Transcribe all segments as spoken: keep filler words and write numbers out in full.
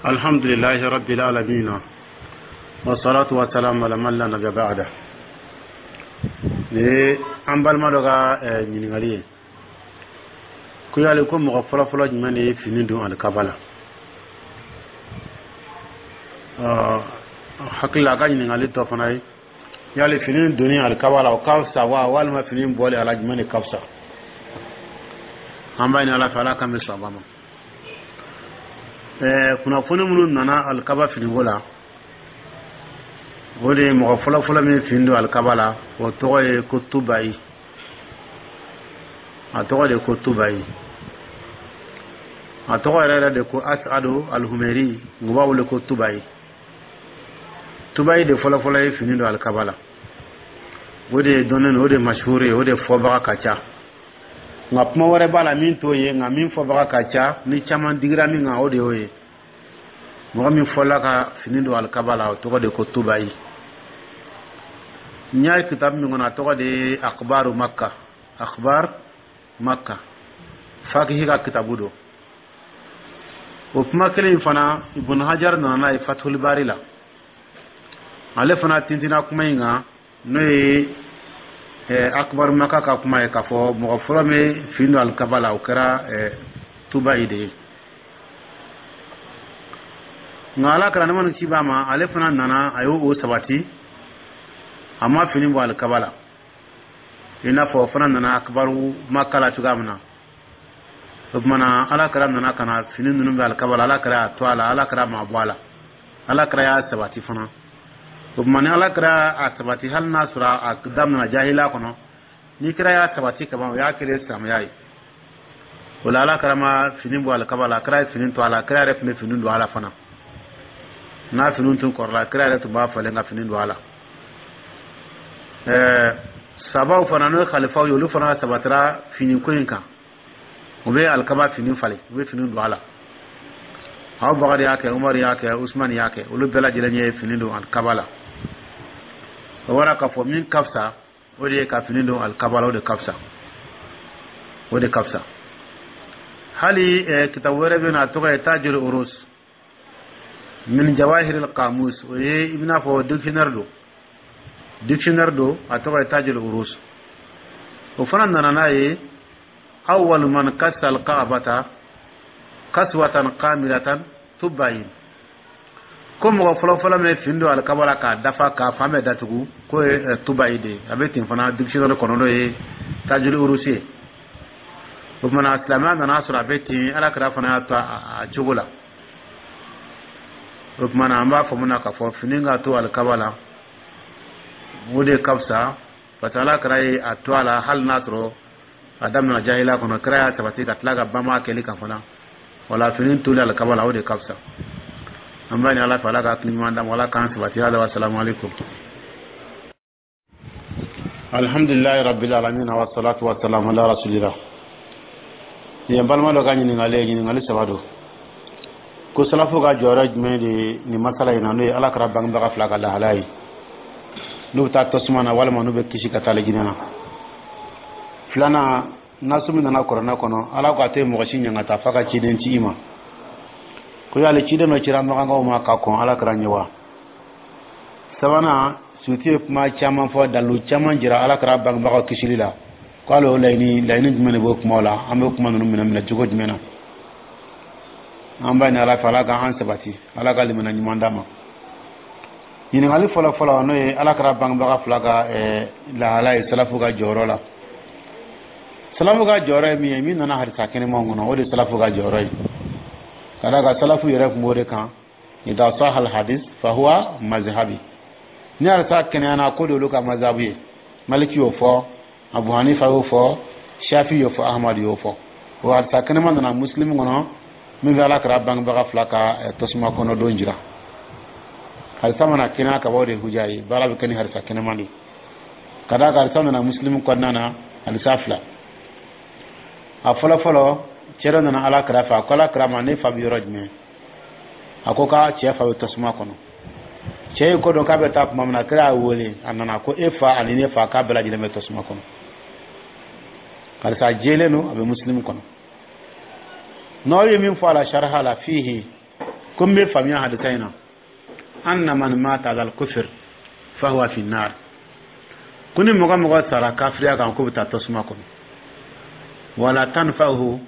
الحمد لله رب العالمين والصلاة والسلام على من لا نبي بعده. Ni an balima dɔ ka ɲininkali ye ko yali ko mɔgɔ fɔlɔfɔlɔ jumɛn de ye fini don alikaba la? Hakili la, a ka ɲininkali tɔ fana ye yali fini donni alikaba la, o ka fisa wa, walima fini bɔli a la, jumɛn de ka fisa? An b'a ɲini Ala fɛ, Ala k'an bɛ sɔn a ma. Kunnafoni minnu nana alikaba finiko la, o de ye mɔgɔ fɔlɔfɔlɔ min fini don alikaba la, o tɔgɔ ye ko Tubayi. A tɔgɔ de ko Tubayi, a tɔgɔ yɛrɛ yɛrɛ de ko Asadu Alhumeri, u b'a wele ko Tubayi. Tubayi de fɔlɔfɔlɔ ye fini don alikaba la. O de ye dɔnnen o de mashuhuri ye, o de fɔbaga ka ca. Nka kuma wɛrɛ b'a la min t'o ye, nka min fɔbaga ka ca ni caman digira min kan, o de y'o ye. Mɔgɔ min fɔla ka fini don alikaba la, o tɔgɔ de ko Tubayi. N y'a ye kitabu min kɔnɔ, a tɔgɔ de ye Akbaru Makka, Akbar Makka, Fakihi ka kitabu don. O kuma kelen in fana, Ibn Hajar nana n'a ye Fathul Bari la. Ale fana tintinna kuma in kan, n'o ye Akbar Maka ka kuma ye, k'a fɔ mɔgɔ fɔlɔ min fini don alikaba la, o kɛra Tubayi de ye. Nka Ala kɛra nɛma ni ci b'a ma, ale fana nana, a y'o o sabati, a ma fini bɔ alikaba la, i n'a fɔ o fana nana Akabaru Maka la cogoya min na. O tuma na, Ala kɛra nana ka na fini ninnu bɛ alikaba la, Ala kɛra y'a to a la, Ala kɛra ma bɔ a la, Ala kɛra y'a sabati fana. O tuma ni Ala kɛra a sabati, hali n'a sɔrɔ a daminɛna jahiliya kɔnɔ, ni kɛra y'a sabati kaban, o y'a kɛlen silamɛya ye. O la, Ala kɛra ma fini bɔ alikaba la, a kɛra ye fini to a la. Kira yɛrɛ tun bɛ fini don a la fana. N'a fini tun kɔrɔla, kira yɛrɛ tun b'a falen ka fini don a la. Ɛɛ sabaw fana, n'o ye khalifaw ye, olu fana sabatira fini ko in kan. U bɛ alikaba fini falen, u bɛ fini don a la. Abubakar y'a kɛ, Umaru y'a kɛ, Usumani y'a kɛ, olu bɛɛ lajɛlen ye fini don alikaba la. O bɔra k'a fɔ min ka fisa, o de ye ka fini don alikaba la. O de ka fisa, o de ka fisa. Hali kitabu wɛrɛ bɛ yen, a tɔgɔ ye Tajul Urus min Jawahir al-Qamus. O ye i bɛna fɔ dictionnaire don, dictionnaire don, a tɔgɔ ye Tajul Urus. O fana nana n'a ye awwal man kassa al-Ka'bata kaswatan kamilatan Tubayin, ko mɔgɔ fɔlɔfɔlɔ min fini don alikaba la k'a dafa, k'a fan bɛɛ datugu, k'o ye Tubayi de ye. A bɛ ten fana dictionnaire kɔnɔ, n'o ye Tajul Urus ye. O tuma na, silamɛya nana sɔrɔ a bɛ ten, Ala kɛra fana y'a to a cogo la. O tuma na, an b'a faamu na k'a fɔ fini ka to alikaba la, o de ka fisa, parce que Ala kɛra ye a to a la, hali n'a sɔrɔ a daminɛ jahiliya kɔnɔ, kira y'a sabati ka tila ka banba kɛli kan fana. Wala fini toli alikaba la, o de ka fisa. An b'a ɲini Ala fɛ, Ala ka hakili ɲuman d'an ma, Ala k'an sabati. Hada wa salamu alaikum. Alhamdulilayi rabbil alamin, wa salatu wa salam ala rasulillah. Nin ye balima dɔ ka ɲininkali ye, ɲininkali saba don. Ko salafu ka jɔyɔrɔ jumɛn de nin masala in na, n'o ye Ala kɛra bangebaga fila ka lahalaya ye, n'u bɛ taa tasuma na walima n'u bɛ kisi ka taa alijinɛ na? Filanan, nasu min nana kuranɛ kɔnɔ, Ala ko a tɛ mɔgɔ si ɲangata f'a ka ciden ci i ma, ko yali ciden dɔ cira makankaw ma ka kɔn Ala kɛra ɲɛ wa? Sabanan, Suyuti ye kuma caman fɔ, dalilu caman jira Ala kɛra bangebagaw kisili la, k'ale o laɲini laɲini jumɛn de b'o kumaw la? An bɛ kuma ninnu minɛ minɛ cogo jumɛn na? An b'a ɲini Ala fɛ, Ala k'an sabati, Ala ka limaniya ɲuman d'an ma. Ɲininkali fɔlɔ fɔlɔ, n'o ye Ala kɛra bangebaga fila ka lahala ye, salafu ka jɔyɔrɔ la, salafu ka jɔyɔrɔ ye min ye, min nana hadisa kɛnɛmanw kɔnɔ, o de ye salafu ka jɔyɔrɔ ye. Ka d'a kan salafu yɛrɛ tun b'o de kan: idha sahal hadis fahuwa mazhabi. Ni hadisa kɛnɛyana, ko de olu ka mazhabu ye. Maliki y'o fɔ, Abu Hanifa y'o fɔ, Shafi y'o fɔ, Ahmad y'o fɔ. O hadisa kɛnɛman nana Muslim kɔnɔ, min bɛ Ala kɛra bangebaga fila ka tasuma kɔnɔ don jira. Hadisa mana kɛnɛya ka bɔ, o de huja ye. Baara bɛ kɛ ni hadisa kɛnɛman de. Ka d'a kan hadisa nana Muslim kɔnɔna na, hadisa fila. A fɔlɔ fɔlɔ, cɛ dɔ nana Ala kɛra fɛ, a ko Ala kɛra ma: ne fa bɛ yɔrɔ jumɛn? A ko k'a cɛ fa bɛ tasuma kɔnɔ. Cɛ ye ko dɔn k'a bɛ taa tuma min na, kira y'a wele, a nana, ko e fa ani ne fa, k'a bɛɛ lajɛlen bɛ tasuma kɔnɔ. Karisa jɛlen don, a bɛ Muslim kɔnɔ. N'aw ye min fɔ a la sariha la, fihi Ko n bɛ faamuya hadisa in na, anna man mata ala al-kufr fahuwa fi nar, ko ni mɔgɔ mɔgɔ sara kafiriya kan, k'o bɛ taa tasuma kɔnɔ. Wala tanfa'uhu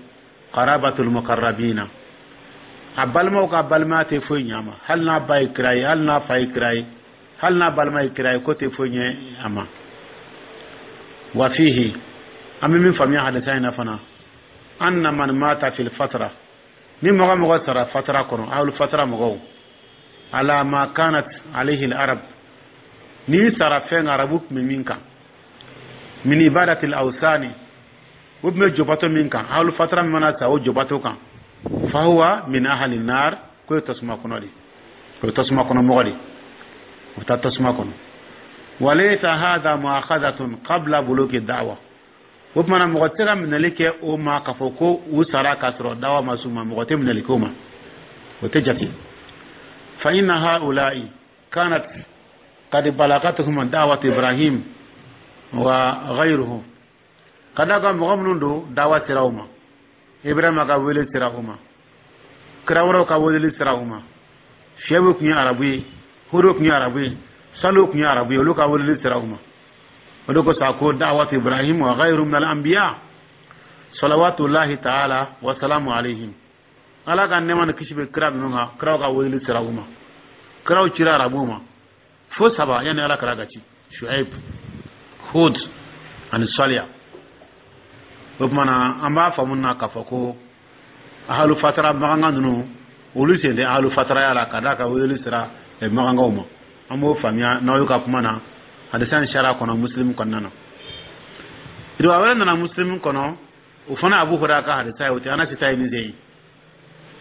qarabatul muqarrabina, a balimaw ka balimaya tɛ foyi ɲɛ a ma. Hali n'a ba ye kira ye, hali n'a fa ye kira ye, hali n'a balima ye kira ye, ko tɛ foyi ɲɛ a ma. Wa fihi, an bɛ min faamuya hadisa in na fana, anna man mata fil fatra, ni mɔgɔ mɔgɔ sara fatara kɔnɔ, ahlul fatara mɔgɔw, ala ma kanat alayhi al arab, n'i sara fɛn arabu tun bɛ min kan, min ibadatil awsani, o tun bɛ jobato min kan, ahlul fatara min mana sa o jobato kan, fahuwa min ahli nar, k'o ye tasuma kɔnɔ de, o ye tasuma kɔnɔ mɔgɔ de, o bɛ taa tasuma kɔnɔ. Walaysa hadha mu'akhadhatun qabla buluki da'wa, o tuma na mɔgɔ tɛ se ka minɛli kɛ o ma k'a fɔ ko u sara k'a sɔrɔ dawa ma s'u ma. Mɔgɔ tɛ minɛli k'o ma, o tɛ jate. Fa inna haula'i kanat qad balagatuhum da'wat Ibrahim wa ghayruhu, ka d'a kan mɔgɔ minnu don, dawa sera u ma, Ibrahima ka wele sera u ma, kira wɛrɛw ka weleli sera u ma. Shuaibu tun ye arabu ye, Hudu tun ye arabu ye, Salihu tun ye arabu ye, olu ka weleli sera u ma. O de kosɔn a ko da'wat Ibrahim wa ghayru min al-anbiya salawatullahi ta'ala wa salamu alayhim, Ala ka nɛɛma ni kisi bɛ kira ninnu kan. Kiraw ka weleli sera u ma. Kiraw cira arabuw ma fo saba yanni Ala kira ka ci: Shuaib, Hud ani Saliya. O tuma na an b'a faamu na k'a fɔ ko ahalu fatara maganka ninnu, olu sen tɛ ahalu fataraya la, ka d'a kan weleli sera magankaw ma. An b'o faamuya n'aw y'u ka kuma na hadisa in sariya kɔnɔ, Muslim kɔnɔna na. Riwaya wɛrɛ nana Muslim kɔnɔ, o fana Abu Hurairah ka hadisa ye, o tɛ Anasi ta ye min ye,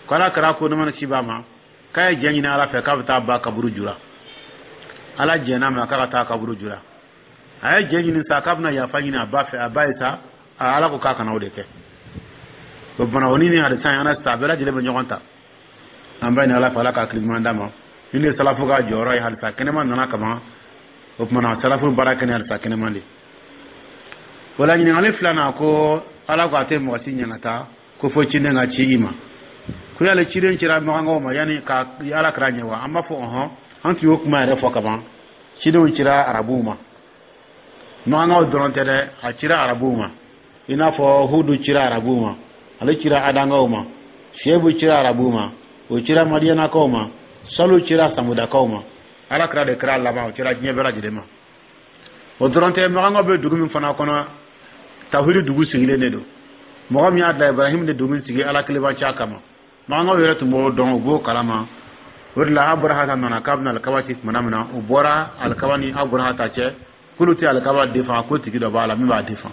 ko Ala kira ko nɛɛma ni kisi b'a ma, k'a ye jɛ ɲini Ala fɛ k'a bɛ taa ba kaburu jura. Ala jɛn'a ma k'a ka taa kaburu jura. A ye jɛ ɲini sa k'a bɛna yafa ɲini a ba fɛ, a ba ye sa, Ala ko k'a kana o de kɛ. O fana, o ni ni hadisa in Anasi ta, a bɛɛ lajɛlen bɛ ɲɔgɔn ta. An b'a ɲini Ala fɛ, Ala ka hakili ɲuman d'a ma. Ni ne salafu ka jɔyɔrɔ ye, hadisa kɛnɛma nana kaban, o tuma na salafu baara kɛ ni hadisa kɛnɛma de o la. Ɲininkali filanan, ko Ala ko a tɛ mɔgɔ si ɲangata ko fo ciden ka ci i ma, ko yali ciden cira magankaw ma yanni ka Ala kira ɲɛ wa? An b'a fɔ ɔhɔn, an tun y'o kuma yɛrɛ fɔ kaban. Cidenw cira arabuw ma, magankaw dɔrɔn tɛ dɛ, a cira arabuw ma. I n'a fɔ Hudu cira arabuw ma, ale cira adankaw ma. Shuaibu cira arabuw ma, o cira madiyanakaw ma. Salu cira samudakaw ma. Ala kira de kɛra laban, o cira diɲɛ bɛɛ lajɛlen ma. O dɔrɔn tɛ, magankaw bɛ dugu min fana kɔnɔ, tawhidi dugu sigilen de don. Mɔgɔ min y'a da, Ibrahim de dugu sigi Ala kelenbanciya kama. Magankaw yɛrɛ tun b'o dɔn, u b'o kalama. O de la Aburahata nana k'a bɛna alikaba ci tuma min na, u bɔra alikaba ni Aburahata cɛ, k'olu tɛ alikaba defan, ko tigi dɔ b'a la min b'a defan.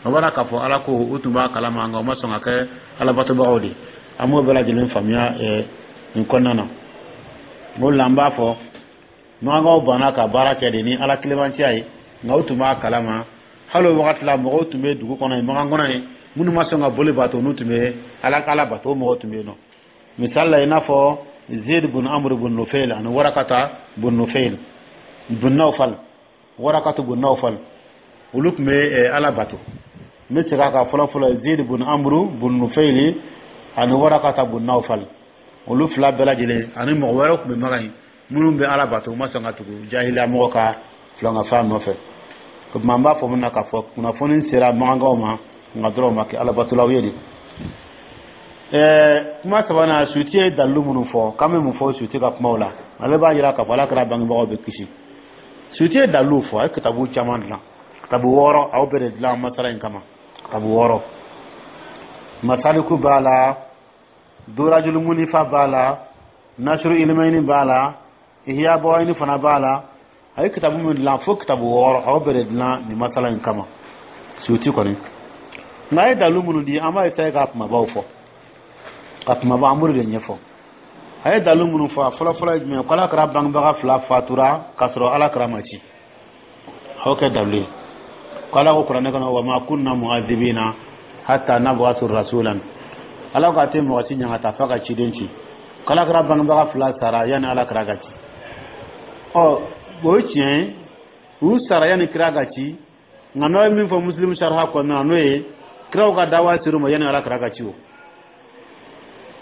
O bɔra k'a fɔ Ala ko u tun b'a kalama, nka u ma sɔn ka kɛ alabatobagaw de. An b'o bɛɛ lajɛlen faamuya nin kɔnɔna na. O de la an b'a fɔ magankaw banna ka baara kɛ de ni Ala kelenbanciya ye, nka u tun b'a kalama. Hali o wagati la, mɔgɔw tun bɛ dugu kɔnɔ yen, magan kɔnɔ yen, minnu ma sɔn ka boli bato, n'u tun bɛ ala ala bato, o mɔgɔw tun bɛ yen nɔ. Misali la, i n'a fɔ Zed bun Amr bun Nufayl ani Warakata bun Nufayl bun Nawfal, Warakatu bun Nawfal, olu tun bɛ Ala bato. N bɛ segin a kan, fɔlɔ fɔlɔ, Zed bun Amr bun Nufayl ani Warakata bun Nawfal, olu fila bɛɛ lajɛlen ani mɔgɔ wɛrɛw tun bɛ magan yen minnu bɛ Ala bato, u ma sɔn ka tugu jahiliya mɔgɔ ka filankafa nɔfɛ. O tuma an b'a fɔ mun na k'a fɔ kunnafoni sera magankaw ma, nka dɔrɔn u ma kɛ alabatolaw ye de. Ɛɛ kuma sabanan, Suti ye dalilu minnu fɔ, k'an bɛ mun fɔ Suti ka kumaw la? Ale b'a jira k'a fɔ Ala kɛra bangebagaw bɛ kisi. Suti ye dalilu fɔ, a ye kitabu caman dilan, kitabu wɔɔrɔ, aw bɛɛ de dilan masala in kama, kitabu wɔɔrɔ. Masaliku b'a la, Durajulu Munifa b'a la, Nasuru Ilimayini b'a la, Ihya Bawayini fana b'a la. A ye kitabu min dilan, fo kitabu wɔɔrɔ, aw bɛɛ de dilan nin masala in kama, Suti kɔni. Nka a ye dalilu minnu di, an b'a essayer ka kumabaw fɔ, ka kumaba an b'olu de ɲɛfɔ. A ye dalilu minnu fɔ, a fɔlɔ fɔlɔ ye jumɛn ye? Ko Ala kɛra bangebaga fila fatura k'a sɔrɔ Ala kɛra ma ci. A y'o kɛ dalilu ye, ko Ala ko kuranɛ kɔnɔ: wa ma kunna mu'adhibina hatta nab'atha rasulan. Ala ko a tɛ mɔgɔ si ɲangata f'a ka ciden ci. Ko Ala kɛra bangebaga fila sara yanni Ala kɛra ka ci. Ɔ, o ye tiɲɛ ye, u sara yanni kira ka ci, nka n'aw ye min fɔ Muslim sariya kɔnɔna na, n'o ye kiraw ka dawa ser'u ma yanni Ala kɛra ka ci, o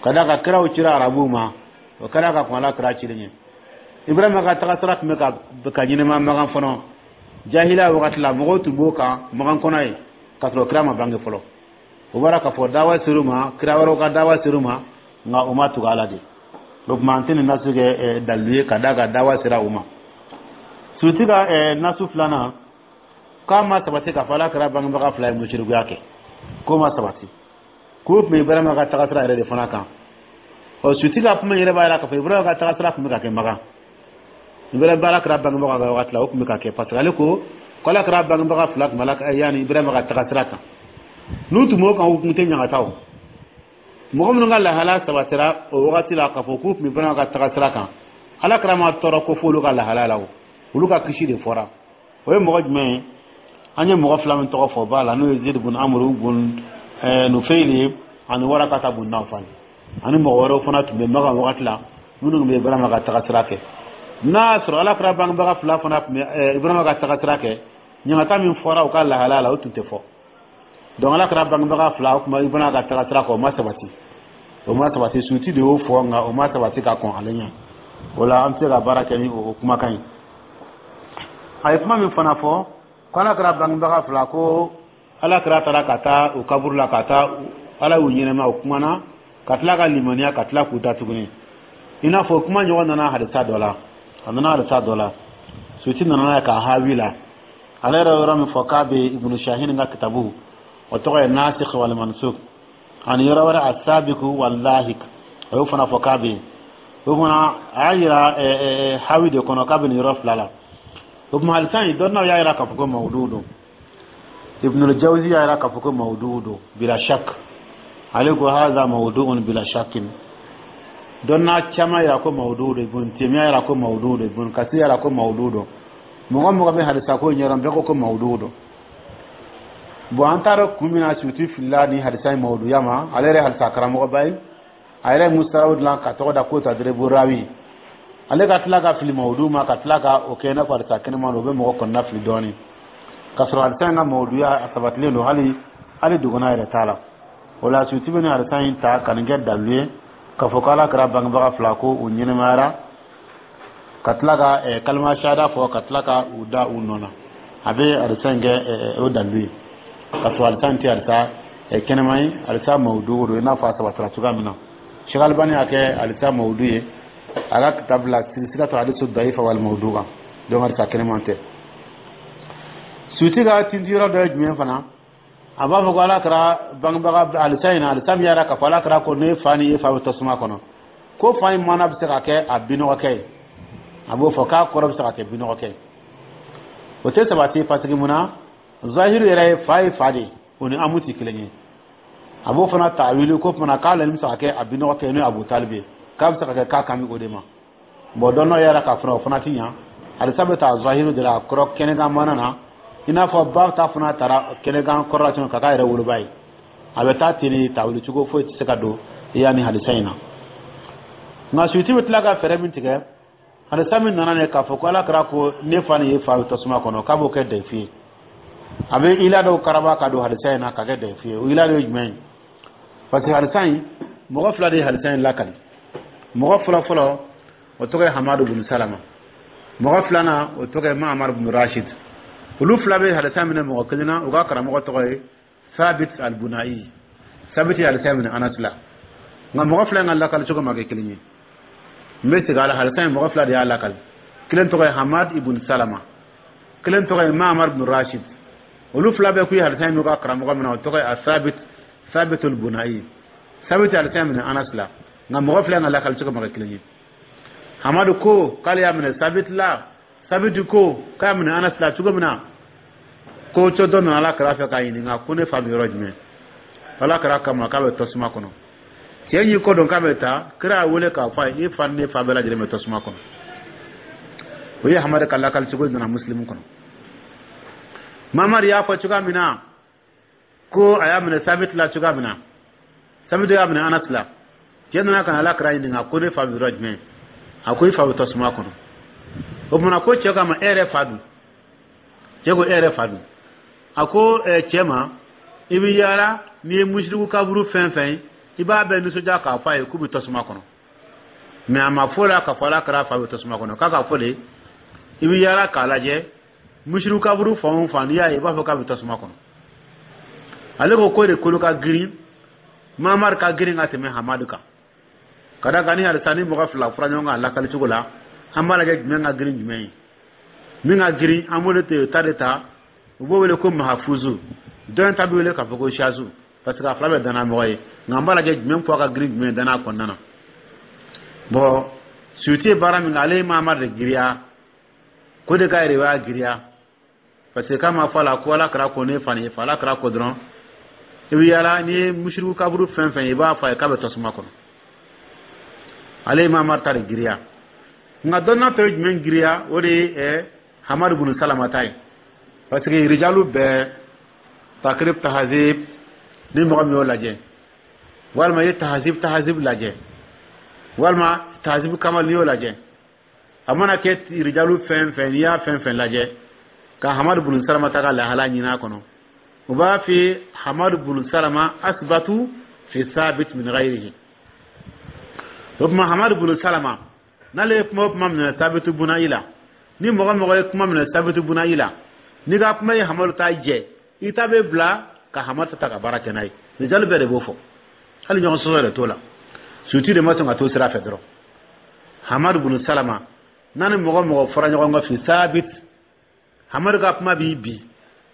ka d'a kan kiraw cira arabuw ma. O kɛra ka kɔn Ala kira cili ɲɛ. Ibrahima ka tagasira tun bɛ ka ka ɲɛnɛma Makan fɔlɔ. Jahiliya wagati la, mɔgɔw tun b'o kan Makan kɔnɔ ye k'a sɔrɔ kira ma bange fɔlɔ. O bɔra k'a fɔ dawa ser'u ma, kira wɛrɛw ka dawa ser'u ma, nka u ma tugu Ala de. O tuma, an tɛ nin nasu kɛ dalilu ye ka d'a kan dawa sera u ma. Suti ka nasu filanan, k'a ma sabati k'a fɔ Ala kɛra bangebaga fila ye musirikuya kɛ, k'o ma sabati, k'o tun bɛ Ibrahima ka tagasira yɛrɛ de fana kan. Ɔ, Suti ka kuma yɛrɛ b'a jira k'a fɔ Ibrahima ka tagasira tun bɛ ka kɛ Makan. Ibrahima, Ala kɛra bangebaga ka wagati la, o tun bɛ ka kɛ, parce que ale ko ko Ala kɛra bangebaga fila tun bɛ Ala yanni Ibrahima ka tagasira kan. N'u tun b'o kan, u tun tɛ ɲagata. O mɔgɔ minnu ka lahala sabatira o wagati la k'a fɔ k'u tun bɛ Ibrahima ka tagasira kan, Ala kɛra ma tɔɔrɔ ko f'olu ka lahala la. O olu ka kisi de fɔra. O ye mɔgɔ jumɛn ye? An ye mɔgɔ fila min tɔgɔ fɔ ba la, n'o ye Zid bun Amuru bun Nufeyili ye ani Warakata bun Nawfal, ani mɔgɔ wɛrɛw fana tun bɛ Makan wagati la minnu tun bɛ Ibrahima ka tagasira kɛ. N'a y'a sɔrɔ Ala kɛra bangebaga fila fana tun bɛ Ibrahima ka tagasira kɛ, ɲangata min fɔra u ka lahala la, o tun tɛ fɔ. Donc Ala kɛra bangebaga fila, o tun bɛ Ibrahima ka tagasira kɛ, o ma sabati, o ma sabati. Suti de y'o fɔ, nka o ma sabati ka kɔn ale ɲɛ. O la, an tɛ se ka baara kɛ ni o kumakan ye. A ye kuma min fana fɔ ko Ala kɛra bangebaga fila, ko Ala kɛra taara ka taa u kaburu la, ka taa Ala y'u ɲɛnɛma, o kumana ka tila ka limaniya, ka tila k'u da tuguni, i n'a fɔ kuma ɲɔgɔn nana hadisa dɔ la. A nana hadisa dɔ la, Suti nana n'a ye k'a hawi la. Ale yɛrɛ yɔrɔ min fɔ k'a bɛ Ibnu Shahin ka kitabu, o tɔgɔ ye Nasikh wal Mansukh, ani yɔrɔ wɛrɛ Asabiku wal Lahik, o y'o fana fɔ k'a bɛ yen. O fana a y'a yira hawi de kɔnɔ k'a bɛ nin yɔrɔ fila la. O tuma, hadisa in, dɔnniyaw y'a yira k'a fɔ ko mawudu don. Ibnul Jawzi y'a yira k'a fɔ ko mawudu don bila shak. Ale ko haza mawdu'un bila shakin. Dɔnna caman yira ko mawudu don. Ibn Taymiya yira ko mawudu don, Ibn Kasir yira ko mawudu don. Mɔgɔ mɔgɔ bɛ hadisa ko ɲɛdɔn, bɛɛ ko ko mawudu don. Bon, an t'a dɔn kun min na Suti filila ni hadisa in mawuduya ma. Ale yɛrɛ hadisa karamɔgɔba ye, a yɛrɛ ye mustaraw dilan ka tɔgɔ da ko Tadribu Rawi. Ale ka tila ka fili mawudu ma, ka tila ka o kɛ i n'a fɔ hadisa kɛnɛma don, o bɛ mɔgɔ kɔnɔna fili dɔɔnin, ka sɔrɔ hadisa in ka mawuduya a sabatilen don, hali hali dogona yɛrɛ t'a la. O la, Suti bɛ nin hadisa in ta ka nin kɛ dalilu ye k'a fɔ ko Ala kɛra bangebaga fila ko u ɲɛnɛmayara ka tila ka kalima shahada fɔ, ka tila ka u da u nɔ na. A bɛ hadisa in kɛ o dalilu ye, ka sɔrɔ hadisa in tɛ hadisa kɛnɛma ye, hadisa mawudu don, i n'a fɔ a sabatira cogoya min na. Sheikh Albani y'a kɛ hadisa mawudu ye a ka kitabu la, silsilatu hadisu daifa wal mawdu kan. Donc hadisa kɛnɛman tɛ. Suti ka tinti yɔrɔ dɔ ye jumɛn fana? A b'a fɔ ko Ala kɛra bangebaga hadisa in na, hadisa min yɛrɛ k'a fɔ Ala kɛra ko ne fa ni e fa bɛ tasuma kɔnɔ, ko fa in mana bɛ se ka kɛ a binɔgɔkɛ ye. A b'o fɔ k'a kɔrɔ bɛ se ka kɛ binɔgɔkɛ ye. O tɛ sabati, parce que mun na? Zahiru yɛrɛ ye fa ye, fa de ye, o ni amu tɛ kelen ye. A b'o fana tawili ko fana k'ale bɛ se ka kɛ a binɔgɔkɛ ye, n'o ye Abu Talibi ye, k'a bɛ se ka kɛ k'a kan bɛ o de ma. Bon, dɔn yɛrɛ k'a fana, o fana ti ɲa. Hadisa bɛ taa zahiru de la, a kɔrɔ kɛnɛkan mana na, i n'a fɔ ba ta fana taara kɛnɛkan kɔrɔ la cogo ka k'a yɛrɛ woloba ye. A bɛ taa ten de, tawili cogo foyi tɛ se ka don i y'a ni hadisa in na. Nka Suti bɛ tila ka fɛɛrɛ min tigɛ, hadisa min nana ne k'a fɔ ko Ala kɛra ko ne fa ni e fa bɛ tasuma kɔnɔ, k'a b'o kɛ dayifu ye. A bɛ ila dɔw karaba ka don hadisa in na ka kɛ dayifu ye. O ila dɔ ye jumɛn ye? Parce que hadisa in, mɔgɔ fila de ye hadisa in lakali. Mɔgɔ fɔlɔ fɔlɔ, o tɔgɔ ye Hamadu bin Salama. Mɔgɔ filanan, o tɔgɔ ye Mahamadu bin Rashid. Olu fila bɛ hadisa minɛ mɔgɔ kelen na, u ka karamɔgɔ tɔgɔ ye Sabit al-Bunai. Sabit ye hadisa minɛ Anas la, nka mɔgɔ fila in ka lakali cogo ma kɛ kelen ye. N bɛ segin a la: hadisa in, mɔgɔ fila de y'a lakali. Kelen tɔgɔ ye Hamad ibn Salama, kelen tɔgɔ ye Mahamad bin Rashid. Olu fila bɛɛ k'u ye hadisa in n'u ka karamɔgɔ minɛ, o tɔgɔ ye Sabit, Sabit al-Bunai. Sabit ye hadisa in minɛ Anas la, nka mɔgɔ fila in ka lakali cogo ma kɛ kelen ye. Hamadu ko k'ale y'a minɛ Sabit la, Sabit ko k'a y'a minɛ Anas la. Cogo min na, ko cɛ dɔ nana Ala kɛra fɛ k'a ɲininka ko ne fa bɛ yɔrɔ jumɛn? Ala kɛra kama k'a bɛ tasuma kɔnɔ. Cɛ y'i kɔ dɔn k'a bɛ taa, kira y'a wele k'a fɔ a ye: i fa ni ne fa bɛɛ lajɛlen bɛ tasuma kɔnɔ. O ye Hamadu ka lakali cogo nana Musilimu kɔnɔ. Mamadu y'a fɔ cogoya min na ko a y'a minɛ Sabit la cogoya min na, Sabit y'a minɛ Anas la. Cɛ nana ka na Ala kɛra ɲininka ko ne fa bɛ yɔrɔ jumɛn? A ko i fa bɛ tasuma kɔnɔ. O tuma, ko cɛ k'a ma: e yɛrɛ fa dun? Cɛ ko: e yɛrɛ fa dun? A ko cɛ ma: i bɛ yaala n'i ye musiriku kaburu fɛn fɛn ye, i b'a bɛɛ nisɔndiya k'a fɔ a ye k'u bɛ tasuma kɔnɔ. Mais a ma fɔ la k'a fɔ Ala kira fa bɛ tasuma kɔnɔ. K'a ka fɔ de, i bɛ yaala k'a lajɛ musiriku kaburu fan o fan, n'i y'a ye, i b'a fɔ k'a bɛ tasuma kɔnɔ. Ale ko k'o de kolo ka girin, Mamari ka girin ka tɛmɛ Hamadu kan, ka da kan ni halisa ni mɔgɔ fila fura ɲɔgɔn kan a lakali cogo la, an b'a lajɛ jumɛn ka girin jumɛn ye. Min ka girin, an b'o de ta de ta, u b'o wele ko mahafuzu. Dɔ in ta bɛ wele k'a fɔ ko shazu, parce que a fila bɛ danna mɔgɔ ye, nka an b'a lajɛ jumɛn poids ka girin jumɛn ye danna kɔnɔna na. Bon, Suyuti ye baara min kɛ, ale ye Mamari de giriya ko de ka yɛrɛ giriya, parce que k'a ma fɔ a la ko Ala kɛra ko ne fa ni fa, Ala kɛra ko dɔrɔn, i bɛ yaala, n'i ye musiriku kaburu fɛn fɛn ye, i b'a fɔ a ye k'a bɛ tasuma kɔnɔ. Ale ye Mamari ta de giriya, nka dɔnna tɔ ye jumɛn giriya? O de ye ɛ Hamadu bunu Salama ta ye, parce que rijalu bɛɛ, Takrib Tahazib, ni mɔgɔ min y'o lajɛ, walima i ye Tahazib Tahazib lajɛ, walima Tahazib Kamal, n'i y'o lajɛ, a mana kɛ rijalu fɛn fɛn, n'i y'a fɛn fɛn lajɛ ka Hamadu bunu Salama ta ka lahala ɲini a kɔnɔ, u b'a fi Hamadu bunu Salama asbatu fi sabit min ghayrihi. O tuma Hamadu bunu Salama, n'ale ye kuma o kuma minɛ Sabitu buna i la, ni mɔgɔ mɔgɔ ye kuma minɛ Sabitu buna i la, n'i ka kuma ye Hamadu ta jɛ, i ta bɛ bila ka Hamadu ta ka baara kɛ n'a ye. Rijalu bɛɛ de b'o fɔ, hali ɲɔgɔn sɔsɔ yɛrɛ t'o la. Suyuti de ma sɔn ka t'o sira fɛ dɔrɔn. Hamadu bunu Salama n'a ni mɔgɔ mɔgɔ fɔra ɲɔgɔn kɔ fi sabit, Hamadu ka kuma b'i bi,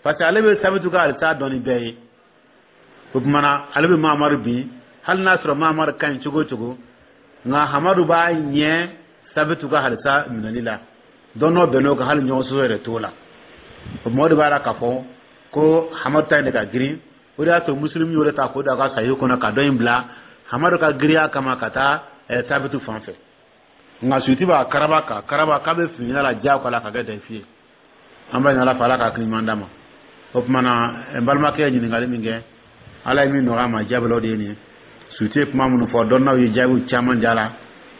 parce que ale bɛ Sabitu ka alisa dɔn ni bɛɛ ye. O tuma na, ale bɛ Mamadu bin, hali n'a sɔrɔ Mamadu ka ɲi cogo o cogo, nka Hamadu b'a ɲɛ Sabitu ka halisa minɛli la. Dɔn bɛn n'o kan, hali ɲɔgɔn sɔsɔ yɛrɛ t'o la. O tuma, o de b'a la k'a fɔ ko Hamadu ta in de ka girin. O de y'a to Musilimu y'o de ta k'o don a ka sayi kɔnɔ, ka dɔ in bila Hamadu ka giriya kama ka taa Sabitu fan fɛ. Nka Suyuti b'a karaba ka karaba k'a bɛ fini la diyagoya la ka kɛ dayifi ye. An b'a ɲini Ala fɛ, Ala ka hakili ɲuman d'a ma. O tuma na, n balimakɛ ye ɲininkali min kɛ, Ala ye min nɔgɔya ma, jaabi la, o de ye nin ye. Suyuti ye kuma minnu fɔ, dɔnnaw ye jaabiw caman di a la,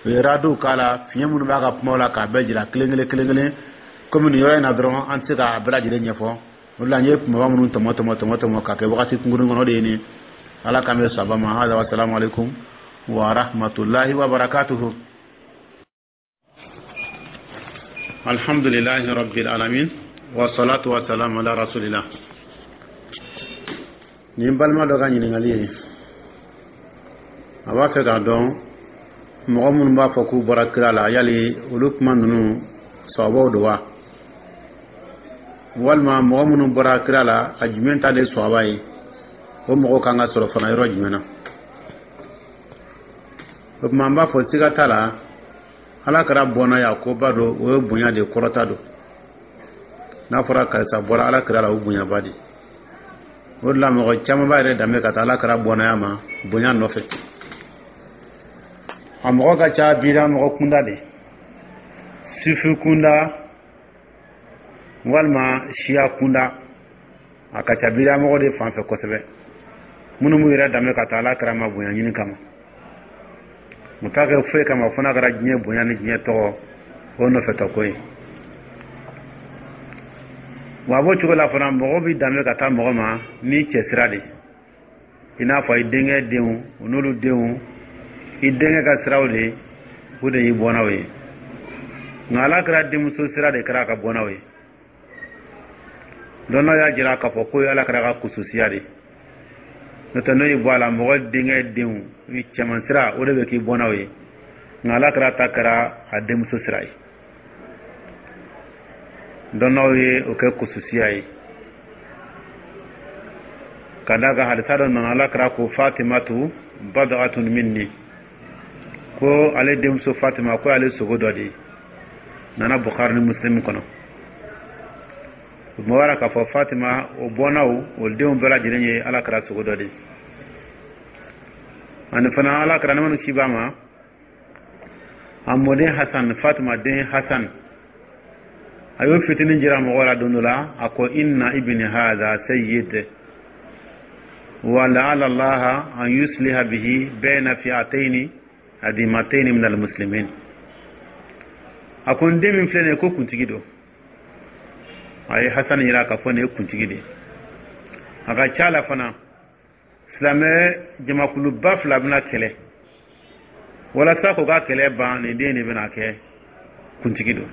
u ye radiw k'a la, fiɲɛ minnu b'a ka kumaw la, k'a bɛɛ jira kelen kelen kelen kelen. Komi nin yɔrɔ in na dɔrɔn, an tɛ se k'a bɛɛ lajɛlen ɲɛfɔ, o de la n ye kumaba minnu tɔmɔ tɔmɔ tɔmɔ tɔmɔ ka kɛ wagati kunkurunin kɔnɔ, o de ye nin. Ala k'an bɛ saba ma. Hada wa salamu alaikum wa rahmatullahi wa barakatuhu. Alhamdulillahi rabbil alamin, wa salatu wa salam ala rasulillah. Nin balima dɔ ka ɲininkali ye, a b'a fɛ k'a dɔn mɔgɔ minnu b'a fɔ k'u bɔra kira la, yali olu kuma ninnu sababuw don wa, walima mɔgɔ minnu bɔra kira la, a jumɛn ta de ye sɔaba ye? O mɔgɔw kan ka sɔrɔ fana yɔrɔ jumɛn na? O tuma, an b'a fɔ siga t'a la, Ala kɛra bɔnna koba don, o ye bonya de kɔrɔta don. N'a fɔra karisa bɔra Ala kira la, o bonyaba de. O de la, mɔgɔ caman b'a yɛrɛ danbe ka taa Ala kɛra bɔnnaya ma bonya nɔfɛ. A mɔgɔ ka ca bida mɔgɔ kunda de, sifi kunda walima siya kunda, a ka ca bida mɔgɔ de fan fɛ kosɛbɛ, minnu b'u yɛrɛ danbe ka taa Ala kɛra ma bonya ɲini kama. U t'a kɛ foyi kama fo n'a kɛra diɲɛ bonya ni diɲɛ tɔgɔ, o nɔfɛ tɔ ko ye. Wa a b'o cogo la fana, mɔgɔ bɛ danbe ka taa mɔgɔ ma ni cɛsira de, i n'a fɔ i denkɛ denw, o n'olu denw, i denkɛ ka siraw de, o de y'i bɔnnaw ye. Nka Ala kɛra denmuso sira de kɛra a ka bɔnnaw ye. Dɔnnaw y'a jira k'a fɔ ko ye Ala kɛra ka kususiya de, n'o tɛ n'o y'i bɔ a la, mɔgɔ denkɛ denw i cɛman sira, o de bɛ k'i bɔnnaw ye. Nka Ala kɛra ta kɛra a denmuso sira ye. Dɔnnaw ye o kɛ kususiya ye, ka d'a kan hadisa dɔ nana, Ala kɛra ko Fatimatu bad'atun minni, ko ale denmuso Fatima, ko ale sogo dɔ de ye. Nana Bukhari ni Muslim kɔnɔ. O bɔra k'a fɔ Fatima o bɔnnaw, o denw bɛɛ lajɛlen ye Ala kɛra sogo dɔ de ye. Ani fana, Ala kɛra ne ci b'a ma, a mɔden Hasan, Fatima den Hasan, a y'o fitinin jira mɔgɔ la don dɔ la, a ko: inna ibni hadha sayyid wa la'alla allaha an yusliha bihi bayna fi'ataini adimataini min almuslimin. A ko n den min filɛ nin ye, ko kuntigi don. A ye Hasan yira k'a fɔ nin ye kuntigi de ye. A ka ca la fana, silamɛ jamakuluba fila bɛna kɛlɛ. Walasa k'u ka kɛlɛ ban, nin den de bɛna kɛ kuntigi don.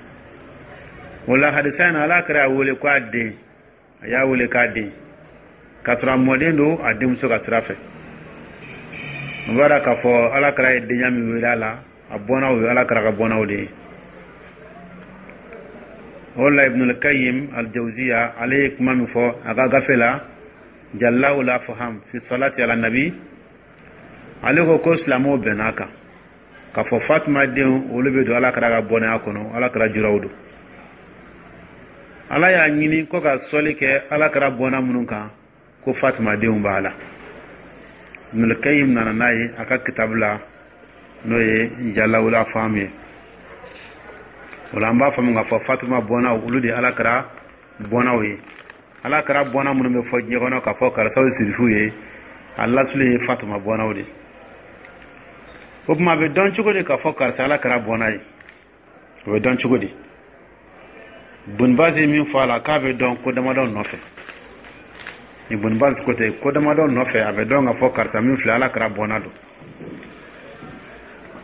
O la, hadisa in na, Ala kɛra a wele ko a den, a y'a wele k'a den, k'a sɔrɔ a mɔden don a denmuso ka sira fɛ. O b'a dɔn k'a fɔ Ala kɛra ye denya min wele a la, a bɔnnaw ye Ala kɛra ka bɔnnaw de ye. O la, Ibnul Qayyim al-Jawziya, ale ye kuma min fɔ a ka gafe la, Jala'ul Afham fi salati ala nabi, ale ko ko silamɛw bɛn'a kan k'a fɔ Fatima denw, olu bɛ don Ala kɛra ka bɔnɛya kɔnɔ, Ala kɛra juraw don. Ala y'a ɲini ko ka sɔli kɛ Ala kɛra bɔnna minnu kan, ko Fatima denw b'a la. Ibnul Qayyim nana n'a ye a ka kitabu la, n'o ye Jala'ul Afham ye. O la, an b'a faamu k'a fɔ Fatima bɔnnaw, olu de ye Ala kɛra bɔnnaw ye. Ala kɛra bɔnna minnu bɛ fɔ diɲɛ kɔnɔ k'a fɔ karisaw ye sirifuw ye, a lasulu ye Fatima bɔnnaw de. O tuma, a bɛ dɔn cogo di k'a fɔ karisa Ala kɛra bɔnna ye? O bɛ dɔn cogo di? Bun Baz ye min fɔ a la, k'a bɛ dɔn ko damadɔ nɔfɛ. Ni Bun Baz ko ten, ko damadɔ nɔfɛ, a bɛ dɔn k'a fɔ karisa min filɛ, Ala kɛra bɔnna don.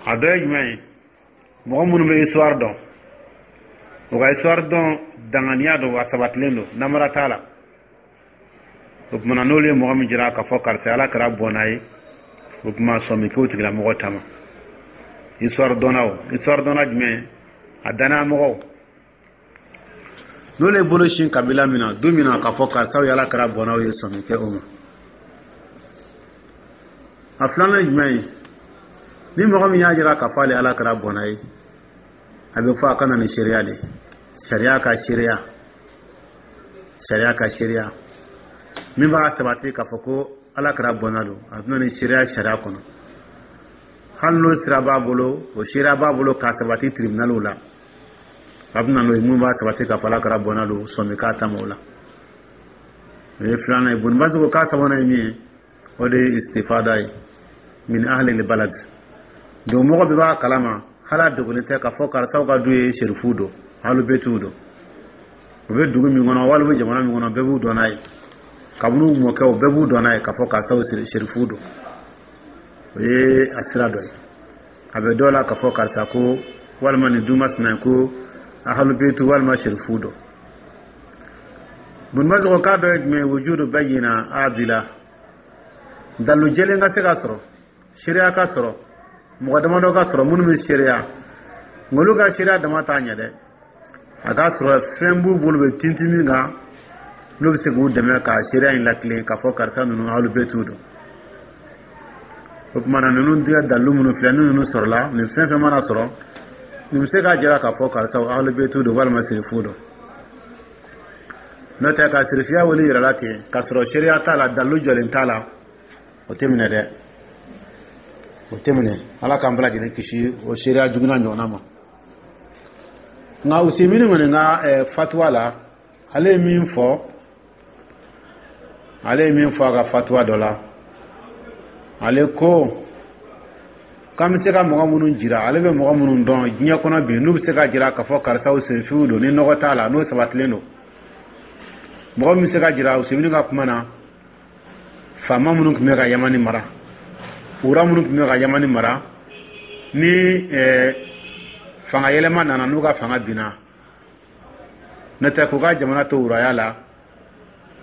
A dɔ ye jumɛn ye? Mɔgɔ minnu bɛ histoire dɔn, u ka histoire dɔn danganiya don, a sabatilen don, namara t'a la. O tuma na, n'olu ye mɔgɔ min jira k'a fɔ karisa Ala kɛra bɔnna ye, o tuma sɔmi k'o tigilamɔgɔ ta ma. Histoire dɔnna, o histoire dɔnna jumɛn? A danaya mɔgɔw, n'olu ye bolo sin kabila min na, du min na, k'a fɔ karisaw ye Ala kɛra bɔnnaw ye, sɔmi kɛ o ma. A filanan ye jumɛn ye? Ni mɔgɔ min y'a jira k'a fɔ ale Ala kɛra bɔnna ye, a bɛ fɔ a ka na ni seereya de, sariya ka seereya, sariya ka seereya min b'a sabati k'a fɔ ko Ala kɛra bɔnna don. A bɛ na ni seereya sariya kɔnɔ, hali n'o sira b'a bolo, o seereya b'a bolo k'a sabati tribunaliw la, a bɛ na n'o ye mun b'a sabati k'a fɔ Ala kɛra bɔnna don, sɔmi k'a ta ma o la. O ye filanan ye. Bun Baz ko k'a sabanan ye min ye, o de ye istifada ye min ahli balad. Donc mɔgɔ bɛɛ b'a kalama, hali a dogolen tɛ, k'a fɔ karisaw ka du ye serifu don, alubetuw don. U bɛ dugu min kɔnɔ walima u bɛ jamana min kɔnɔ, bɛɛ b'u dɔn n'a ye. Kabini u mɔkɛw, bɛɛ b'u dɔn n'a ye k'a fɔ karisaw serifu don. O ye a sira dɔ ye. A bɛ dɔw la k'a fɔ karisa ko walima nin du masina ko ahalubetu walima serifu don. Bun Baz ko k'a dɔ ye jumɛn ye? Wujudu bayyina adila, dalu jɛlen ka se ka sɔrɔ, seereya ka sɔrɔ, mɔgɔ damadɔ ka sɔrɔ minnu bɛ seereya. Nka olu ka seereya dama t'a ɲɛ dɛ, a k'a sɔrɔ fɛn b'u bolo bɛ tintin min kan, n'u bɛ se k'u dɛmɛ ka seereya in latilen k'a fɔ karisa ninnu alubetu don. O tuma na, ninnu tigɛ dalilu minnu filɛ, ni ninnu sɔrɔla, nin fɛn fɛn mana sɔrɔ, nin bɛ se k'a jira k'a fɔ karisa alubetu don walima sirifu don. N'o tɛ, ka sirifiya wele yɛrɛ la ten k'a sɔrɔ seereya t'a la, dalilu jɔlen t'a la, o tɛ minɛ dɛ, o tɛ minɛ. Ala k'an bɛɛ lajɛlen kisi o seereya juguya ɲɔgɔnna ma. Nka Usemini kɔni ka fatuwa la, ale ye min fɔ, ale ye min fɔ a ka fatuwa dɔ la, ale ko k'an bɛ se ka mɔgɔ minnu jira, ale bɛ mɔgɔ minnu dɔn diɲɛ kɔnɔ bi, n'u bɛ se ka jira k'a fɔ karisaw senfiw don, ni nɔgɔ t'a la, n'o sabatilen don, mɔgɔ min bɛ se ka jira Usemini ka kuma na, faama minnu tun bɛ ka Yamani mara, wura minnu tun bɛ ka Yamani mara, ni fanga yɛlɛma nana, n'u ka fanga binna, n'o tɛ k'u ka jamana to wuraya la,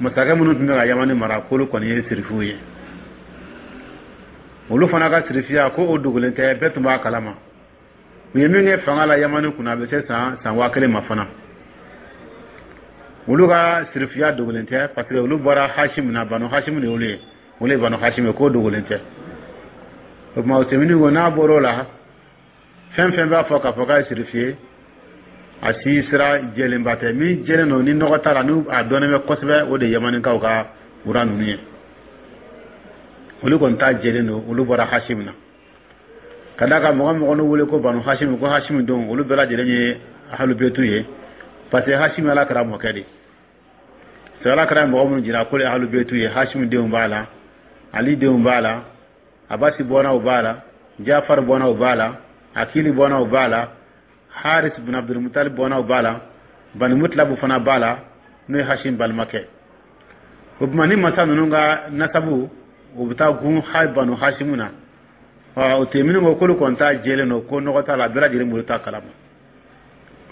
masakɛ minnu tun bɛ ka Yamani mara, k'olu kɔni ye sirifuw ye. Olu fana ka sirifiya ko o dogolen tɛ, bɛɛ tun b'a kalama. U ye min kɛ fanga la Yamani kunna, a bɛ se san san waa kelen ma fana. Olu ka sirifiya dogolen tɛ, parce que olu bɔra Hashim na, Banu Hashim de olu ye, olu ye Banu Hashim ye, k'o dogolen tɛ. O tuma, Usemini ko n'a bɔr'o la, fɛn fɛn b'a fɔ k'a fɔ k'a ye sirifi ye, a si sira jɛlenba tɛ. Min jɛlen don, ni nɔgɔ t'a la, n'u a dɔnnen bɛ kosɛbɛ, o de ye Yamanikaw ka wura ninnu ye. Olu kɔni ta jɛlen don, olu bɔra Hashim na. Ka d'a kan mɔgɔ mɔgɔ n'u wele ko Banu Hashim, ko Hashim don, olu bɛɛ lajɛlen ye ahalubetu ye, parce que Hashim Ala kɛra mɔkɛ de. C'est Ala kɛra mɔgɔ minnu jira ko ahalubetu ye, Hashim denw b'a la, Ali denw b'a la, Abasi bɔnnaw b'a la, Jafar bɔnnaw b'a la, Akili bɔnnaw b'a la, Haris bin Abdulmutalib bɔnnaw b'a la, Bani Mutlabu fana b'a la, n'o ye Hashim balimakɛ. O tuma, ni masa ninnu ka nasabu, o bɛ taa gun ha Banu Hashimu na. O tɛ minnu ko k'olu kɔni ta jɛlen don, ko nɔgɔ t'a la, bɛɛ lajɛlen bolo t'a kalama.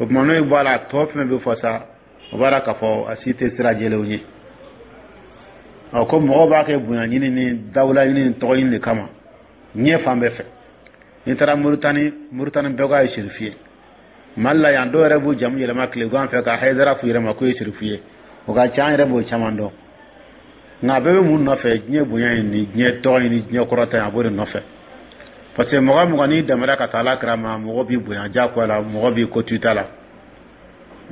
O tuma n'o ye bɔ a la, a tɔ fɛn bɛ fɔ sa, o b'a la k'a fɔ a si tɛ sira jɛlenw ye. Ɔ, ko mɔgɔw b'a kɛ bonya ɲini ni dawula ɲini ni tɔgɔ ɲini de kama diɲɛ fan bɛɛ fɛ. N'i taara Moritani, Moritani bɛɛ k'a ye sirifu ye. Mali la yan, dɔw yɛrɛ b'u jamu yɛlɛma tilegan fɛ ka Hayidara f'u yɛrɛ ma k'o ye sirifu ye. O ka ca, an yɛrɛ b'o caman dɔn. Nka a bɛɛ bɛ mun nɔfɛ? Diɲɛ bonya in ni diɲɛ tɔgɔ in ni diɲɛ kɔrɔta in, a b'o de nɔfɛ, parce que mɔgɔ mɔgɔ n'i dɛmɛra ka taa Ala kira ma, mɔgɔ b'i bonya diyagoya la, mɔgɔ b'i ko to i ta la,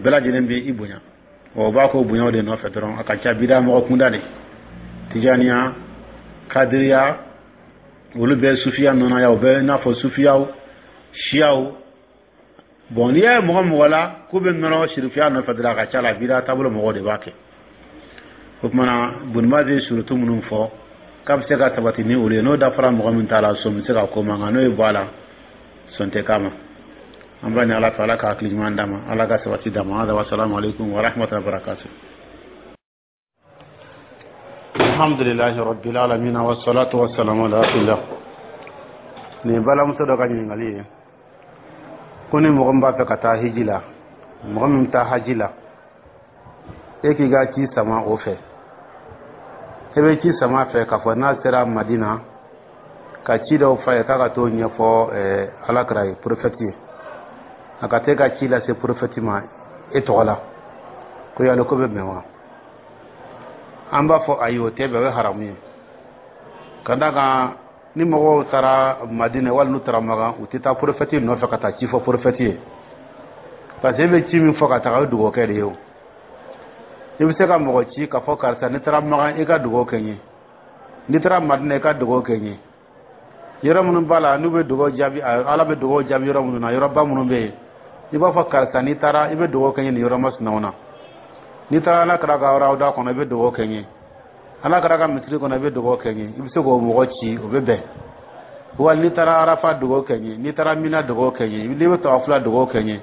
bɛɛ lajɛlen b'i bonya. O b'a ko bonyaw de nɔfɛ dɔrɔn. A ka ca bida mɔgɔ kunda de, Tijaniya, Kadiriya, olu bɛɛ sufiya nɔnɔya, o bɛɛ i n'a fɔ sufiyaw, siyaw. Bon, n'i y'a ye mɔgɔ mɔgɔ la k'u bɛ nɔrɔ sirifiya nɔfɛ dɔrɔn, a ka ca la bida taabolo mɔgɔw de b'a kɛ. O tuma na, Bunibaz ye surutu minnu fɔ k'a bɛ se ka sabati ni olu ye, n'o dafara mɔgɔ min t'a la, sɔn bɛ se ka ko ma, nka n'o ye bɔ a la, sɔn tɛ k'a ma. An b'a ɲini Ala fɛ, Ala ka hakili ɲuman d'a ma, Ala ka sabati d'a ma. Hada wa salamu aleykum wa rahmatullahi wa barakatuh. Alhamdulilahi rabbil alamin, wa salatu wa salamu ala rasulillah. Nin balimamuso dɔ ka ɲininkali ye ko ni mɔgɔ min b'a fɛ ka taa hiji la, mɔgɔ min bɛ taa haji la, e k'i ka ci sama o fɛ, e bɛ ci sama fɛ k'a fɔ n'a sera Madina ka ci dɔw f'a ye k'a ka t'o ɲɛfɔ Ala kira ye, prophète ye, a ka t'e ka ci lase prophète ma e tɔgɔ la, ko yali ko bɛ bɛn wa? An b'a fɔ ayi, o tɛ bɛn, o ye haramu ye, ka d'a kan ni mɔgɔw taara Madina wali n'u taara Makan, u tɛ taa prophète nɔfɛ ka taa ci fɔ prophète ye, parce que e bɛ ci min fɔ ka taga, o ye dugawukɛ de ye. O i bɛ se ka mɔgɔ ci k'a fɔ karisa, n'i taara Makan, i ka dugawu kɛ n ye, n'i taara Madina, i ka dugawu kɛ n ye. Yɔrɔ minnu b'a la n'u bɛ dugawu jaabi, Ala bɛ dugawu jaabi yɔrɔ minnu na, yɔrɔba minnu bɛ yen, i b'a fɔ karisa, n'i taara, i bɛ dugawu kɛ n ye nin yɔrɔ masinaw na. N'i taara Ala kira ka rawda kɔnɔ, i bɛ dugawu kɛ n ye. Ala kira ka misiri kɔnɔ, i bɛ dugawu kɛ n ye. I bɛ se k'o mɔgɔ ci, o bɛ bɛn. Wali n'i taara Arafa, dugawu kɛ n ye. N'i taara Mina, dugawu kɛ n ye. N'i bɛ tawafula, dugawu kɛ n ye.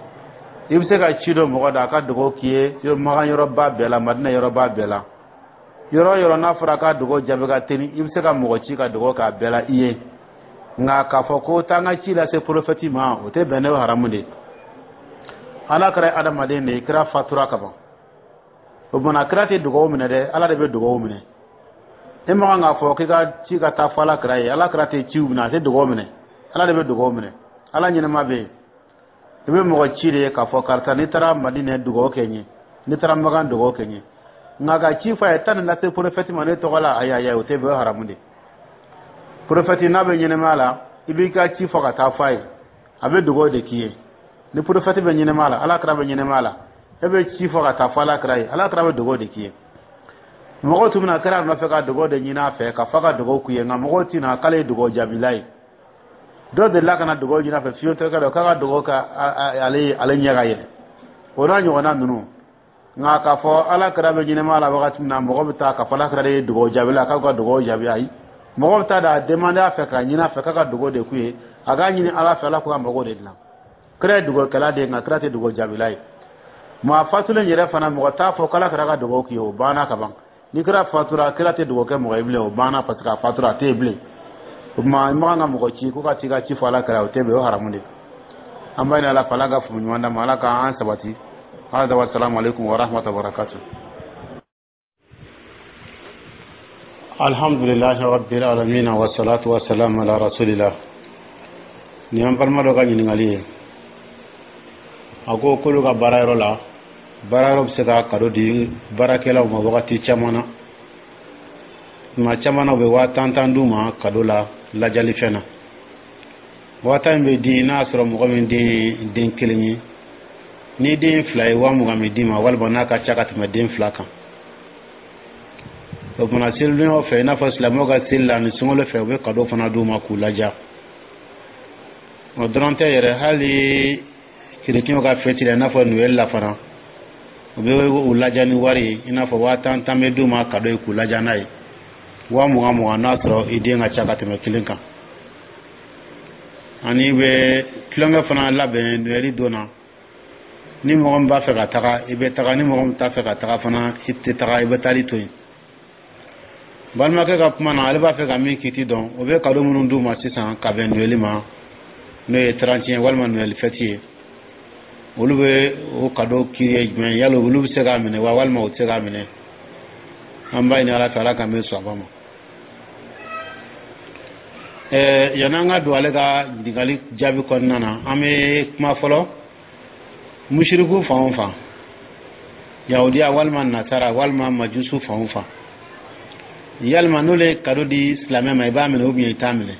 I bɛ se ka ci dɔ mɔgɔ da a ka dugawu k'i ye Makan yɔrɔba bɛɛ la, Madina yɔrɔba bɛɛ la, yɔrɔ o yɔrɔ n'a fɔra k'a dugawu jaabi ka teli, i bɛ se ka mɔgɔ ci ka dugawu k'a bɛɛ la i ye. Nka k'a fɔ ko taa n ka ci lase prophète ma, o tɛ bɛn, ne ye haramu de ye. Ala kɛra adamaden de ye, kira fatura ka ban. O tuma kira tɛ dugawu minɛ dɛ, Ala de bɛ dugawu minɛ. E ma kan k'a fɔ k'i ka ci ka taa fɔ Ala kira ye. Ala kira tɛ ciw minɛ, a tɛ dugawu minɛ, Ala de bɛ dugawu minɛ. Ala ɲɛnama bɛ yen. I bɛ mɔgɔ ci de ye k'a fɔ karisa, n'i taara Madinɛ, dugawu kɛ n ye, n'i taara Makan, dugawu kɛ n ye. Nka ka ci fɔ a ye taa nin lase prophète ma ne tɔgɔ la, ayi ayi, o tɛ bɛn, o ye haramu de. Prophète n'a bɛ ɲɛnɛmaya la, i b'i ka ci fɔ ka taa fɔ a ye, a bɛ dugawu de k'i ye. Ni prophète bɛ ɲɛnɛmaya la, Ala kira bɛ ɲɛnɛmaya la, e bɛ ci fɔ ka taa fɔ Ala kira ye, Ala kira bɛ dugawu de k'i ye. Mɔgɔw tun bɛna kira nɔfɛ ka dugawu de ɲini a fɛ ka fɔ ka dugawu k'u ye, nka mɔgɔw tɛna k'ale ye dugawu jaabila ye. Dɔ delila ka na dugawu ɲini a fɛ, fiyentɔkɛ dɔ, k'a ka dugawu kɛ ale ye, ale ɲɛ ka yɛlɛ, o n'a ɲɔgɔnna ninnu. Nka k'a fɔ Ala kira bɛ ɲɛnɛmaya la wagati min na, mɔgɔ bɛ taa k'a fɔ Ala kira de ye dugawu jaabila, k'a ka dugawu jaabi, ayi. Mɔgɔ bɛ taa da demander a fɛ ka ɲini a fɛ k'a ka dugawu de k'u ye, a k'a ɲini Ala fɛ, Ala k'u ka mago de dilan. Kira ye dugawukɛla de ye, nka kira tɛ dugawu jaabila ye. Maa fatulen yɛrɛ fana, mɔgɔ t'a fɔ k'Ala kira ka dugawu k'i ye, o banna ka ban. Ni kira fatura, kira tɛ dugawu kɛ mɔgɔ ye bilen, o banna, parce que a fatura, a tɛ yen bilen. O tuma i man kan ka mɔgɔ ci ko ka t'i ka ci fɔ Ala kira, o tɛ bɛn, o ye haramu de. An b'a ɲini Ala fɛ, Ala ka faamu ɲuman d'an ma, Ala k'an sabati. Hada wa salamu aleykum wa rahmatullahi wa barakatuh. Alhamdulilahi rabbil alamin, wa salatu wa salam ala rasulillah. Nin y'an balima dɔ ka ɲininkali ye. A ko k'olu ka baarayɔrɔ la, baarayɔrɔ bɛ se ka cadeau di baarakɛlaw ma wagati caman na. Tuma caman na, u bɛ waa tan tan d'u ma cadeau la, lajalifɛn na. Waa tan in bɛ di n'a y'a sɔrɔ mɔgɔ min den ye den kelen ye. Ni den fila ye, waa mugan bɛ d'i ma, walima n'a ka ca ka tɛmɛ den fila kan. O tuma selidonyaw fɛ, i n'a fɔ silamɛw ka seli la ani sunkalo fɛ, u bɛ cadeau fana d'u ma k'u laja. O dɔrɔn tɛ yɛrɛ, hali kerecɛnw ka fɛti la, i n'a fɔ Noël la fana, u bɛ u laja ni wari ye, i n'a fɔ waa tan tan bɛ d'u ma cadeau ye k'u laja n'a ye, waa mugan mugan n'a sɔrɔ i den ka ca ka tɛmɛ kelen kan. Ani bɛ tulonkɛ fana labɛn Noël don na. Ni mɔgɔ min b'a fɛ ka taga, i bɛ taga. Ni mɔgɔ min t'a fɛ ka taga fana, i tɛ taga, i bɛ taali to yen. Balimakɛ ka kuma na, ale b'a fɛ ka min kiti dɔn, o bɛ kado minnu d'u ma sisan ka bɛn Noël ma, n'o ye trente et un walima Noël fête ye, olu bɛ o kado kiri ye jumɛn? Yala olu bɛ se k'a minɛ wa, walima u tɛ se k'a minɛ? An b'a ɲini Ala fɛ, Ala k'an bɛ sɔn a ma. Ɛɛ yan'an ka don ale ka ɲininkali jaabi kɔnɔna na, an bɛ kuma fɔlɔ musiriku fan o fan, yahudiya walima nasara walima majusu fan o fan, yalima n'olu ye kado di silamɛ ma, i b'a minɛ ou bien i t'a minɛ?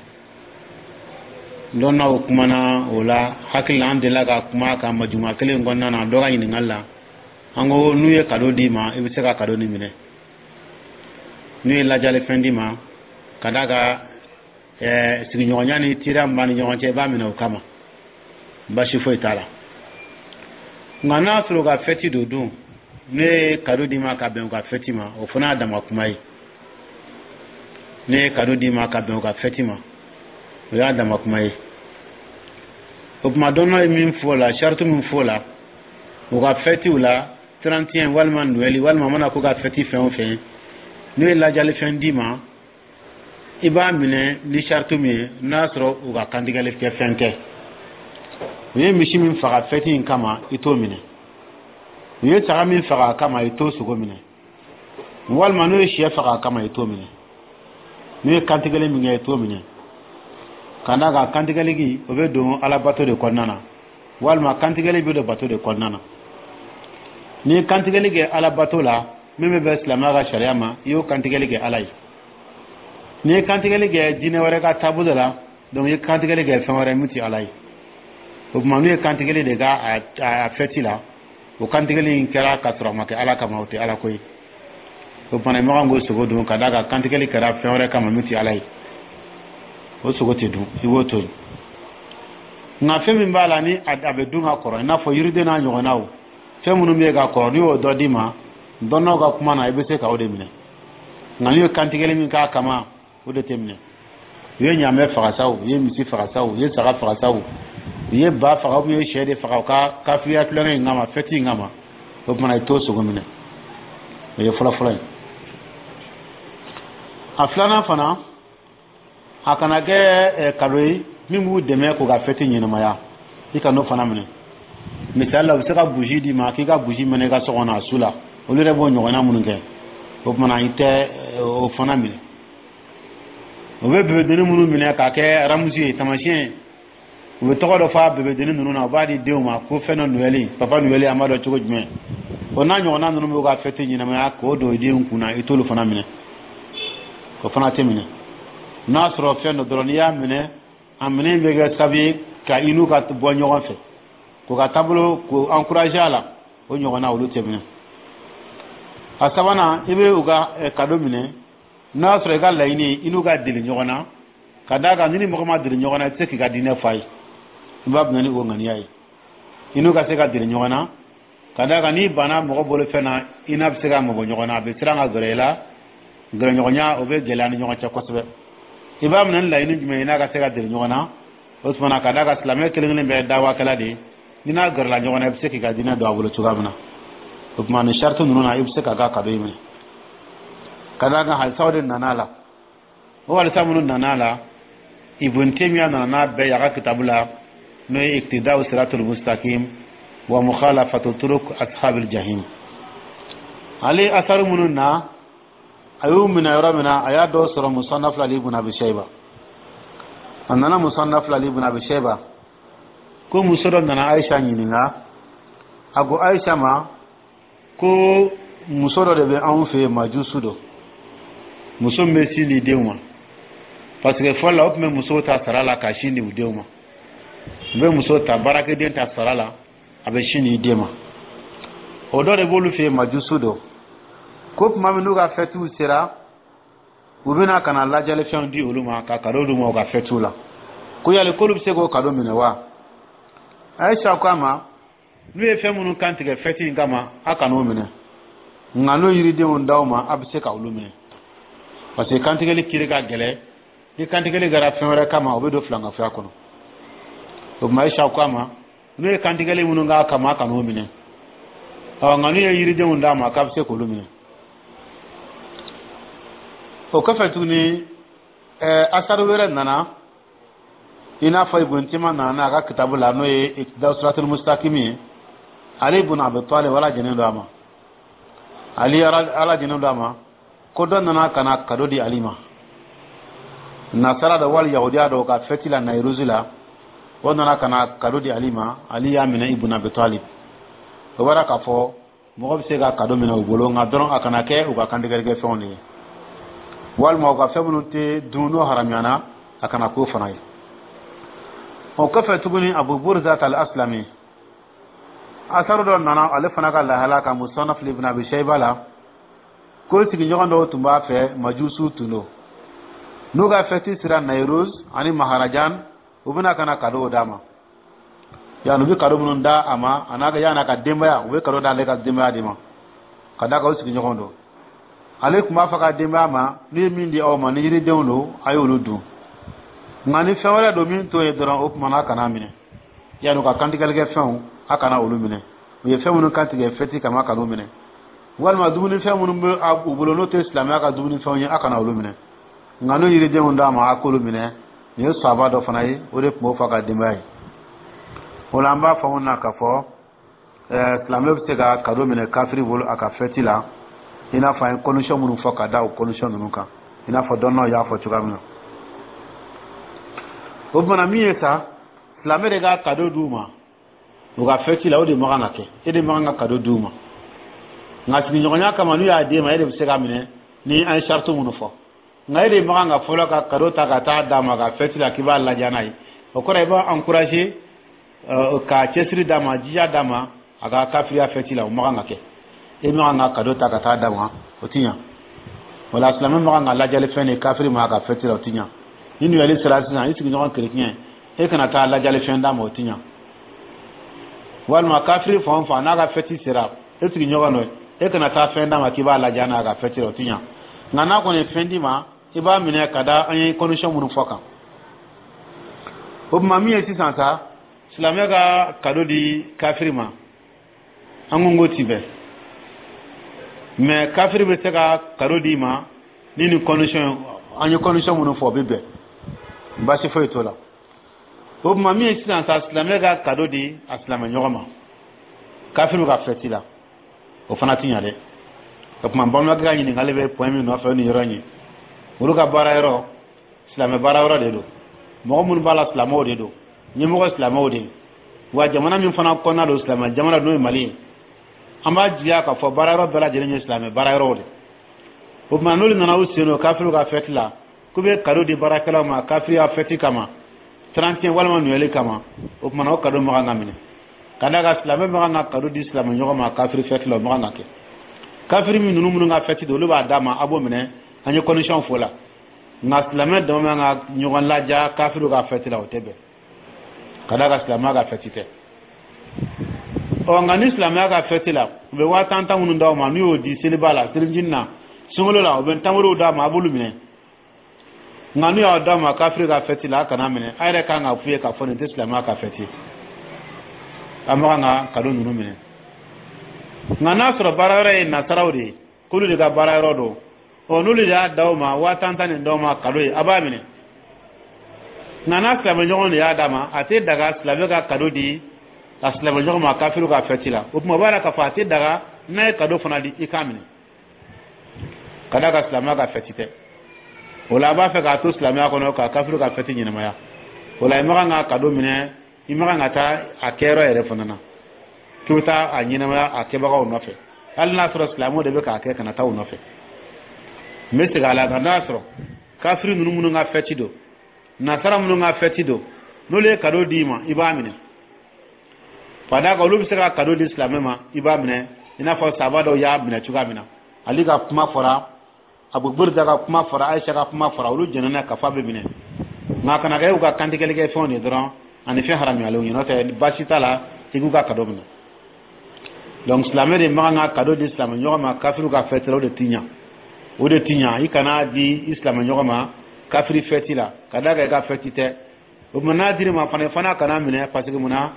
Dɔnnaw kumana o la. Hakili la, an delila ka kuma ka majuma kelen kɔnɔna na, dɔ ka ɲininkali la, an ko n'u ye kado d'i ma, i bɛ se ka kado nin minɛ. N'u ye lajali fɛn d'i ma, ka d'a kan ɛɛ sigiɲɔgɔnya ni teriya min b'an ni ɲɔgɔn cɛ, i b'a minɛ o kama, basi foyi t'a la. Nka n'a sɔrɔ u ka fɛti don dun, ne ye kado d'i ma ka bɛn u ka fɛti ma, o fana y'a dama kuma ye. Ne ye kado d'i ma ka bɛn u ka fɛti ma, o y'a dama kuma ye. O tuma, dɔnna ye min fɔ o la, sariti min fɔ o la, u ka fɛtiw la, trente et un walima Noël walima mana ko ka fɛti fɛn o fɛn, n'u ye lajali fɛn d'i ma, i b'a minɛ ni sariti min ye, n'a sɔrɔ u ka kantigɛli kɛ fɛn tɛ. U ye misi min faga fɛti in kama, i t'o minɛ. U ye saga min faga a kama, i t'o sogo minɛ. Walima n'u ye sɛ faga a kama, i t'o minɛ. N'u ye kantigɛli min kɛ, i t'o minɛ, ka d'a kan kantigɛli, o bɛ don alabato de kɔnɔna na, walima kantigɛli bɛ don bato de kɔnɔna na. N'i ye kantigɛli kɛ alabato la, min bɛ bɛn silamɛya ka sariya ma, i y'o kantigɛli kɛ Ala ye. N'i ye kantigɛli kɛ diinɛ wɛrɛ ka taabolo la, donc i ye kantigɛli kɛ fɛn wɛrɛ min tɛ Ala ye. O tuma, n'u ye kantigɛli de k'a a fɛti la, o kantigɛli in kɛra ka sɔrɔ a ma kɛ Ala kama, o tɛ Ala ko ye. O tuma, i ma kan k'o sogo dun, ka d'a kan kantigɛli kɛra fɛn wɛrɛ kama min tɛ Ala ye. O sogo tɛ dun, i b'o to yen. Nka fɛn min b'a la ni a bɛ dun ka kɔrɔ, i n'a fɔ yiriden n'a ɲɔgɔnnaw, fɛn minnu bɛ yen ka kɔrɔ, n'i y'o dɔ d'i ma, dɔnnaw ka kuma na, i bɛ se ka o de minɛ. Nka n'u ye kantigɛli min k'a kama, o de tɛ minɛ. U ye ɲaamɛ faga sa, u ye misi faga sa, u ye saga faga sa, u ye ba faga, u ye sɛ de faga u ka kafiriya tulonkɛ in kama, fɛti in kama, o tuma, i t'o sogo minɛ. O ye fɔlɔ-fɔlɔ ye. A filanan fana, a kana kɛ kado ye min b'u dɛmɛ k'u ka fɛti ɲɛnamaya, i ka n'o fana minɛ. Misali la, u bɛ se ka bougie d'i ma k'i ka bougie mɛnɛ i ka so kɔnɔ a su la, olu yɛrɛ b'o ɲɔgɔnna minnu kɛ, o tuma, i tɛ o fana minɛ. U bɛ bébédennin minnu minɛ k'a kɛ ramusu ye, taamasiyɛn, u bɛ tɔgɔ dɔ fɔ a bébédennin ninnu na, u b'a di denw ma ko fɛn dɔ Noël, papa Noël, an b'a dɔn cogo jumɛn, o n'a ɲɔgɔnna ninnu b'u ka fɛti ɲɛnamaya k'o don denw kunna, i t'olu fana minɛ. O fana tɛ minɛ. N'a sɔrɔ fɛn dɔ dɔrɔn, n'i y'a minɛ, a minɛ bɛ kɛ sababu ye ka i n'u ka bɔ ɲɔgɔn fɛ, k'u ka taabolo k'o encourager a la, o ɲɔgɔnna, olu tɛ minɛ. A sabanan, i bɛ u ka kado minɛ n'a y'a sɔrɔ i ka laɲini i n'u ka deli ɲɔgɔn na, ka d'a kan ni ni mɔgɔ ma deli ɲɔgɔn na, i tɛ se k'i ka diinɛ f'a ye. I b'a minɛ ni o ŋaniya ye, i n'u ka se ka deli ɲɔgɔn na, ka d'a kan n'i banna mɔgɔ bolo fɛn na, i n'a bɛ se ka mabɔ ɲɔgɔn na, a bɛ siran ka gɛrɛ i la, gɛrɛɲɔgɔnya o bɛ gɛlɛya ni ɲɔgɔn cɛ kosɛbɛ. I b'a minɛ ni laɲini jumɛn ye? N'a ka se ka deli ɲɔgɔn na, o tuma na, ka d'a kan silamɛ kelen kelen bɛɛ ye dawakɛla de ye, ni n'a gɛrɛla ɲɔgɔn na, i bɛ se k'i ka diinɛ don a bolo cogoya min na. O tuma, nin sariti ninnu na, i bɛ se k'a ka kado in minɛ, ka d'a kan hadisaw de nana a la. O hadisa minnu nana a la, Ibn Taymiya nana n'a bɛɛ ye a ka kitabu la, n'o ye Iqtida'u Siratul Mustaqim wa Mukhalafatu Turuq Ashabil Jahim. Ale asaru minnu na, a y'u minɛ yɔrɔ min na, a y'a dɔw sɔrɔ Musannaf la Ibn Abi Shayba. A nana Musannaf la Ibn Abi Shayba ko muso dɔ nana Aisha ɲininka. A ko Aisha ma ko muso dɔ de bɛ anw fɛ yen, majusu dɔ, muso min bɛ sin di denw ma, parce que fɔlɔ la, o tun bɛ musow ta sara la ka sin di u denw ma. U bɛ muso ta, baarakɛden ta sara la, a bɛ sin di den ma. O dɔ de b'olu fɛ yen, majusu dɔ, ko tuma min n'u ka fɛtiw sera, u bɛna ka na lajɛlifɛnw di olu ma, ka kado d'u ma u ka fɛtiw la, ko yali k'olu bɛ se k'o kado minɛ wa? Ayisa ko a ma, n'u ye fɛn minnu kan tigɛ fɛti in kama, a kan'o minɛ, nka n'o yiridenw d'aw ma, a bɛ se ka olu minɛ, parce que kantigɛli kiri ka gɛlɛn. Ni kantigɛli kɛra fɛn wɛrɛ kama, o bɛ don filankafoya kɔnɔ. O tuma, Ayisa ko a ma, n'u ye kantigɛli minnu k'a kama, a kan'o minɛ, ɔ nka n'u ye yiridenw d'a ma, k'a bɛ se k'olu minɛ. O kɔfɛ tuguni, ɛɛ asaru wɛrɛ nana, i n'a fɔ Ibn Tima nana a ka kitabu la, n'o ye Iqtida Siratul Mustaqim ye. Ali ibn Abi Talib, ala jɛnen don a ma, Ali, ala jɛnen don a ma, ko dɔ nana ka na cadeau di Ali ma, nasara dɔ wali yahudiya dɔ ka fɛti la, Nayiruzi la. O nana ka na cadeau di Ali ma, Ali y'a minɛ, Ibn Abi Talib. O bɔra k'a fɔ mɔgɔ bɛ se ka cadeau minɛ u bolo, nka dɔrɔn a kana kɛ u ka kantigɛlikɛ fɛnw de ye, walima u ka fɛn minnu tɛ dun, n'o haramuyana, a kana k'o fana ye. O kɔfɛ tuguni, Abu Burza al Aslami, asaru dɔ nana ale fana ka lahala ka Musannaf Ibn Abi Shayba la, ko sigiɲɔgɔn dɔw tun b'a fɛ, majusu tun don. N'u ka fɛti sera, Nairuz ani Maharajan, u bɛna ka na cadeau d'a ma. Yan, u bɛ cadeau minnu da a ma, a n'a yan'a ka denbaya, u bɛ cadeau d'ale ka denbaya de ma, ka d'a kan u sigiɲɔgɔn don. Ale tun b'a fɔ ka denbaya ma: "Ne ye min di aw ma, ni yiridenw don, a y'olu dun, nka ni fɛn wɛrɛ don min t'o ye dɔrɔn, o tuma na a kana minɛ. Yanni u ka kantigɛlikɛ fɛnw, a kana olu minɛ. U ye fɛn minnu kantigɛ fɛti kama, a kan'u minɛ, walima dumunifɛn minnu bɛ u bolo, n'o tɛ silamɛya ka dumunifɛnw ye, a kana olu minɛ. Nka n'o yiridenw d'a ma, a k'olu minɛ." Nin ye sahaba dɔ fana ye, o de tun b'o fɔ a ka denbaya ye. O la, an b'a faamu na k'a fɔ ɛɛ silamɛ bɛ se ka cadeau minɛ kafiri bolo a ka fɛti la, i n'a fɔ an ye condition minnu fɔ ka da o condition ninnu kan, i n'a fɔ dɔnnaw y'a fɔ cogoya min na. O tuma na, min ye sa, silamɛ de ka cadeau d'u ma u ka fɛti la, o de man kan ka kɛ. E de man kan ka cadeau d'u ma, nka sigiɲɔgɔnya kama, n'u y'a d'e ma, e de bɛ se ka minɛ ni an ye sariti minnu fɔ. Nka e de man kan ka fɔlɔ ka cadeau ta ka taa d'a ma ka fɛti la k'i b'a ladiya n'a ye. O kɔrɔ, i b'a encourager ka cɛsiri d'a ma, jija d'a ma a ka kafiriya fɛti la. O man kan ka kɛ. E man kan ka cadeau ta ka taa d'a ma, o ti ɲa. Wala silamɛ man kan ka lajali fɛn de kafiri ma a ka fɛti la, o ti ɲa. Ni nuyali sera sisan, i sigiɲɔgɔn kerecɛn, e kana taa lajali fɛn d'a ma, o ti ɲa. Walima kafiri fan o fan n'a ka fɛti sera, e sigiɲɔgɔn dɔ, e kana taa fɛn d'a ma k'i b'a ladiya n'a ka fɛti la, o ti ɲa. Nka n'a kɔni ye fɛn d'i ma, i b'a minɛ ka da an ye condition minnu fɔ kan. O tuma, min ye sisan sa, silamɛ ka cadeau di kafiri ma, an ko k'o ti bɛn, mais kafiri bɛ se ka cadeau d'i ma ni nin condition, an ye condition minnu fɔ, o bɛ bɛn, baasi foyi t'o la. O tuma, min ye sisan sa, silamɛ ka cadeau di a silamɛ ɲɔgɔn ma kafiriw ka fɛti la, o fana ti ɲa dɛ. O tuma, balimakɛ ka ɲininkali bɛ point min nɔfɛ, o nin yɔrɔ in ye. Olu ka baara yɔrɔ, silamɛ baara yɔrɔ de don, mɔgɔ minnu b'a la, silamɛw de don, ɲɛmɔgɔ silamɛw de ye. Wa jamana min fana kɔnɔna don, silamɛ jamana, n'o ye Mali ye, an b'a jigiya k'a fɔ baara yɔrɔ bɛɛ lajɛlen ye silamɛ baara yɔrɔw de. O tuma, n'olu nana u sen don kafiriw ka fɛti la, k'u bɛ cadeau di baarakɛlaw ma kafiriya fɛti kama, trente et un walima nuyɛli kama, o tuma na, o cadeau man kan ka minɛ, ka d'a kan silamɛ man kan ka cadeau di silamɛ ɲɔgɔn ma kafiri fɛti la. O man kan ka kɛ. Kafiri min ninnu minnu ka fɛti don, olu b'a d'a ma, a b'o minɛ, an ye condition fɔ la. Nka silamɛ dama man ka ɲɔgɔn laja kafiriw ka fɛti la, o tɛ bɛn, ka d'a kan silamɛya ka fɛti tɛ. Ɔ, nka ni silamɛya ka fɛti la, u bɛ waa tan tan minnu d'aw ma, n'u y'o di seliba la, selijinin na, sunkalo la, u bɛ tamaro d'a ma, a b'olu minɛ. Nka n'u y'a d'a ma kafiri ka fɛti la, a kana minɛ. A yɛrɛ kan ka f'u ye k'a fɔ nin tɛ silamɛya ka fɛti ye, an man kan ka cadeau ninnu minɛ. Nka n'a sɔrɔ baara yɔrɔ ye nasaraw de ye, k'olu de ka baara yɔrɔ don, ɔ, n'olu de y'a d'aw ma, waa tan tan nin d'aw ma cadeau ye, a b'a minɛ. Nka n'a silamɛ ɲɔgɔn de y'a d'a ma, a tɛ daga silamɛ ka cadeau di a silamɛ ɲɔgɔn ma kafiriw ka fɛti la. O tuma, o b'a la k'a fɔ a tɛ daga n'a ye cadeau fana di, i k'a minɛ, ka d'a kan silamɛya ka fɛti tɛ. O la, a b'a fɛ k'a to silamɛya kɔnɔ ka kafiriw ka fɛti ɲɛnamaya. O la, i ma kan ka cadeau minɛ, i ma kan ka taa a kɛyɔrɔ yɛrɛ fana na k'i bɛ taa a ɲɛnamaya a kɛbagaw nɔfɛ. Hali n'a sɔrɔ silamɛw de bɛ k'a kɛ, kana taa u nɔfɛ. N bɛ segin a la: nka n'a sɔrɔ kafiri ninnu minnu ka fɛti don, nasara minnu ka fɛti don, n'olu ye cadeau d'i ma, i b'a minɛ, ka d'a kan olu bɛ se ka cadeau di silamɛ ma, i b'a minɛ, i n'a fɔ sahaba dɔw y'a minɛ cogoya min na. Ali ka kuma fɔra, Abu Burda ka kuma fɔra, Ayisa ka kuma fɔra, olu jɛnna ka fɔ a bɛ minɛ. Nka a kana kɛ u ka kantigɛlikɛ fɛnw de dɔrɔn ani fɛn haramuyalenw ye, n'o tɛ baasi t'a la i k'u ka cadeau minɛ. Donc silamɛ de man kan ka cadeau di silamɛ ɲɔgɔn ma kafiriw ka fɛti la, o de ti ɲa, o de ti ɲa. I kana di i silamɛ ɲɔgɔn ma kafiri fɛti la, ka d'a kan i ka fɛti tɛ. O tuma, n'a dir'i ma fana, i fana kana minɛ, parce que munna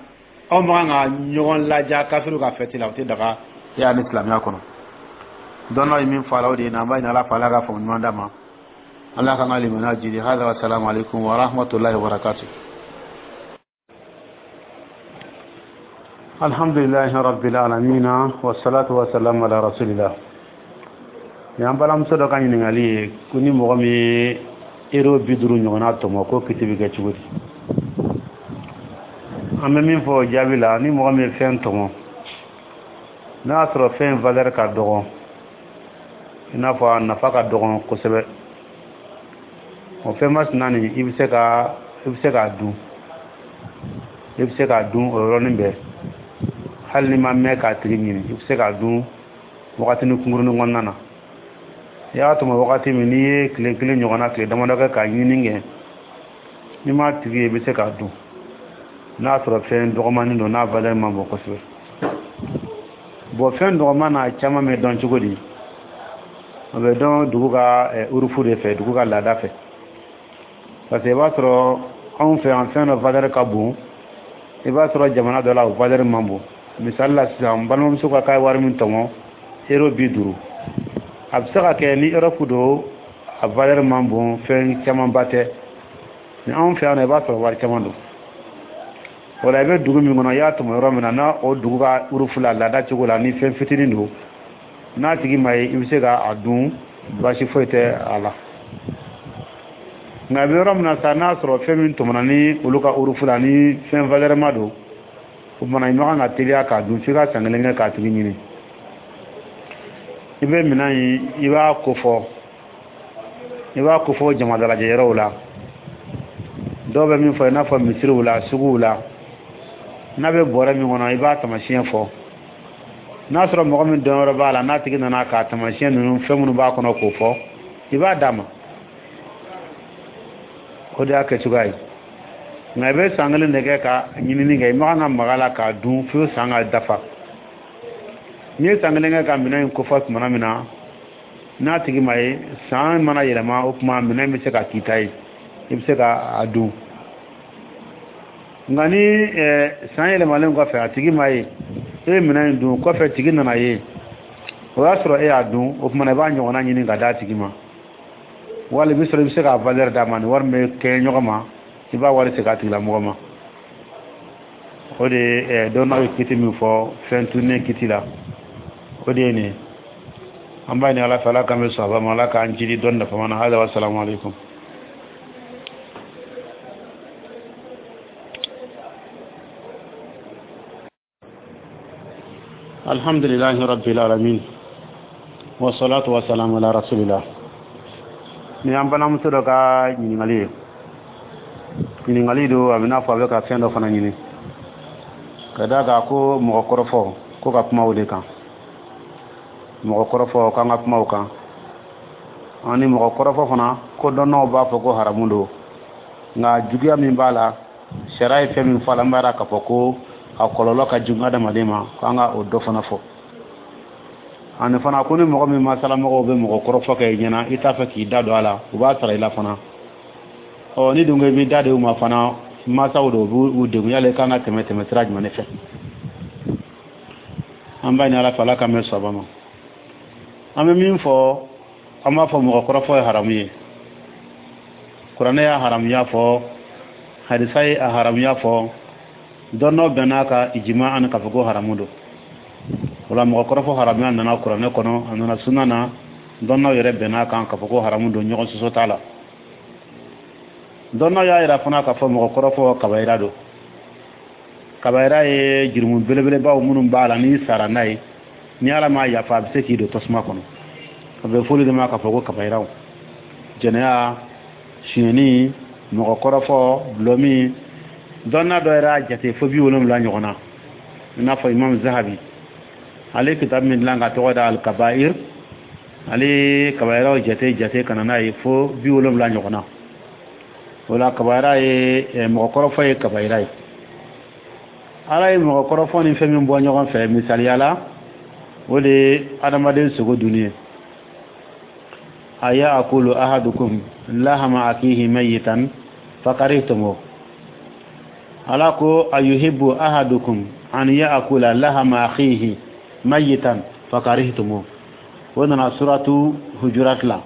aw man kan ka ɲɔgɔn laja kafiriw ka fɛti la? O tɛ daga e y'a ni silamɛya kɔnɔ. Dɔnnaw ye min fɔ a la, o de ye. N'an b'a ɲini Ala fɛ, Ala ka faamu ɲuman d'a ma. Ala k'an ka limaniya jidi. Hada wa salamu alaikum wa rahmatullahi wa barakatuh. Alhamdulillahi rabbil alamin, wassalatu wassalamu ala rasulillah. Y'an balimamuso dɔ ka ɲininkali ye ko ni mɔgɔ min ye euro bi duuru ɲɔgɔnna tɔmɔ, ko kiti bɛ kɛ cogo di? An bɛ min fɔ o jaabi la, ni mɔgɔ min ye fɛn tɔmɔ, n'a y'a sɔrɔ fɛn valeur ka dɔgɔ, i n'a fɔ a nafa ka dɔgɔ kosɛbɛ, o fɛn masina nin, i bɛ se ka i bɛ se k'a dun, i bɛ se k'a dun o yɔrɔnin bɛɛ, hali n'i ma mɛn k'a tigi ɲini, i bɛ se k'a dun wagatinin kunkurunin kɔnɔna na. I y'a tɔmɔ wagati min, n'i ye tile kelen ɲɔgɔnna, tile damadɔ kɛ k'a ɲini kɛ, n'i m'a tigi ye, i bɛ se k'a dun, n'a sɔrɔ fɛn dɔgɔmanin don, n'a valeur man bon kosɛbɛ. Bon, fɛn dɔgɔman n'a caman bɛ dɔn cogo di? O bɛ dɔn dugu ka urufu de fɛ, dugu ka laada fɛ, parce que i b'a sɔrɔ anw fɛ yan, fɛn dɔ valeur ka bon, i b'a sɔrɔ jamana dɔ la, o valeur man bon. Misali la sisan, n balimamuso ka k'a ye wari min tɔmɔ, euro bi duuru, a bɛ se ka kɛ ni Europe don, a valeur man bon, fɛn camanba tɛ. Ni anw fɛ yan nɔ, i b'a sɔrɔ wari caman don. O la, i bɛ dugu min kɔnɔ, i y'a tɔmɔ yɔrɔ min na, n'a o dugu ka urufu la, laada cogo la, ni fɛn fitinin don, n'a tigi ma ye, i bɛ se k'a dun, baasi foyi tɛ a la. Nka a bɛ yɔrɔ min na sa, n'a sɔrɔ fɛn min tɔmɔna ni olu ka urufu la, ni fɛn valeur ma don, o tuma i ma kan ka teliya k'a dun f'i ka san kelen kɛ k'a tigi ɲini. I bɛ minɛn in, i b'a kofɔ, i b'a kofɔ jama dalajɛ yɔrɔw la. Dɔw bɛ min fɔ, i n'a fɔ misiriw la, suguw la, n'a bɛ bɔrɛ min kɔnɔ, i b'a tamasiyɛn fɔ. N'a sɔrɔ mɔgɔ min dɔn yɔrɔ b'a la, n'a tigi nana k'a tamasiyɛn ninnu, fɛn minnu b'a kɔnɔ, k'o fɔ, i b'a d'a ma. O de y'a kɛcogoya ye. Nka i bɛ san kelen de kɛ ka ɲinini kɛ, i ma kan ka maga la k'a dun fo san ka dafa. N'i ye san kelen kɛ ka minɛn in kofɔ tuma min na, n'a tigi ma ye, san mana yɛlɛma, o tuma minɛn bɛ se ka k'i ta ye, i bɛ se ka a dun. Nka ni san yɛlɛmalen kɔfɛ, a tigi ma ye, e ye minɛn in dun kɔfɛ, tigi nana ye, o y'a sɔrɔ e y'a dun, o tuma i b'a ɲɔgɔnna ɲini ka d'a tigi ma, wali i bɛ sɔrɔ i bɛ se k'a valeur d'a ma. Ni wari min bɛ kɛ ɲɔgɔn ma, i b'a wari segin a tigilamɔgɔ ma. O de ye dɔnnaw ye kiti min fɔ fɛn tununnen kiti la, o de ye nin ye. An b'a ɲini Ala fɛ, Ala k'an bɛ sɔn a ma, Ala k'an jidi dɔnni nafama na. Hada wa salamu aleykum. Alhamdulillahi rabbil alamin, wassalatu wassalamu ala rasulillah. Ni an balimamuso dɔ ka ɲininkali ye, ɲininkali don, a bɛ n'a fɔ a bɛ ka fɛn dɔ fana ɲini ka d'a kan ko mɔgɔ kɔrɔfɔ, ko ka kuma o de kan, mɔgɔ kɔrɔfɔ, k'an ka kuma o kan. Ani mɔgɔ kɔrɔfɔ fana, ko dɔnnaw b'a fɔ ko haramu don, nka juguya min b'a la, sariya ye fɛn min fɔ a la, n b'a yira k'a fɔ ko a kɔlɔlɔ ka jugu adamaden ma, k'an ka o dɔ fana fɔ. Ani fana, ko ni mɔgɔ min masalamɔgɔw bɛ mɔgɔ kɔrɔfɔ kɛ i ɲɛna, i t'a fɛ k'i da don a la, u b'a sara i la fana. Ɔ, ni dun ko i b'i da de u ma fana, masaw don, u b'u degun, yala i kan ka tɛmɛ tɛmɛ sira jumɛn de fɛ? An b'a ɲini Ala fɛ, Ala k'an bɛn sawaba ma. An bɛ min fɔ, an b'a fɔ mɔgɔ kɔrɔfɔ ye haramu ye. Kuranɛ y'a haramuya fɔ, hadisa ye a haramuya fɔ, dɔnnaw bɛn'a ka ijima ani k'a fɔ ko haramu don. O la, mɔgɔ kɔrɔfɔ haramuya nana kuranɛ kɔnɔ, a nana sunna na, dɔnnaw yɛrɛ bɛn'a kan k'a fɔ ko haramu don, ɲɔgɔn sɔsɔ t'a la. Dɔnnaw y'a yira fana k'a fɔ mɔgɔ kɔrɔfɔ kabayira don. Kabayira ye jurumu belebelebaw minnu b'a la, n'i sara n'a ye, ni Ala m'a yafa, a bɛ se k'i don tasuma kɔnɔ. A bɛ fɔli de ma k'a fɔ ko kabayiraw: jɛnɛya, sonyɛni, mɔgɔ kɔrɔfɔ, dɔlɔmin. Dɔnna dɔ yɛrɛ y'a jate fo bi wolonwula ɲɔgɔn na, i n'a fɔ Imam Zahabi, ale kitabu min dilan ka tɔgɔ da Alkabair, ale kabayiraw jate jate ka na n'a ye fo bi wolonwula ɲɔgɔn na. O la, kabayira ye, mɔgɔ kɔrɔfɔ ye kabayira ye. Ala ye mɔgɔ kɔrɔfɔ ni fɛn min bɔ ɲɔgɔn fɛ, misaliya la, o de ye adamaden sogo dunni ye. Aya'kulu ahadukum lahama akihi mayitan fakarihtumu. Ala ko ayuhibbu ahadukum an ya'kula lahama akhihi mayitan fakarihtumu. O nana suratu Hujurat la.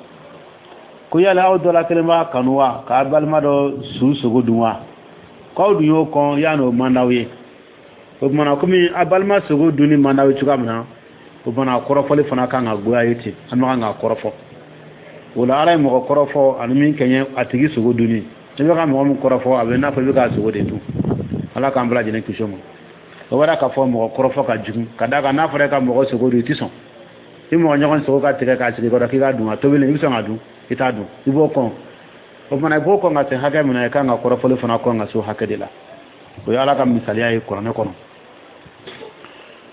Ko yala aw dɔ la kelen b'a kanu wa k'a balima dɔ su sogo dun wa? K'aw dun y'o kɔn yan'o man d'aw ye. O tumana, komi a balima sogo dunni man d'aw ye cogoya min na, o tumana kɔrɔfɔli fana kan ka goya ye ten, an bɛ kan k'a kɔrɔfɔ. O la, Ala ye mɔgɔ kɔrɔfɔ ani min kɛɲɛ a tigi sogo dunni. I bɛ ka mɔgɔ min kɔrɔfɔ, a bɛ n'a fɔ i bɛ k'a sogo de dun. Ala k'an bɛɛ lajɛlen kisi o ma. O b'a k'a fɔ mɔgɔ kɔrɔfɔ ka jugu, ka d'a kan n'a fɔra e ka mɔgɔ sogo dun, i tɛ sɔn. I mɔgɔ ɲɔgɔn sogo ka tigɛ k'a sigi kɔrɔ k'i k'a dun, a tobilen, i bɛ sɔn ka dun? I t'a dun, i b'o kɔn. O fana, i b'o kɔn ka se hakɛ min na, i kan ka kɔrɔfɔli fana kɔn ka se o hakɛ de la. O ye Ala ka misaliya ye kuranɛ kɔnɔ.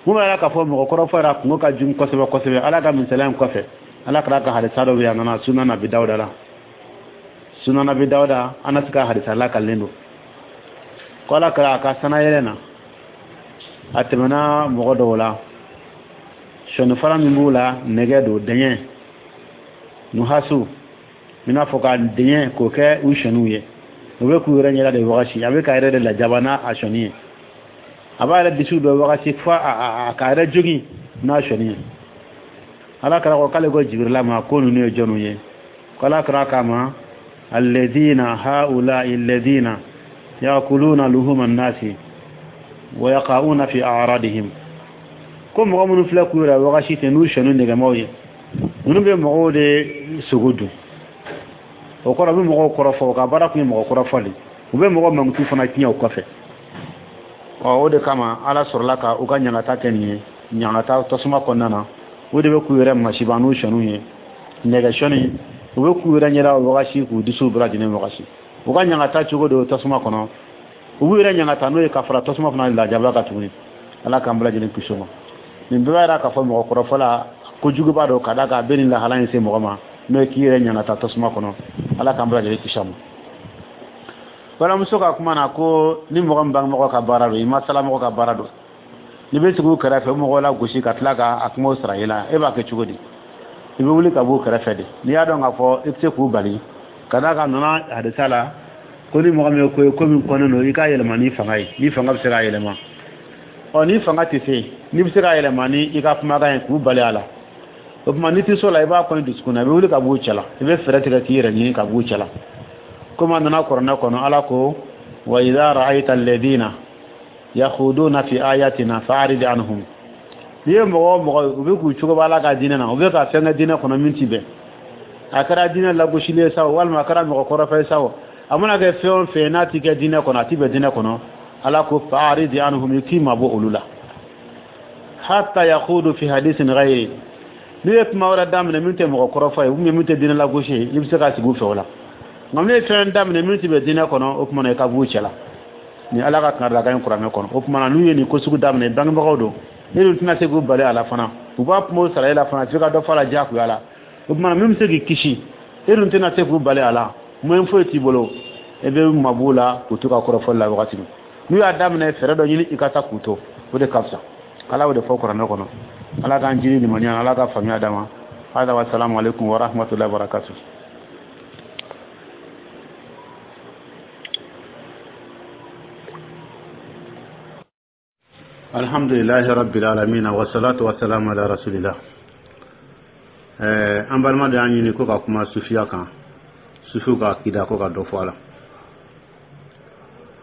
Mun b'a k'a fɔ mɔgɔ kɔrɔfɔ yɛrɛ kungo ka jugu kosɛbɛ kosɛbɛ? Ala ka misaliya in kɔfɛ, Ala kɛra ka hadisa dɔ bɛ yen, a nana Sunan Abi Dawuda la. Sunan Abi Dawuda, Anasi ka hadisa lakalilen don ko Ala kɛra a ka sanayɛlɛ na, a tɛmɛna mɔgɔ dɔw la, sɔnifara min b'u la, nɛgɛ don, dɛɲɛ nuhasu, i n'a fɔ ka dɛɲɛ k'o kɛ u sɔniw ye. U bɛ k'u yɛrɛ ɲɛda de wagasi, a bɛ k'a yɛrɛ de lajaba n'a a sɔnni ye, a b'a yɛrɛ disiw dɔ wagasi fo a k'a yɛrɛ jogin n'a sɔnni ye. Ala kɛra ko k'ale ko Jibirila ma ko ninnu ye jɔnw ye? Ko Ala kɛra k'a ma: alladhina haula'i alladhina yakuluna luhuma nnasi wa yaqa'una fi a'radihim. Ko mɔgɔ minnu filɛ k'u yɛrɛ wagasi ten n'u sɔnni nɛgɛmaw ye, ninnu bɛ mɔgɔw de sogo dun. O kɔrɔ, u bɛ mɔgɔw kɔrɔfɔ. U ka baara tun ye mɔgɔ kɔrɔfɔ de, u bɛ mɔgɔ mankutu fana tiɲɛ o kɔfɛ. Ɔ, o de kama Ala sɔrɔla ka u ka ɲangata kɛ nin ye, ɲangata tasuma kɔnɔna na. O de bɛ k'u yɛrɛ masiba n'u sɔnniw ye, nɛgɛ sɔnni, u bɛ k'u yɛrɛ ɲɛda wagasi, k'u disiw bɛɛ lajɛlen wagasi. U ka ɲangata cogo de tasuma kɔnɔ, u b'u yɛrɛ ɲangata n'o ye ka fara tasuma fana lajaba kan tuguni. Ala k'an bɛɛ lajɛlen kisi o ma. Nin bɛɛ b'a yira k'a fɔ mɔgɔ kɔrɔfɔ la kojuguba don, ka d'a kan a bɛ nin lahala in se mɔgɔ ma, n'o ye k'i yɛrɛ ɲangata tasuma kɔnɔ. Ala k'an bɛɛ lajɛlen kisi a ma. Balimamuso ka kuma na ko ni mɔgɔ min bangebagaw ka baara don, i ma salamɔgɔ ka baara don, n'i bɛ sigi u kɛrɛfɛ, o mɔgɔw la gosi ka tila ka a kumaw sara i la, e b'a kɛ cogo di? I bɛ wuli ka b'u kɛrɛfɛ de, n'i y'a dɔn k'a fɔ i tɛ se k'u bali. Ka d'a kan nana hadisa la ko ni mɔgɔ min ye ko ye, ko min kɔnnen don, i k'a yɛlɛma ni fanga ye, ni fanga bɛ se k'a yɛlɛma. Ɔ, ni fanga tɛ se, n'i bɛ se k'a yɛlɛma ni i ka kumakan ye k'u bali a la, o tuma n'i tɛ so la, i b'a kɔni dusukun na, i bɛ wuli ka b'u cɛla, i bɛ fɛɛrɛ tigɛ k'i yɛrɛ ɲini ka b'u cɛla. Komi a nana kuranɛ kɔnɔ, Ala ko: wa idha ra'ayta alladhina yakhuduna fi ayatina fa'rid anhum. N'i ye mɔgɔ o mɔgɔ, u bɛ k'u cogo b'a la ka diinɛ na, u bɛ ka fɛn kɛ diinɛ kɔnɔ min ti bɛn, a kɛra diinɛ lagosili ye sa o, walima a kɛra mɔgɔ kɔrɔfɔ ye sa o, a mana kɛ fɛn o fɛn n'a ti kɛ diinɛ kɔnɔ, a ti bɛn diinɛ kɔnɔ, Ala ko: fa'rid anhum, i k'i mabɔ olu la, hatta yakhudu fi hadisin ghayri. N'i ye kuma wɛrɛ daminɛ min tɛ mɔgɔ kɔrɔfɔ ye ou bien min tɛ diinɛ lagosi ye, i bɛ se ka sigi u fɛ o la. Nka n'u ye fɛn daminɛ min ti bɛn diinɛ kɔnɔ, o tuma na i ka b'u cɛ la. Ni Ala ka kangaridakan ye kuranɛ kɔnɔ. O tuma na, n'u ye nin ko sugu daminɛ, bangebagaw don, e dun tɛna se k'u bali a la fana, u b'a kumaw sara e la fana, f'i ka dɔ fɔ a la diyagoya la. O tuma na, min bɛ se k'i kisi, e dun tɛna se k'u bali a la, moyen foyi t'i bolo, e bɛ mab'u la k'u to ka kɔrɔfɔli la wagati min n'u y'a daminɛ, fɛɛrɛ dɔ ɲini i ka taa k'u to, o de ka fisa. Ala y'o de fɔ kuranɛ kɔnɔ. Ala k'an jiri limaniya, Ala ka faamuya d'an ma. Hada wa salamu alaikum wa rahmatullahi wa barakatuh. Alhamdulilahi rabbil alamin, wa salatu wa salam ala rasulillah. eh an balima de y'an ɲini ko ka kuma sufiya kan, sufiw ka akida, ko ka dɔ fɔ a la.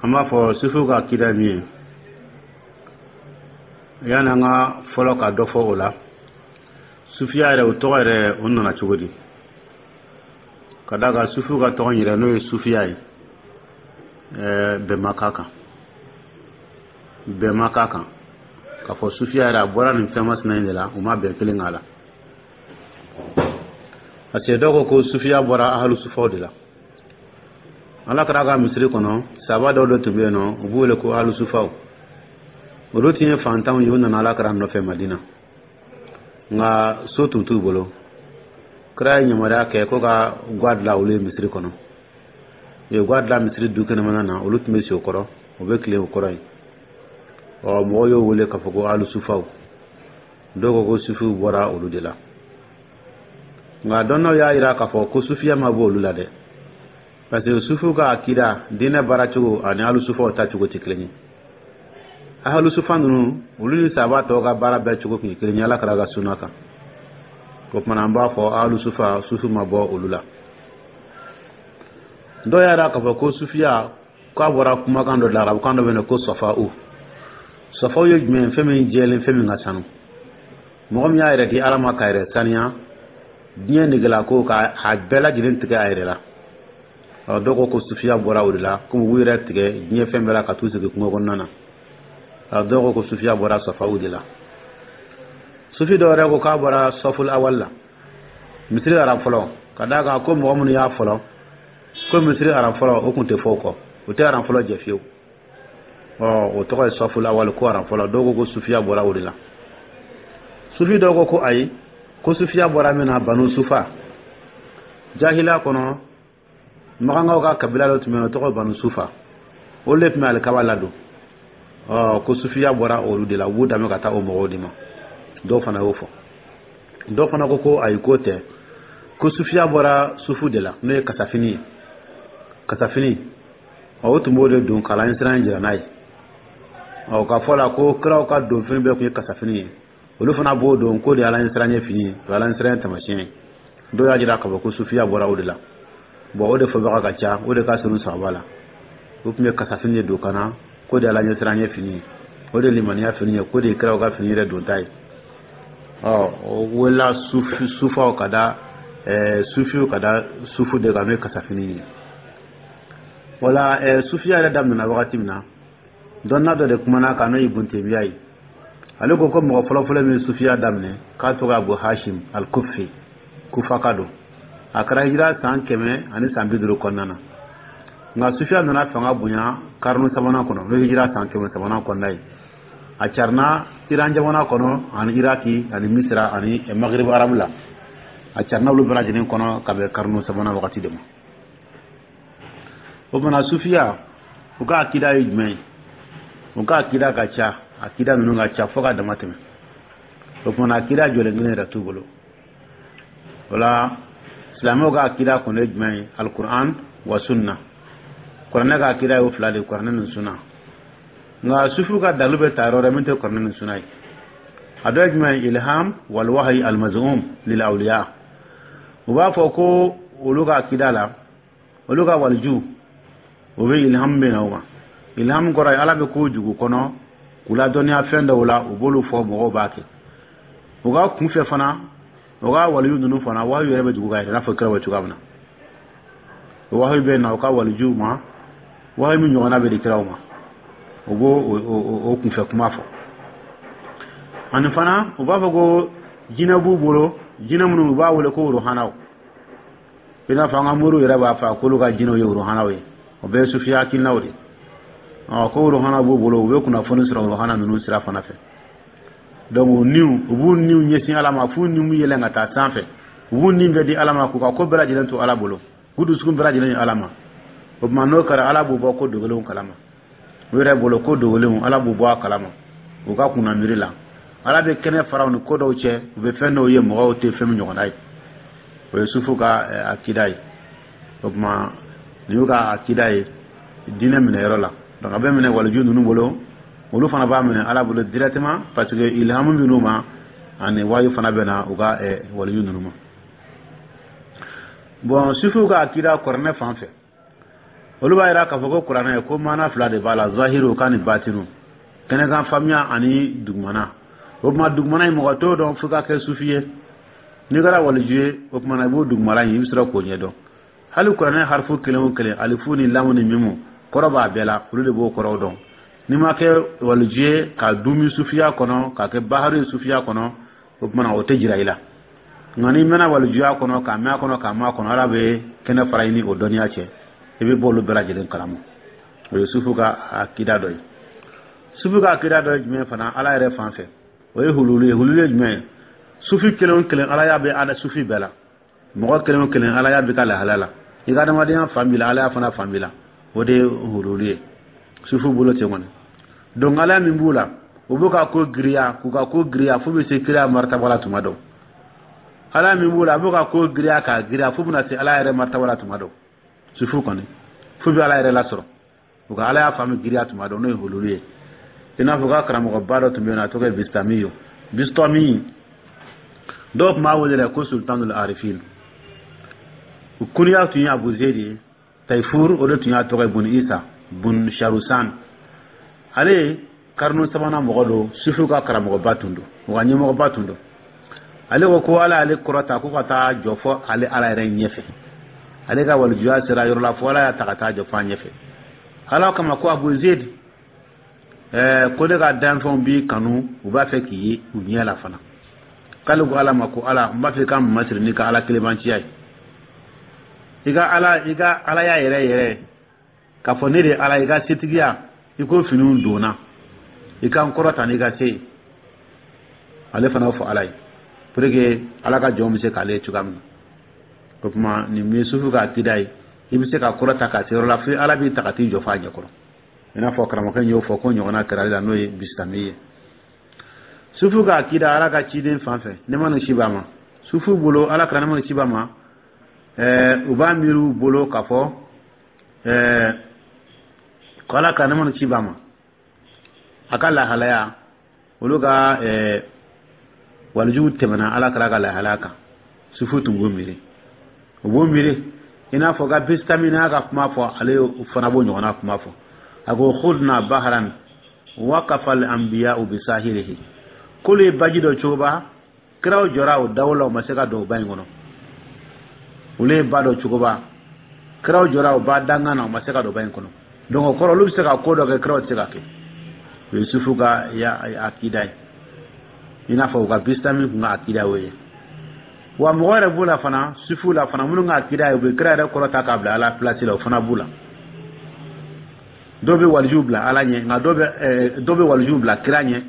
An b'a fɔ sufiw ka akida min ye, yani an ka fɔlɔ ka dɔ fɔ o la, sufiya yɛrɛ, o tɔgɔ yɛrɛ, o nana cogo di? Ka d'a kan sufiw ka tɔgɔ yɛrɛ, n'o ye sufiya ye, ɛɛ bɛn ma k'a kan, bɛn ma k'a kan k'a fɔ sufiya yɛrɛ a bɔra nin fɛn masina in de la. U ma bɛn kelen k'a la, parce que dɔw ko ko sufiya bɔra ahalu sufaw de la. Ala kɛra ka misiri kɔnɔ, saba dɔw de tun bɛ yen nɔ, u b'u wele ko ahalu sufaw. Olu tun ye fantanw ye, u nana Ala kɛra nɔfɛ Madina, nka so tun t'u bolo. Kira ye yamaruya kɛ ko ka gwa dilan olu ye misiri kɔnɔ. U ye gwa dilan misiri du kɛnɛmana na, olu tun bɛ si o kɔrɔ, u bɛ tilen o kɔrɔ yen. Ɔ, mɔgɔw y'o wele k'a fɔ ko alu sufaw. Dɔw ko ko sufiw bɔra olu de la, nka dɔnnaw y'a jira k'a fɔ ko sufiya ma bɔ olu la dɛ, parce que sufiw ka akida, diinɛ baara cogo ani alu sufaw ta cogo tɛ kelen ye. Ahalu sufa ninnu, olu ni saba tɔw ka baara bɛɛ cogo tun ye kelen ye Ala kɛra ka sunna kan. O tuma na, an b'a fɔ ahalu sufa, sufi ma bɔ olu la. Dɔw y'a jira k'a fɔ ko sufiya k'a bɔra kumakan dɔ de la, arabukan dɔ bɛ yen ko sɔfa'u. Sɔfa'u ye jumɛn ye? Fɛn min jɛlen, fɛn min ka sanu. Mɔgɔ min y'a yɛrɛ di Ala ma k'a yɛrɛ saniya diɲɛ negela ko k'a bɛɛ lajɛlen tigɛ a yɛrɛ la. Ɔ, dɔw ko ko sufiya bɔra o de la, komi u yɛrɛ tigɛ diɲɛ fɛn bɛɛ la ka t'u sigi kungo kɔnɔna na. Ɔ, dɔw ko ko sufiya bɔra sɔfa'u de la. Sufi dɔw yɛrɛ ko k'a bɔra sɔful awal la, misiri rang fɔlɔ, ka d'a kan ko mɔgɔ minnu y'a fɔlɔ ko misiri rang fɔlɔ, o tun tɛ fɔ o kɔ, o tɛ rang fɔlɔ jɛ fiyewu. Ɔ, o tɔgɔ ye sɔful awal, ko rang fɔlɔ. Dɔw ko ko sufiya bɔra o de la. Sufi dɔw ko ko ayi, ko sufiya bɔra min na, banu sufa. Jahiliya kɔnɔ, makankaw ka kabila dɔ tun bɛ yen, o tɔgɔ banu sufa, olu de tun bɛ alikaba ladon. Ɔ, ko sufiya bɔra olu de la, u b'u danbe ka taa o mɔgɔw de ma. Dɔw fana y'o fɔ. Dɔw fana ko ko ayi, k'o tɛ, ko sufiya bɔra sufu de la, n'o ye kasafini ye. Kasafini, ɔ, o tun b'o de don k'a la siran jira n'a ye. Ɔ, ka fɔ la ko kiraw ka donfini bɛɛ tun ye kasafini ye, olu fana b'o don k'o de ye Ala ɲɛsiranɲɛ fini ye, o ye Ala ɲɛsiranɲɛ taamasiyɛn ye. Dɔw y'a jira k'a fɔ ko sufiya bɔra o de la. Bon, o de fɔbaga ka ca, o de ka surun sahaba la. O tun bɛ kasafini de don ka na, k'o de ye Ala ɲɛsiranɲɛ fini ye, o de ye limaniya fini ye, k'o de ye kiraw ka fini yɛrɛ donta ye. Ɔ, o welela sufi, sufaw ka da ɛɛ sufiw ka da sufu de kan, n'o ye kasafini ye. Wala ɛɛ sufiya yɛrɛ daminɛna wagati min na, dɔnna dɔ de kumana kan, n'o ye Ibun Temiya ye. Ale ko ko mɔgɔ fɔlɔfɔlɔ min ye sufiya daminɛ, k'a tɔgɔ Abu Hashim al-Kufi, Kufaka don. A kɛra hijira san kɛmɛ ani san bi duuru kɔnɔna na. Nka sufiya nana fanga bonya karunu sabanan kɔnɔ, n'o ye hijira san kɛmɛ sabanan kɔnɔna ye. A carina Iran jamana kɔnɔ ani Iraki ani Misira ani Maghrib arabu la. A carina olu bɛɛ lajɛlen kɔnɔ ka bɛn karunu sabanan wagati de ma. O fana, sufiya, u ka akida ye jumɛn ye? U ka akida ka ca, akida ninnu ka ca fo ka dama tɛmɛ. O kumana, akida jɔlen kelen yɛrɛ t'u bolo. O la, silamɛw ka akida kɔni ye jumɛn ye? Alikuran wa sunna. Kuranɛ ka akida y'o fila de ye, kuranɛ ni sunna. Nka sufiw ka dalu bɛ ta yɔrɔ wɛrɛ min tɛ kuranɛ ni sunna ye. A dɔ ye jumɛn ye? Ilham wal wahyi al maz'um lil awliya. U b'a fɔ ko olu ka akida la, olu ka waliju, o bɛ ilham bɛ na o ma. Ilham kɔrɔ ye Ala bɛ ko jugu kɔnɔ k'u ladɔnniya fɛn dɔw la, u b'olu fɔ, mɔgɔw b'a kɛ. U ka kunfɛ fana, u ka waliyu ninnu fana, wahayu yɛrɛ bɛ dugu ka yɛrɛ, i n'a fɔ kiraw bɛ cogoya min na. Wahayu bɛ na u ka walijuw ma, wahayu min ɲɔgɔnna bɛ di kiraw ma, u b'o o kunfɛ kuma fɔ. Ani fana, u b'a fɔ ko jinɛ b'u bolo, jinɛ minnu u b'a wele ko ruhanaw, i n'a fɔ an ka moriw yɛrɛ b'a fɔ k'olu ka jinɛw ye ruhanaw ye. O bɛɛ ye sufiya hakilinaw de. Ɔ, ko ruhana b'u bolo, u bɛ kunnafoni sɔrɔ ruhana ninnu sira fana fɛ. Donc u niw, u b'u niw ɲɛsin Ala ma f'u niw yɛlɛn ka taa sanfɛ. U b'u ni bɛɛ di Ala ma, k'u ka ko bɛɛ lajɛlen to Ala bolo, k'u dusukun bɛɛ lajɛlen ye Ala ma. O tuma, n'o kɛra, Ala b'u bɔ ko dogolenw kalama. U yɛrɛ bolo, ko dogolenw, Ala b'u bɔ a kalama. U ka kunna miiri la, Ala bɛ kɛnɛ fara u ni ko dɔw cɛ, u bɛ fɛn dɔw ye mɔgɔw tɛ fɛn min ɲɔgɔnna ye. O ye sufu ka akida ye. O tuma, nin y'u ka akida ye diinɛ minɛyɔrɔ la. Donc a bɛ minɛ waliju ninnu bolo, olu fana b'a minɛ Ala bolo directement, parce que ilhamu bɛ ma ani wayu fana bɛ na u ka waliju ninnu ma. Bon, sufiw ka akida kuranɛ fan fɛ, olu b'a yira k'a fɔ ko kuranɛ, ko maana fila de b'a la, zahiru ka ni batinu, kɛnɛkan faamuya ani dugumana. O tuma, dugumana in, mɔgɔ t'o dɔn fo ka kɛ sufi ye. N'i kɛra waliju ye, o tuma na, i b'o dugumana in, i bɛ sɔrɔ k'o ɲɛdɔn. Hali kuranɛ harifu kelen o kelen, alifu ni lamu ni mimu, kɔrɔ b'a bɛɛ la, olu de b'o kɔrɔw dɔn. N'i ma kɛ waliju ye ka dumi sufiya kɔnɔ, ka kɛ baharu ye sufiya kɔnɔ, o tuma na, o tɛ jira i la. Nka n'i mɛnna walijuya kɔnɔ, k'a mɛn a kɔnɔ, k'a mɛn a kɔnɔ, Ala bɛ kɛnɛ fara i ni o dɔnniya cɛ, i bɛ bɔ olu bɛɛ lajɛlen kalama. O ye sufu ka akida dɔ ye. Sufu ka akida dɔ ye jumɛn fana Ala yɛrɛ fan fɛ? O ye hululu ye. Hululu ye jumɛn ye? Sufi kelen o kelen, Ala y'a bɛ ala sufi bɛɛ la. Mɔgɔ kelen o kelen, Ala y'a bɛ ka lahala la, i ka adamadenya fan b'i la, Ala y'a fana fan b'i la. O de ye hululu ye sufu bolo ten kɔni. Donc Ala min b'u la, u b'u ka ko giriya, k'u ka ko giriya f'u bɛ se kiriya martaba la tuma dɔ. Ala min b'u la, a b'u ka ko giriya k'a giriya f'u bɛna se Ala yɛrɛ martaba la tuma dɔ. Sufu kɔni, f'u bɛ Ala yɛrɛ lasɔrɔ, u ka Ala y'a faamu giriya tuma dɔ, n'o ye hululu ye. I n'a fɔ ka karamɔgɔba dɔ tun bɛ yen nɔ, a tɔgɔ ye Bistami ye. Bistami, dɔw tun b'a wele yɛrɛ ko Sultanul Arifin. Kuniya tun ye Abu Zedi ye. Tayfur, o de tun y'a tɔgɔ ye, bun Isa bun Sharusan. Ale karnu sabanan mɔgɔ don, sufiw ka karamɔgɔba tun don, u ka ɲɛmɔgɔba tun don. Ale ko ko Ala y'ale kɔrɔta ko ka taa jɔ fɔ ale Ala yɛrɛ ɲɛfɛ. Ale ka walijuya sera yɔrɔ la fo Ala y'a ta ka taa jɔ fɔ a ɲɛfɛ. Ala kama ko Abu Zed, ɛɛ ko ne ka danfɛnw b'i kanu, u b'a fɛ k'i ye u ɲɛ la fana. K'ale ko Ala ma ko Ala, n b'a fɛ ka masiri n'i ka Ala kelebanciya ye, i ka Ala, i ka Alaya yɛrɛ yɛrɛ, k'a fɔ ne de ye Ala, i ka setigiya, i ko finiw donna, i ka n kɔrɔta n'i ka se ye. Ale fana b'o fɔ Ala ye pour que Ala ka jɔnw bɛ se k'ale ye cogoya min na. O tuma, nin ye sufu ka akida ye. I bɛ se ka kɔrɔta ka se yɔrɔ la fo Ala b'i ta ka t'i jɔ f'a ɲɛkɔrɔ, i n'a fɔ karamɔgɔkɛ y'o fɔ ko ɲɔgɔnna kɛra ale la, n'o ye Bisitami ye. Sufu ka akida Ala ka ciden fan fɛ, nɛɛma ni kisi b'a ma, sufu bolo, Ala kira, nɛɛma ni kisi b'a ma, ɛɛ u b'a miiri u bolo k'a fɔ ɛɛ ko Ala kira, nɛɛma ni kisi b'a ma, a ka lahalaya, olu ka ɛɛ walijuw tɛmɛna Ala kira ka lahalaya kan. Sufu tun b'o miiri, u b'o miiri i n'a fɔ ka Bisitami n'a ka kuma fɔ, ale fana b'o ɲɔgɔnna kuma fɔ. A ko khudna bahran waqafa al anbiya'u bisahilihi, k'olu ye baji dɔ cogoba, kiraw jɔra o dawo la, u ma se ka don o ba in kɔnɔ. Olu ye ba dɔ cogoba, kiraw jɔra o ba dangan na, u ma se ka don ba in kɔnɔ. Donc o kɔrɔ, olu bɛ se ka ko dɔ kɛ, kiraw tɛ se ka kɛ. O ye sufu ka ya akida ye, i n'a fɔ u ka Bisitami kun ka akida y'o ye. Wa mɔgɔ yɛrɛ b'u la fana, sufu la fana, minnu ka akida ye u bɛ kira yɛrɛ kɔrɔta k'a bila Ala place la, o fana b'u la. Dɔw bɛ walijuw bila Ala ɲɛ, nka dɔw bɛ dɔw bɛ walijuw bila kira ɲɛ,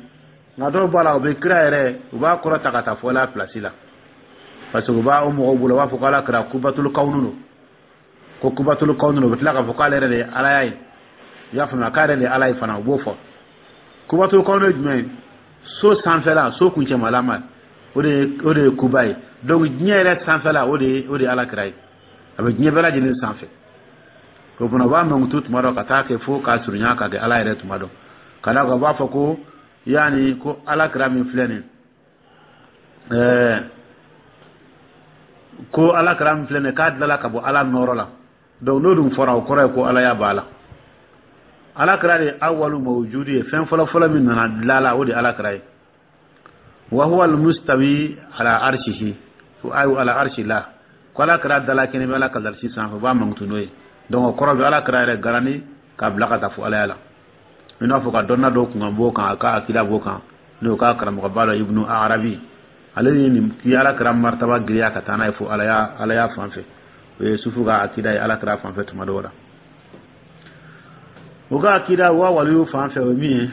nka dɔw b'a la, u bɛ kira yɛrɛ, u b'a kɔrɔta ka taa fɔ Ala place la, parce que u b'a o mɔgɔw bolo, u b'a fɔ ko Ala kɛra kubatul kawunu don, ko kubatul kawunu don. U bɛ tila k'a fɔ k'ale yɛrɛ de ye Alaya ye. I y'a faamuya, k'ale yɛrɛ de ye Ala ye fana, u b'o fɔ. Kubatul kawunu ye jumɛn ye? So sanfɛla, so kuncɛmalama, o de ye o de ye kuba ye. Donc diɲɛ yɛrɛ sanfɛla, o de ye o de ye Ala kira ye, a bɛ diɲɛ bɛɛ lajɛlen sanfɛ. O fana, u b'a mankutu tuma dɔ ka taa kɛ fo k'a surunya ka kɛ Ala yɛrɛ tuma dɔ, ka d'a kan u b'a fɔ ko yaani ko Ala kira min filɛ nin, ɛɛ ko Ala kira min filɛ nin, k'a dilala ka bɔ Ala nɔrɔ la. Donc n'o dun fɔra, o kɔrɔ ye ko Alaya b'a la. Ala kira de ye awalu mawujudi ye, fɛn fɔlɔ fɔlɔ min nana dilala, o de ye Ala kira ye. Wa huwa almustawi ala arshihi, ayu ala arshi la, ko Ala kira dala kɛnɛ bɛ Ala ka alisi sanfɛ, u b'a mankutu n'o ye. Donc o kɔrɔ bɛ Ala kira yɛrɛ garani k'a bila ka taa fo Alaya la, i n'a fɔ ka dɔnna dɔw kun kan b'o kan, a ka akida b'o kan, n'o ka karamɔgɔba dɔ, Ibnu Arabi. Ale ye nin k'i Ala kira martaba giriya ka taa n'a ye fo Alaya, Alaya fan fɛ. O ye sufu ka akida ye Ala kira fan fɛ tuma dɔw la. U ka akida wa waliyu fan fɛ, o ye min ye,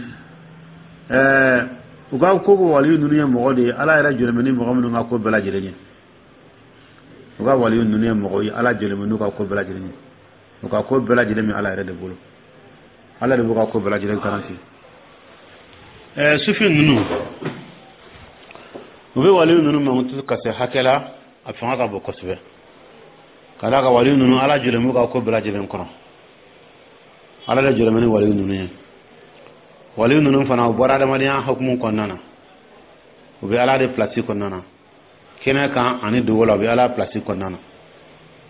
ɛɛ u ka ko ko waliyu ninnu ye mɔgɔ de ye, Ala yɛrɛ jɔlen bɛ ni mɔgɔ minnu ka ko bɛɛ lajɛlen ye. U ka waliyu ninnu ye mɔgɔ ye, Ala jɔlen bɛ n'u ka ko bɛɛ lajɛlen ye. U ka ko bɛɛ lajɛlen bɛ Ala yɛrɛ de bolo, Ala de b'u ka ko bɛɛ lajɛlen garanti. ɛɛ sufi ninnu, u bɛ waliyu ninnu mankutu ka se hakɛ la, a fanga ka bon kosɛbɛ, ka d'a kan waliyu ninnu, Ala jɔlen b'u ka ko bɛɛ lajɛlen kɔnɔ. Ala de jɔlen bɛ ni waliyu ninnu ye. Waliyu ninnu fana, u bɔra adamadenya hukumu kɔnɔna na, u bɛ Ala de place kɔnɔna na, kɛnɛ kan ani dogo la, u bɛ Ala place kɔnɔna na.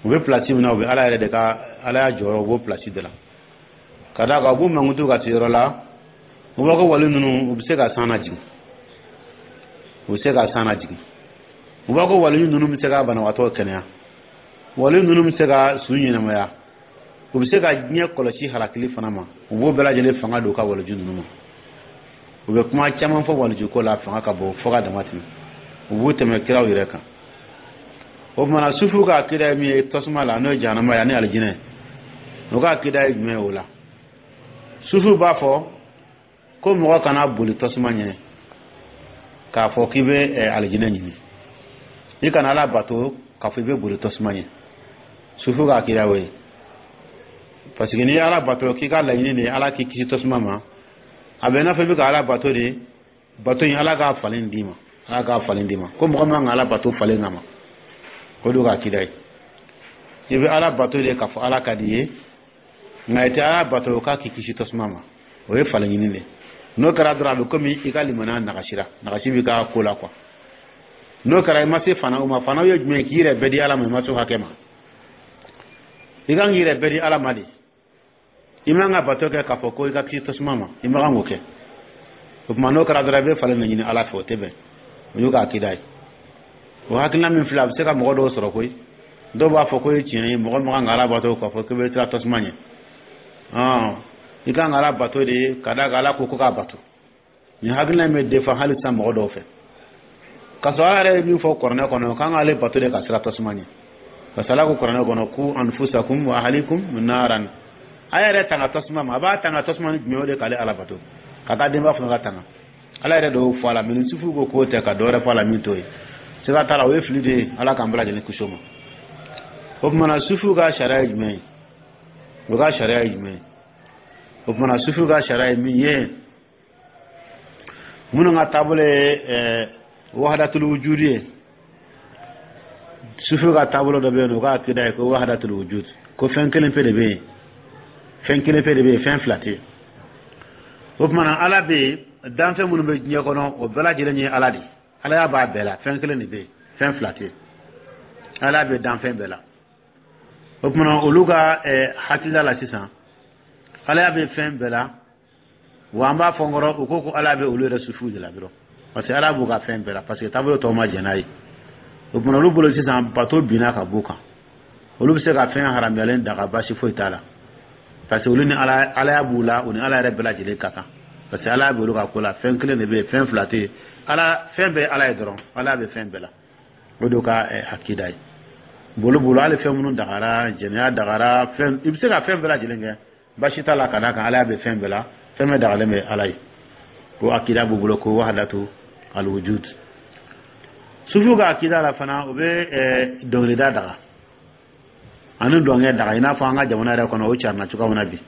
U bɛ place min na, u bɛ Ala yɛrɛ de ka Ala y'a jɔyɔrɔ, u b'o place de la. Ka d'a kan u b'u mankutu ka se yɔrɔ la, u b'a ko wali ninnu, u bɛ se ka san lajigin, u bɛ se ka san lajigin. U b'a ko wali ninnu bɛ se ka banabaatɔ kɛnɛya, wali ninnu bɛ se ka su ɲɛnamaya, u bɛ se ka diɲɛ kɔlɔsi halakili fana ma. U b'o bɛɛ lajɛlen fanga don u ka waliju ninnu ma. U bɛ kuma caman fɔ waliju ko la, fanga ka bon fo ka dama tɛmɛ, u b'u tɛmɛ kiraw yɛrɛ kan. O tuma na, sufuw ka akida ye min ye tasuma la, n'o ye jahanama ye, ani alijinɛ, u ka akida ye jumɛn ye o la? Sufuw b'a fɔ ko mɔgɔ kana boli tasuma ɲɛ k'a fɔ k'i bɛ alijinɛ ɲini, i kana Ala bato k'a fɔ i bɛ boli tasuma ɲɛ. Sufu ka akida y'o ye, parce que n'i ye Ala bato k'i ka laɲini de ye Ala k'i kisi tasuma ma, a bɛ i n'a fɔ i bɛ ka Ala bato de, bato in, Ala k'a falen d'i ma, Ala k'a falen d'i ma. Ko mɔgɔ man ka Ala bato falen kama, o de ka akida ye. I bɛ Ala bato de k'a fɔ Ala ka di i ye, nka i tɛ Ala bato k'a k'i kisi tasuma ma, o ye falen ɲini de. N'o kɛra dɔrɔn, a bɛ komi i ka limaniya nagasira, nagasi b'i ka ko la quoi. N'o kɛra, i ma se fana o ma. Fana ye jumɛn ye? K'i yɛrɛ bɛɛ di Ala ma, i ma se o hakɛ ma. I kan k'i yɛrɛ bɛɛ di Ala ma de. I man ka bato kɛ k'a fɔ ko i ka kisi tasuma ma, i man kan k'o kɛ. O tuma, n'o kɛra dɔrɔn, i bɛ falen de ɲini Ala fɛ, o tɛ bɛn. O y'u ka akida ye. O hakilina min filɛ, a bɛ se ka mɔgɔ dɔw sɔrɔ koyi. Dɔw b'a fɔ ko ye tiɲɛ ye, mɔgɔ man kan ka Ala bato k'a fɔ k'i bɛ siran tasuma ɲɛ. I kan ka Ala bato de ka d'a kan Ala ko ko k'a bato. Nin hakilina in bɛ defa hali sisan mɔgɔ dɔw fɛ, k'a sɔrɔ Ala yɛrɛ ye min fɔ kuranɛ kɔnɔ, k'an k'ale bato de ka siran tasuma ɲɛ, parce que Ala ko kuranɛ kɔnɔ: "Qu anfusakum wa ahlikum naran." A yɛrɛ tanga tasuma ma. A b'a tanga tasuma ni jumɛn? O de k'ale Ala bato, k'a ka denba fana ka tanga. Ala yɛrɛ de y'o fɔ a la. Mais ni sufiw ko k'o tɛ, ka dɔ wɛrɛ fɔ a la min t'o ye, siga t'a la, o ye fili de ye. Ala k'an bɛɛ lajɛlen kisi o ma. O tuma na, sufiw ka sariya ye jumɛn ye? O ka sariya ye jumɛn ye? O tuma na, sufiw ka sariya ye min ye, minnu ka taabolo ye ɛɛ wahadatul wujudi ye, sufiw ka taabolo dɔ bɛ yen nɔ, u ka akida ye ko wahadatul wujud, ko fɛn kelen pe de bɛ yen, fɛn kelen pe de bɛ yen, fɛn fila tɛ yen. O tuma na, Ala bɛ yen, danfɛn minnu bɛ diɲɛ kɔnɔ, o bɛɛ lajɛlen ye Ala de ye. Ala y'a b'a bɛɛ la, fɛn kelen de bɛ yen, fɛn fila tɛ yen. Ala bɛ danfɛn bɛɛ la. O tuma na, olu ka hakilila la sisan, Ala bɛ fɛn bɛɛ la. Wa an b'a fɔ n kɔrɔ, u ko ko Ala bɛ olu yɛrɛ sufiw de la dɔrɔn, parce que Ala b'u ka fɛn bɛɛ la, parce que taabolo tɔw ma jɛn n'a ye. O tuma, olu bolo sisan, bato binna ka b'u kan, olu bɛ se ka fɛn haramuyalen daga, baasi foyi t'a la, parce que olu ni Ala, Alaya b'u la, u ni Ala yɛrɛ bɛɛ lajɛlen ka kan, parce que Ala bɛ olu ka ko la. Fɛn kelen de bɛ yen, fɛn fila tɛ yen. Ala, fɛn bɛɛ ye Ala ye dɔrɔn, Ala bɛ fɛn bɛɛ la. O de y'u ka akida ye. Bolo bolo, hali fɛn minnu dagara, jɛnɛya dagara, fɛn, i bɛ se ka fɛn bɛɛ lajɛlen kɛ, baasi t'a la, ka d'a kan Ala bɛ fɛn bɛɛ la, fɛn bɛɛ dagalen bɛ Ala ye. Ko akida b'u bolo ko wahadatu alwujud. Sufiw ka akida la fana, u bɛ dɔnkilida daga ani dɔnkɛ daga, i n'a fɔ an ka jamana yɛrɛ kɔnɔ, o carina cogoya min na bi.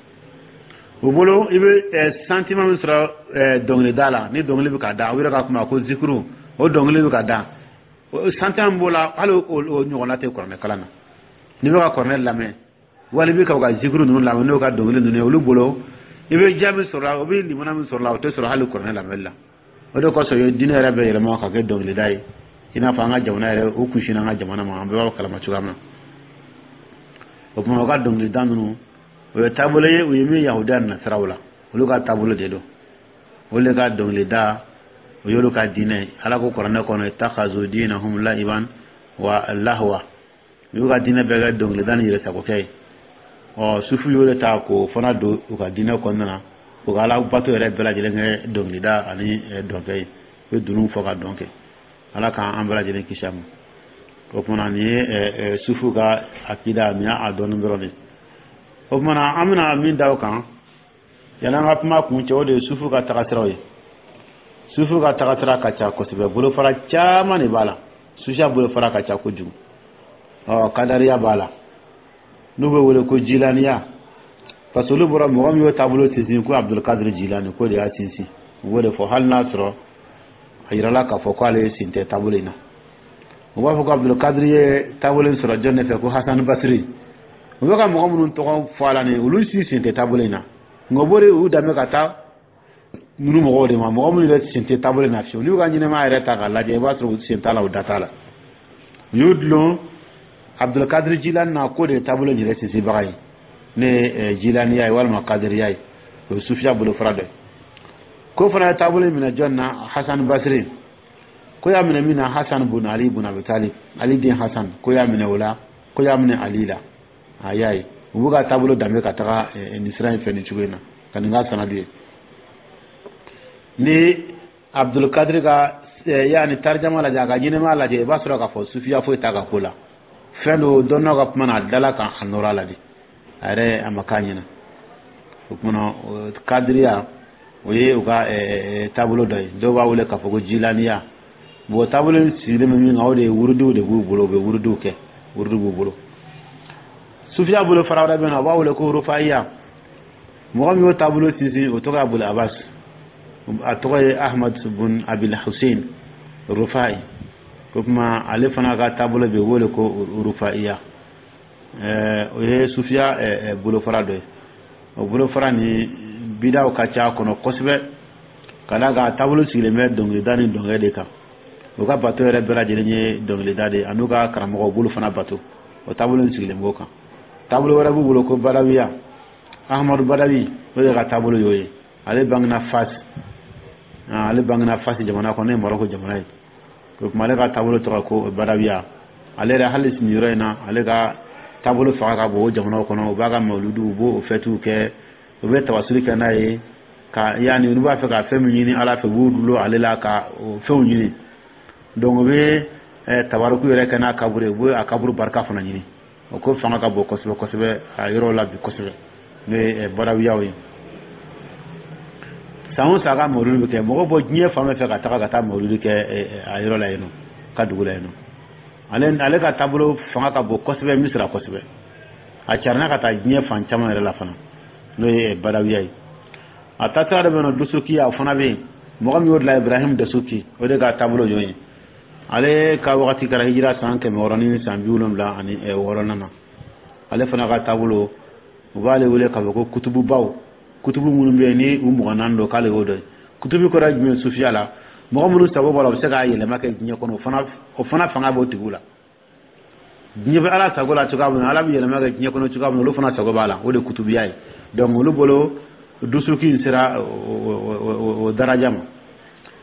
U bolo, i bɛ sentiment min sɔrɔ dɔnkilida la, ni dɔnkili bɛ ka da, u yɛrɛ ka kuma ko zikuru, o dɔnkili bɛ ka da, sentiment min b'o la, hali o ɲɔgɔnna tɛ kuranɛ kalan na. N'i bɛ ka kuranɛ lamɛn, wali i bɛ ka u ka zikuru ninnu lamɛn, n'o ka dɔnkili ninnu ye, olu bolo, i bɛ diya min sɔrɔ la, o bɛ limana min sɔrɔ la, o tɛ sɔrɔ hali kuranɛ lamɛnli la. O de kosɔn, u ye diinɛ yɛrɛ bɛ yɛlɛma ka kɛ dɔnkilida ye, i n'a fɔ an ka jamana yɛrɛ, o kunsinna an ka jamana ma, an bɛɛ b'a kalama cogoya min na. O tuma, u ka dɔnkilida ninnu, o ye taabolo ye u ye min yahudiya nasiraw la, olu ka taabolo de don. Olu de ka dɔnkilida, o y'olu ka diinɛ ye. Ala ko kuranɛ kɔnɔ: "Ittakhazu dinahum la'iban wa lahwa." U y'u ka diinɛ bɛɛ kɛ dɔnkilida ni yɛrɛsagokɛ ye. Ɔ, sufu y'o de ta k'o fana don u ka diinɛ kɔnɔna na, u ka Ala bato yɛrɛ bɛɛ lajɛlen kɛ dɔnkilida ani dɔnkɛ ye. U bɛ dunun fɔ ka dɔn kɛ. Ala k'an bɛɛ lajɛlen kisi a ma. O tuma, nin ye sufu ka akida, nin y'a dɔɔnin dɔrɔn de. O tuma na, an bɛna min da o kan yanni an ka kuma kun cɛ, o de ye sufu ka tagasiraw ye. Sufu ka tagasira ka ca kosɛbɛ, bolofara caman de b'a la. Sufiya bolofara ka ca kojugu. Ɔ, kadariya b'a la, n'u bɛ wele ko jilaniya, parce que olu bɔra mɔgɔ min y'o taabolo sinsin, ko Abdulkadir Jilani, k'o de y'a sinsin. U b'o de fɔ, hali n'a sɔrɔ a yirala k'a fɔ k'ale sen tɛ taabolo in na. U b'a fɔ ko Abdulkadir ye taabolo in sɔrɔ jɔn de fɛ? Ko Hasan Basiri. U bɛ ka mɔgɔ minnu tɔgɔ fɔ a la nin, olu si sen tɛ taabolo in na, nka u b'o de u danbe ka taa ninnu mɔgɔw de ma, mɔgɔ minnu yɛrɛ sen tɛ taabolo in na fiyewu. N'u ka ɲɛnɛmaya yɛrɛ ta k'a lajɛ, i b'a sɔrɔ u sen t'a la, u da t'a la. U y'u dulon Abdulkadir Jilani na, k'o de ye taabolo in yɛrɛ sinsinbaga ye, ne ye jilaniya ye walima kadiriya ye, o ye sufiya bolofara dɔ ye. Ko fana ye taabolo in minɛ jɔn na? Hasan Basiri. Ko y'a minɛ min na? Hasan bun Ali bun Abi Talib, Ali den Hasan. Ko y'a minɛ o la, ko y'a minɛ Ali la. A y'a ye, u b'u ka taabolo danbe ka taga nin sira in fɛ nin cogo in na, ka nin k'a sanadu ye. Ni Abdulkadir ka yaani tarijama lajɛ, a ka ɲɛnɛmaya lajɛ, i b'a sɔrɔ k'a fɔ sufiya foyi t'a ka ko la. Fɛn dɔ dɔnnaw ka kuma na, a dala kan a nɔrɔ a la de, a yɛrɛ a ma k'a ɲɛna. O kumana, kadiriya, o ye u ka taabolo dɔ ye. Dɔw b'a wele k'a fɔ ko jilaniya. Bon, taabolo in sigilen bɛ min kan, o de ye wurudiw de b'u bolo, u bɛ wurudiw kɛ, wurudiw b'u bolo. Sufiya bolo fara wɛrɛ bɛ yen nɔ, u b'a wele ko rufaiya. Mɔgɔ min y'o taabolo sinsin, o tɔgɔ ye Abul Abbas, a tɔgɔ ye Ahmad bun Abil Hussein Rufai. O tuma, ale fana ka taabolo bɛ wele ko rufaiya. O ye sufiya bolofara dɔ ye. O bolofara ni bidaw ka ca a kɔnɔ kosɛbɛ, ka d'a kan a taabolo sigilen bɛ dɔnkilida ni dɔnkɛ de kan. U ka bato yɛrɛ bɛɛ lajɛlen ye dɔnkilida de ye, ani ka karamɔgɔw bolo fana bato. O taabolo in sigilen b'o kan. Taabolo wɛrɛ b'u bolo ko Badawiya. Ahamadu Badawi, o de ka taabolo y'o ye. Ale bangena Fas, ale bangena Fas jamana kɔnɔ, n'o ye Maroko jamana ye. O tuma, ale ka taabolo tɔgɔ ko Badawiya. Ale yɛrɛ, hali sini yɔrɔ in na, ale ka taabolo fanga ka bon o jamanaw kɔnɔ. U b'a ka mawuludu, u b'o fɛtiw kɛ, u bɛ tawasuli kɛ n'a ye ka yanni n'u b'a fɛ ka fɛn min ɲini Ala fɛ, u b'u dulon ale la ka o fɛnw ɲini. Donc u bɛ tabaruku yɛrɛ kɛ n'a kaburu ye, u bɛ a kaburu barika fana ɲini. O ko fanga ka bon kosɛbɛ kosɛbɛ a yɔrɔ la bi kosɛbɛ, n'o ye Badawiyaw ye. San o san, a ka mawuludu bɛ kɛ, mɔgɔw bɔ diɲɛ fan bɛɛ fɛ ka taga ka taa mawuludu kɛ a yɔrɔ la yen nɔ, ka dugu la yen nɔ. Ale ale ka taabolo fanga ka bon kosɛbɛ Misira kosɛbɛ. A carinna ka taa diɲɛ fan caman yɛrɛ la fana, n'o ye Badawiya ye. A taasira dɔ bɛ yen nɔ, Dusukiya, o fana bɛ yen. Mɔgɔ min y'o dilan, Ibrahim Dasuki, o de ka taabolo y'o ye. Ale ka wagati kɛra hijira san kɛmɛ wɔɔrɔ ni san bi wolonwula ani wɔɔrɔnan na. Ale fana ka taabolo, u b'ale wele k'a fɔ ko kutububaw, kutubu minnu bɛ yen ni u mugan naani don, k'ale y'o dɔn ye. Kutubu kɔrɔ ye jumɛn ye sufiya la? Mɔgɔ minnu sago b'a la, u bɛ se k'a yɛlɛma kɛ diɲɛ kɔnɔ, o fana o fana fanga b'o tigiw la. Diɲɛ bɛ Ala sago la cogoya min na, Ala bɛ yɛlɛma kɛ diɲɛ kɔnɔ cogoya min na, olu fana sago b'a la. O de ye kutubiya ye. Donc olu bolo, Dusuki in sera o daraja ma.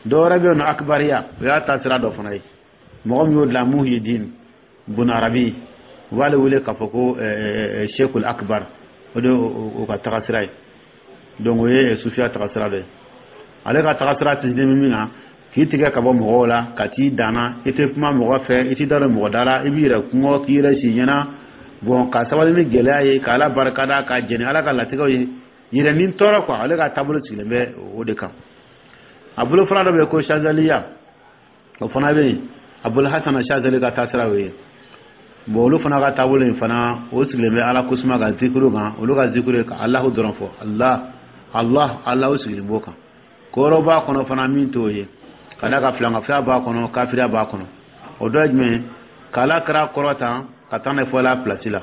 Dɔ wɛrɛ bɛ yen nɔ, Akibariya, o y'a taasira dɔ fana ye. Mɔgɔ min y'o dilan, Muhyiddin Bun Arabi, u b'ale wele k'a fɔ ko Sheikhul Akbar. O de o ka tagasira ye. Donc o ye sufiya tagasira dɔ ye. Ale ka tagasira sinsinnen bɛ min kan, k'i tigɛ ka bɔ mɔgɔw la, ka t'i danna, i tɛ kuma mɔgɔ fɛ, i t'i da don mɔgɔ da la, i b'i yɛrɛ kungɔ k'i yɛrɛ si ɲɛna. Bon, ka sabali ni gɛlɛya ye, ka Ala barikada, ka jɛni Ala ka latigɛw ye, yɛrɛ ni tɔɔrɔ quoi. Ale ka taabolo sigilen bɛ o de kan. A bolofara dɔ bɛ yen ko Shazaliya, o fana bɛ yen. Abul Hasan Shazali ka taasira y'o ye. Bon, olu fana ka taabolo in fana, o sigilen bɛ Ala kosuma ka zikuru kan. Olu ka zikuru ye ka Alahu dɔrɔn fɔ, Allah, Allah, Allah. O sigilen b'o kan. Ko wɛrɛw b'a kɔnɔ fana min t'o ye, ka d'a kan filankafoya b'a kɔnɔ, kafiriya b'a kɔnɔ. O dɔ ye jumɛn ye? K'Ala kira kɔrɔta ka taa n'a ye fo Ala pilasi la,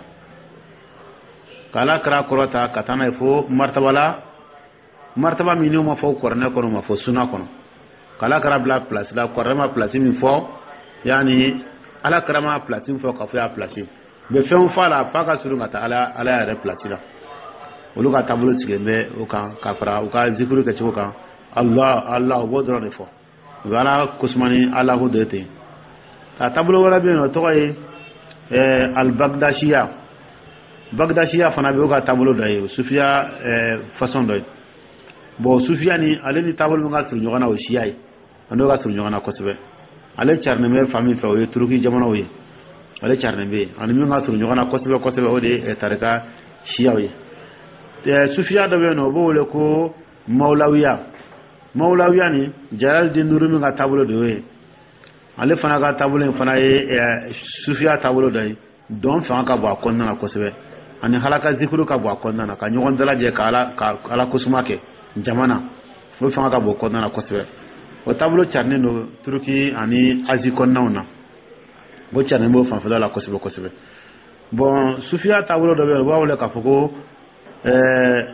k'Ala kira kɔrɔta ka taa n'a ye fo martaba la, martaba min n'o ma fɔ kuranɛ kɔnɔ, o ma fɔ suna kɔnɔ, k'Ala kira bila pilasi la, kuranɛ ma pilasi min fɔ, yanni Ala kira ma pilasi min fɔ k'a fɔ y'a pilasi, u bɛ fɛnw fɔ a la f'a ka surun ka taa ala ala yɛrɛ pilasi la. Olu ka taabolo sigilen bɛ o kan, ka fara u ka zikuru kɛcogo kan, Allah, Allah, u b'o dɔrɔn de fɔ. U bɛ Ala kosuma ni Alahu de ye ten. A taabolo wɛrɛ bɛ yen nɔ, o tɔgɔ ye Alibagdasiya. Bagdasiya fana bɛ o ka taabolo dɔ ye, o sufiya façon dɔ ye. Bon, sufiya ni ale ni taabolo min ka surun ɲɔgɔn na, o siya ye, a n'o ka surun ɲɔgɔn na kosɛbɛ. Ale carinen bɛ fan min fɛ, o ye Turuki jamanaw ye. Ale carinen bɛ yen ani min ka surun ɲɔgɔn na kosɛbɛ kosɛbɛ, o de ye tarika siyaw ye. Sufiya dɔ bɛ yen nɔ, o b'o wele ko Mawulawiya. Mawulawiya ni Jalal Rumi ka taabolo de y'o ye. Ale fana ka taabolo in fana ye sufiya taabolo dɔ ye. Dɔn fanga ka bon a kɔnɔna na kosɛbɛ, ani halaka zikuru ka bon a kɔnɔna na, ka ɲɔgɔn dalajɛ ka ala ka ala kosuma kɛ jama na, o fanga ka bon kɔnɔna na kosɛbɛ. O taabolo carinen don Turuki ani Azi kɔnɔnaw na, o carinen b'o fanfɛla la kosɛbɛ kosɛbɛ. Bon, sufiya taabolo dɔ bɛ yen, u b'a wele k'a fɔ ko ɛɛ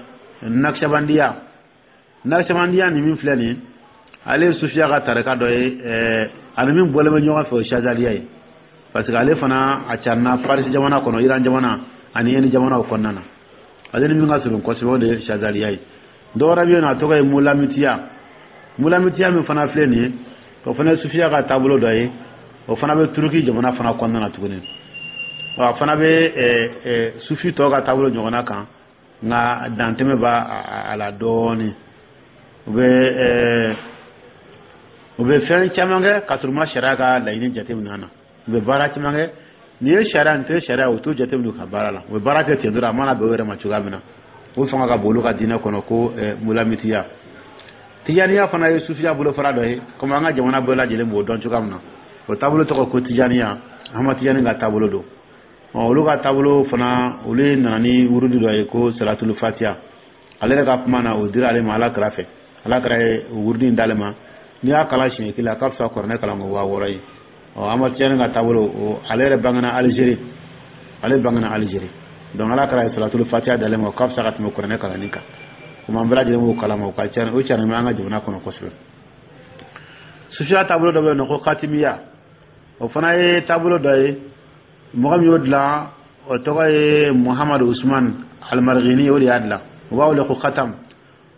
Naksabandiya. Naksabandiya nin min filɛ nin ye, ale ye sufiya ka tarika dɔ ye. ɛɛ ani min bɔlen bɛ ɲɔgɔn fɛ, o ye Shazaliya ye, parce que ale fana a carina Farisi jamana kɔnɔ, Iran jamana ani Inde jamanaw kɔnɔna na. Ale ni min ka surun kosɛbɛ, o de ye Shazaliya ye. Dɔ wɛrɛ bɛ yen nɔ, a tɔgɔ ye Mulamitiya. Mulamitiya min fana filɛ nin ye, o fana ye sufiya ka taabolo dɔ ye. O fana bɛ Turuki jamana fana kɔnɔna na tuguni. A fana bɛ sufi tɔw ka taabolo ɲɔgɔnna kan, nka dantɛmɛ b'a a la dɔɔnin. U bɛ u bɛ fɛn caman kɛ ka sɔrɔ u ma sariya ka laɲini jateminɛ na. U bɛ baara caman kɛ, nin ye sariya, nin tɛ sariya, u t'o jateminɛ u ka baara la. U bɛ baara kɛ ten dɔrɔn, a mana bɛn u yɛrɛ ma cogoya min na. O fanga ka bon olu ka diinɛ kɔnɔ ko Mulamitiya. Tijaniya fana ye sufiya bolofara dɔ ye, komi an ka jamana bɛɛ lajɛlen b'o dɔn cogoya min na. O taabolo tɔgɔ ko Tijaniya. Ahmad Tijani ka taabolo don. Olu ka taabolo fana, olu nana ni wurudi dɔ ye ko Salatul Fatiha. Ale yɛrɛ ka kuma na, o dira ale ma Ala kira fɛ. Ala kira ye wurudi in d'ale ma. N'i y'a kalan siɲɛ kelen, a ka fisa kuranɛ kalan ko waa wɔɔrɔ ye. Ɔ, Ahmad Tijani ka taabolo, ale yɛrɛ bangena Alizeri, ale bangena Alizeri. Donc Ala kira ye Salatul Fatiha d'ale ma, o ka fisa ka tɛmɛ kuranɛ kalanni kan. Komi an bɛɛ lajɛlen b'o kalama, o ka ca, o carin bɛ an ka jamana kɔnɔ kosɛbɛ. Sufiya taabolo dɔ bɛ yen nɔ ko Katimiya. O fana ye taabolo dɔ ye. Mɔgɔ min y'o dilan O tɔgɔ ye Muhamadu Usman Almarghini, o de y'a dilan. U b'a wele ko khatam.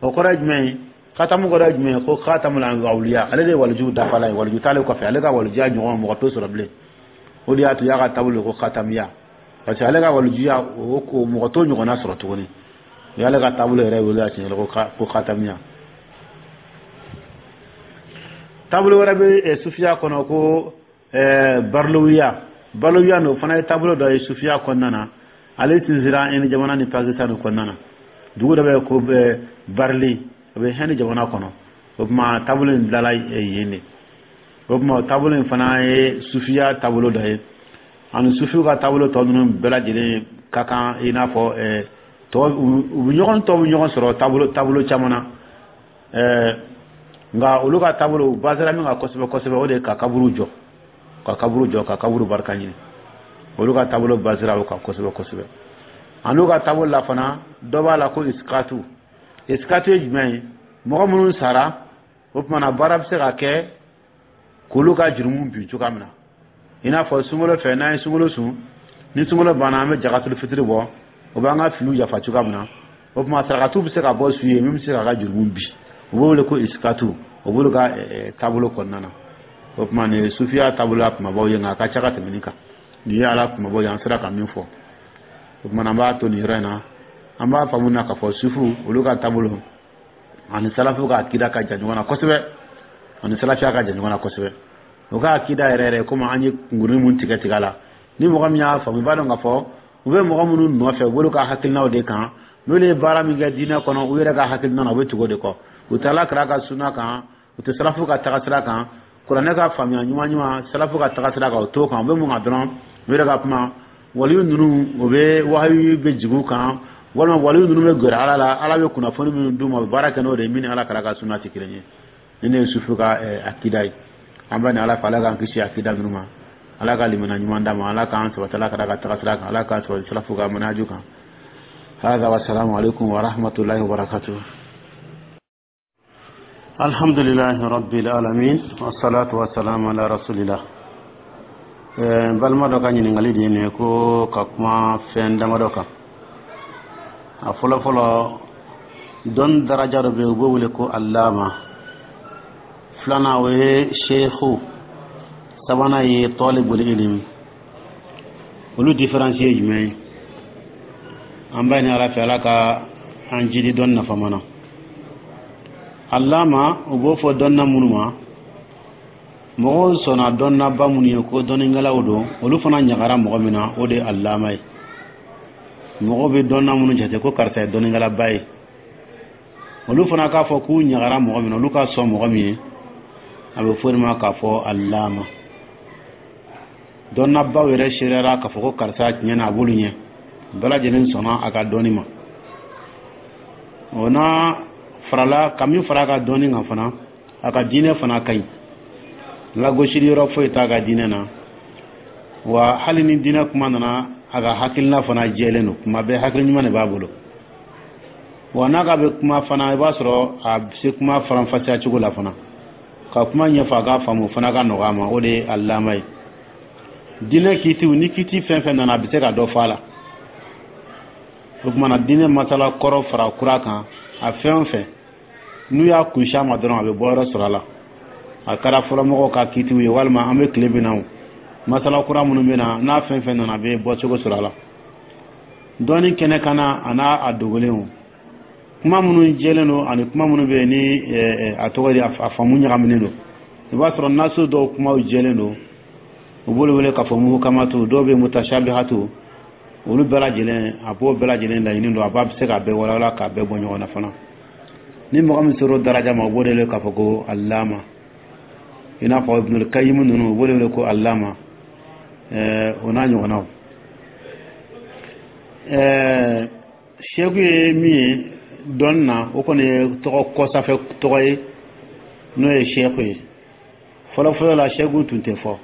O kɔrɔ ye jumɛn ye? Khatamu kɔrɔ ye jumɛn ye? Ko khatamul awliya, ale de ye waliju dafala ye, waliju t'ale kɔfɛ, ale ka walijuya ɲɔgɔn mɔgɔ t'o sɔrɔ bilen. O de y'a to u y'a ka taabolo ko khatamiya, parce que ale ka walijuya, o ko mɔgɔ t'o ɲɔgɔnna sɔrɔ tuguni. U y'ale ka taabolo yɛrɛ wele a siɲɛ ko ko khatamiya. Taabolo wɛrɛ bɛ sufiya kɔnɔ ko barlowiya. Barlowiya n'o fana ye taabolo dɔ ye sufiya kɔnɔna na. Ale sinsinra Inde jamana ni Pakistan kɔnɔna na. Dugu dɔ bɛ yen ko Barili, o bɛ Hɛndi jamana kɔnɔ. O tuma taabolo in dilanna yen de. O tuma o taabolo in fana ye sufiya taabolo dɔ ye. Ani sufiw ka taabolo tɔ ninnu bɛɛ lajɛlen ka kan, i n'a fɔ tɔ u bɛ ɲɔgɔn tɔw bɛ ɲɔgɔn sɔrɔ taabolo taabolo caman na. Nka olu ka taabolo, u basera min kan kosɛbɛ kosɛbɛ, o de ye ka kaburu jɔ, ka kaburu jɔ, ka kaburu barika ɲini. Olu ka taabolo basera o kan kosɛbɛ kosɛbɛ. Ani ka taabolo la fana, dɔ b'a la ko isikatu. Isikatu ye jumɛn ye? Mɔgɔ minnu sara, o tuma na baara bɛ se ka kɛ k'olu ka jurumu bin cogoya min na, i n'a fɔ sunkalo fɛ, n'an ye sunkalo sun, ni sunkalo banna, an bɛ jakatul fitiri bɔ, o b'an ka filiw yafa cogoya min na. O tuma sarakatu bɛ se ka bɔ su ye min bɛ se k'a ka jurumu bin. U b'o wele ko isikatu. O b'olu ka taabolo kɔnɔna na. O tuma nin ye sufiya taabolo la kumabaw ye, nka a ka ca ka tɛmɛ nin kan. Nin ye ala kumabaw ye, an sera ka min fɔ. O tuma an b'a to nin yɔrɔ in na. An b'a faamu na k'a fɔ sufu, olu ka taabolo ani salafu ka akida ka jan ɲɔgɔn na kosɛbɛ, ani salafiya ka jan ɲɔgɔn na kosɛbɛ. O ka akida yɛrɛ yɛrɛ, komi an ye kunkurunin mun tigɛ tigɛ a la, ni mɔgɔ min y'a faamu, i b'a dɔn k'a fɔ u bɛ mɔgɔ minnu nɔfɛ, u b'olu ka hakilinaw de kan. N'olu ye baara min kɛ diinɛ kɔnɔ, u yɛrɛ ka hakilina na, u bɛ tugu o de kɔ. U tɛ ala kira ka suna kan, u tɛ salafu ka tagasira kan. Kuranɛ ka faamuya ɲuman ɲuman, salafu ka tagasira kan, o t'o kan. U bɛ mun kan dɔrɔn? U yɛrɛ ka kuma, waliyu ninnu, o bɛ wahayu bɛ jigin u kan, walima waliyu ninnu bɛ gɛrɛ ala la, ala bɛ kunnafoni minnu d'u ma, u bɛ baara kɛ n'o de ye, min ni ala kira ka suna tɛ kelen ye. Ni ne ye sufu ka akida ye. An bɛ ni ala fɛ, ala k'an kisi akida ninnu ma, ala ka limana ɲuman d'a ma, ala k'an sabati ala kira ka tagasira kan, ala k'an sabati salafu ka manhaju kan. هذا والسلام عليكم ورحمة الله وبركاته. الحمد لله رب العالمين والصلاة والسلام على رسول الله. Balima dɔ ka ɲininkali de ye nin ye, ko ka kuma fɛn damadɔ kan. A fɔlɔ fɔlɔ, dɔnni daraja dɔ bɛ yen, u b'o wele ko alama. Filanan, o ye sheikhu. Sabanan ye talibul ilmi. Olu différence ye jumɛn ye? An b'a ɲini ala fɛ, ala ka an jidi dɔnni nafama na. Alama, u b'o fɔ dɔnna minnu ma, mɔgɔw sɔnna dɔnnaba minnu ye ko dɔnnikɛlaw don, olu fana ɲagara mɔgɔ min na, o de ye alama ye. Mɔgɔw bɛ dɔnna minnu jate ko karisa ye dɔnnikɛlaba ye, olu fana k'a fɔ k'u ɲagara mɔgɔ min na, olu ka sɔn mɔgɔ min ye, a bɛ fɔ o de ma k'a fɔ alama. Dɔnnabaw yɛrɛ seereyara k'a fɔ ko karisa tiɲɛ na a b'olu ɲɛ, bɛɛ lajɛlen sɔnna a ka dɔnni ma. O n'a farala ka min fara a ka dɔnni kan fana, a ka diinɛ fana ka ɲi, lagosili yɔrɔ foyi t'a ka diinɛ na. Wa hali ni diinɛ kuma nana, a ka hakilina fana jɛlen don, kuma bɛɛ hakili ɲuman de b'a bolo. Wa n'a ka bɛ kuma fana, i b'a sɔrɔ a bɛ se kuma faranfasiya cogo la fana, ka kuma ɲɛfɔ a k'a faamu, o fana ka nɔgɔ a ma. O de ye alama ye. Diinɛ kiitiw ni kiiti fɛn fɛn nana, a bɛ se ka dɔ fɔ a la. O tuma na, diinɛ masala kɔrɔ fara kura kan, a fɛn o fɛn n'u y'a kunsi a ma dɔrɔn, a bɛ bɔ yɔrɔ sɔrɔ a la. A kɛra fɔlɔmɔgɔw ka kiitiw ye, walima an bɛ tile min na o, masala kura minnu bɛ na, n'a fɛn fɛn nana, a bɛ bɔcogo sɔrɔ a la. Dɔnni kɛnɛ kan na, a n'a a dogolen o, kuma minnu jɛlen don ani kuma minnu bɛ yen ni a tɔgɔ di, a faamu ɲagaminen don. I b'a sɔrɔ naso dɔw kumaw jɛlen don, u b'olu wele k'a fɔ muhukamatu. Dɔw bɛ mutashabihatu. Olu bɛɛ lajɛlen, a b'o bɛɛ lajɛlen laɲini don, a b'a bɛ se k'a bɛɛ walawala, k'a bɛɛ bɔ ɲɔgɔn na fana. Ni mɔgɔ min sera o daraja ma, u b'o de wele k'a fɔ ko alama. I n'a fɔ Ibnul Kayyim ninnu, u b'o de wele ko alama, ɛɛ o n'a ɲɔgɔnnaw. ɛɛ seku ye min ye dɔnni na, o kɔni ye tɔgɔ kɔsafɛ tɔgɔ ye, n'o ye seku ye. Fɔlɔ fɔlɔ la, seku tun tɛ fɔ.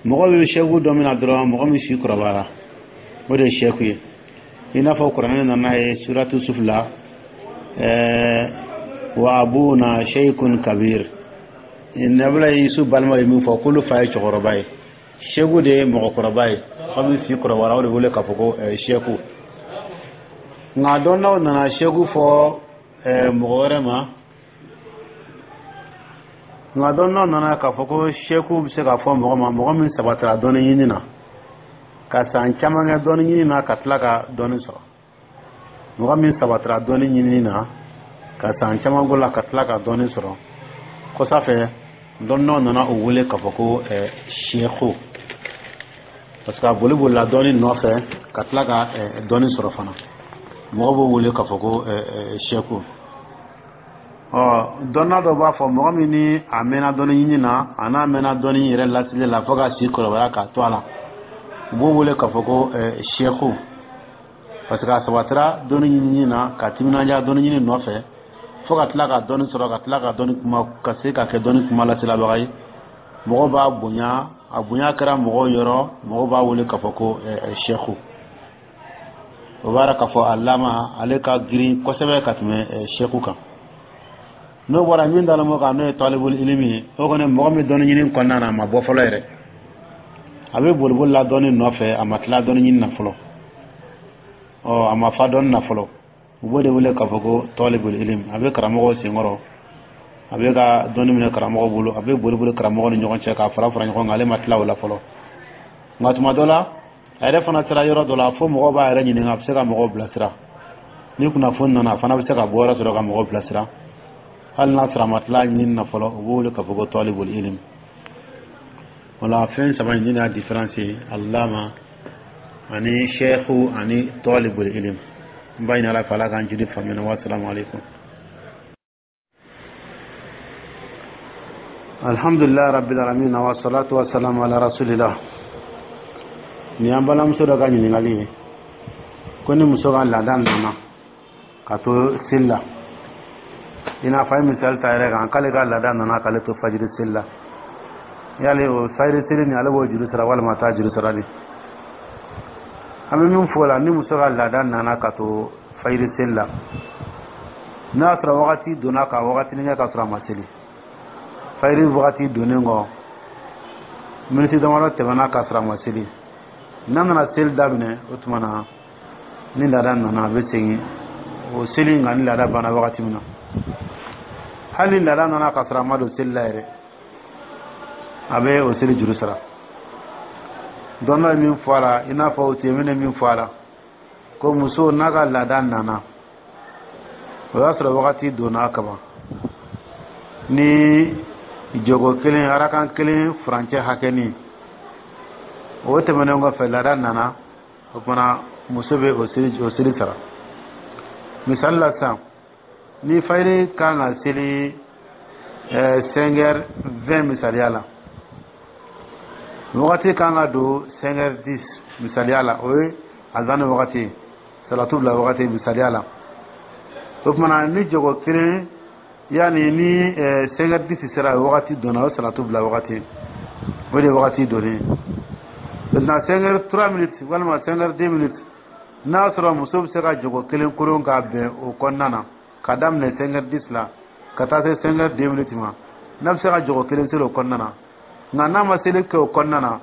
Mɔgɔ bɛ seku dɔ min na dɔrɔn, mɔgɔ min si kɔrɔbayara, o de ye seku ye. I n'a fɔ kuranɛ nana ye suratu Yusuf la, ɛɛ wa abuna sheikhun kabir. Nabila Yusuf balima ye min fɔ, k'olu fa ye cɛkɔrɔba ye. Seku de ye mɔgɔkɔrɔba ye, mɔgɔ min si kɔrɔbayara, o de wele k'a fɔ ko seku. Nka dɔnnaw nana seku fɔ mɔgɔ wɛrɛ ma. Nka dɔnnaw nana k'a fɔ ko seku bɛ se ka fɔ mɔgɔ ma, mɔgɔ min sabatira dɔnni ɲini na, ka san caman kɛ dɔnni ɲini na, ka tila ka dɔnni sɔrɔ. Mɔgɔ min sabatira dɔnni ɲinini na, ka san caman k'o la, ka tila ka dɔnni sɔrɔ kɔsa fɛ, dɔnnaw nana o wele k'a fɔ ko seku, parce que a boli bolila dɔnni nɔfɛ ka tila ka dɔnni sɔrɔ fana. Mɔgɔ b'o wele k'a fɔ ko seku. Ɔ, dɔnna dɔ b'a fɔ mɔgɔ min ni a mɛnna dɔnni ɲini na, a n'a mɛnna dɔnni yɛrɛ lasili la fo ka si kɔrɔbaya k'a to a la, u b'o wele k'a fɔ ko seku, parce que a sabatira dɔnni ɲinini na, ka timinandiya dɔnni ɲini nɔfɛ fo ka tila ka dɔnni sɔrɔ, ka tila ka dɔnni kuma, ka se ka kɛ dɔnni kuma laselabaga ye. Mɔgɔw b'a bonya, a bonya kɛra mɔgɔw yɔrɔ, mɔgɔw b'a wele k'a fɔ ko seku. O b'a k'a fɔ alama ale ka girin kosɛbɛ ka tɛmɛ seku kan. N'o bɔra, min dalen b'o kan, n'o ye talibul ilimi ye, o kɔni, mɔgɔ min dɔnni ɲini kɔnɔna na, a ma bɔ fɔlɔ yɛrɛ, a bɛ boliboli la dɔnni nɔfɛ, a ma tila dɔnni ɲini na fɔlɔ, ɔ, a ma fa dɔnni na fɔlɔ, u b'o de wele k'a fɔ ko talibul ilimi. A bɛ karamɔgɔw senkɔrɔ, a bɛ ka dɔnni minɛ karamɔgɔ bolo, a bɛ boli boli karamɔgɔ ni ɲɔgɔn cɛ k'a fara fara ɲɔgɔn kan, ale ma tila o la fɔlɔ. Nka tuma dɔ la, a yɛrɛ fana sera yɔrɔ dɔ la fo mɔgɔw b'a yɛrɛ ɲininka, a bɛ se ka mɔgɔw bilasira. Ni kunnafoni nana, a fana bɛ se ka bɔ yɔrɔ sɔrɔ ka mɔgɔw bilasira, hali n'a sɔrɔ a ma tila ɲinini na fɔlɔ. U b'o wele k'a fɔ ko talibul ilimi. Wala fɛn saba in y'a différence ye: alama ani sheikhu ani talibul ilm. N b'a ɲini Ala fɛ, Ala k'an jidi faamuya. Wa salamu alaikum. Alhamdulillah rabbil alamin, wa salatu wa salam ala rasulillah. Nin y'an balimamuso dɔ ka ɲininkali ye, ko ni muso ka laada nana ka to seli la, i n'a fɔ a ye misali ta yɛrɛ kan, k'ale ka laada nana k'ale to fajiri seli la, yali o fajiri seli nin, ale b'o juru sara walima t'a juru sara de? An bɛ min fɔ o la, ni muso ka laada nana ka to fajiri seli la, n'a y'a sɔrɔ wagati donna ka wagatinin kɛ ka sɔrɔ a ma seli, fajiri wagati donnen kɔ, miniti damadɔ tɛmɛna ka sɔrɔ a ma seli, n'a nana seli daminɛ, o tuma na ni laada nana, a bɛ segin o seli nka ni laada banna wagati min na. Hali ni laada nana ka sɔrɔ a ma don seli la yɛrɛ, a bɛ o seli juru sara. Dɔnna ye min fɔ a la, i n'a fɔ Useyimini ye min fɔ a la, ko muso n'a ka laada nana, o y'a sɔrɔ wagati donna kaban ni jogo kelen, arakan kelen furancɛ hakɛnin, o tɛmɛnen kɔfɛ laada nana, o tuma muso bɛ o seli o seli sara. Misali la sisan, ni fajiri kan ka seli cinq heures vingt misaliya la, wagati kan ka don cinq heures dix misaliya la, o ye azan wagati, salatu bila wagati misaliya la, o tuma na ni jogo kelen, yanni ni cinq heures dix sera, wagati donna, o salatu bila wagati, o de ye wagati donnen. Maintenant, cinq heures trois minutes walima cinq heures deux minutes, n'a y'a sɔrɔ muso bɛ se ka jogo kelen koron ka bɛn o kɔnɔna na, ka daminɛ cinq heures dix la ka taa se cinq heures deux minutes ma, n'a bɛ se ka jogo kelen seli o kɔnɔna na, nka n'a ma seli kɛ o kɔnɔna na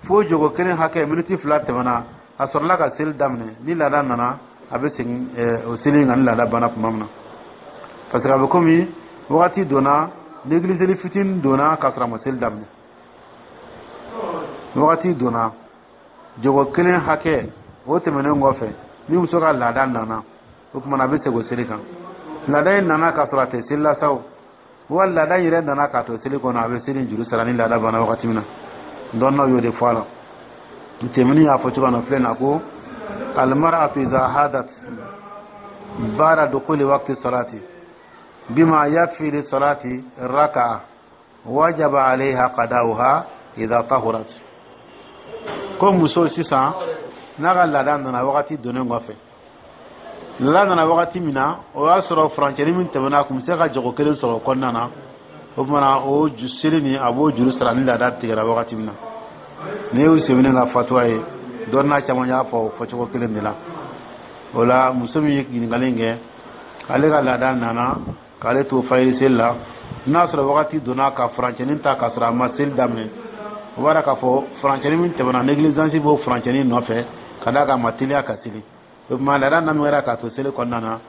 fo jogo kelen hakɛ, miniti fila tɛmɛna, a sɔrɔla ka seli daminɛ, ni laada nana, a bɛ segin o seli nka ni laada banna tuma min na, parce que a bɛ komi wagati donna, négligeli fitinin donna k'a sɔrɔ a ma seli daminɛ. Wagati donna jogo kelen hakɛ, o tɛmɛnen kɔfɛ, ni muso ka laada nana, o tuma na a bɛ segin o seli kan. Laada in nana k'a sɔrɔ a tɛ seli la sa o, wa laada in yɛrɛ nana k'a to seli kɔnɔ, a bɛ seli juru sara ni laada banna wagati min na. Dɔnnaw y'o de fɔ a la. Tɛmɛni y'a fɔ cogo min na filɛ na, ko almar'atu idha hadat ba'da dukhuli waqti salati bima yakfi li salati raka'a, wajaba alayha qada'uha idha tahurat. Ko muso sisan n'a ka laada nana wagati donnen kɔfɛ, laada nana wagati min na, o y'a sɔrɔ furancɛni min tɛmɛna, a tun bɛ se ka jago kelen sɔrɔ o kɔnɔna na, o tuma na o seli nin, a b'o juru sara ni laada tigɛra wagati min na. Nin ye Useyimini ka fatuwa ye, dɔnna caman y'a fɔ o fɔcogo kelen de la. O la, muso min ye ɲininkali in kɛ, ale ka laada nana k'ale to fajiri seli la, n'a sɔrɔ wagati donna ka furancɛnin ta k'a sɔrɔ a ma seli daminɛ. O b'a k'a fɔ furancɛni min tɛmɛna, négligence b'o furancɛni nɔfɛ, ka d'a kan a ma teliya ka seli. O tuma laada na min kɛra k'a to seli kɔnɔna na,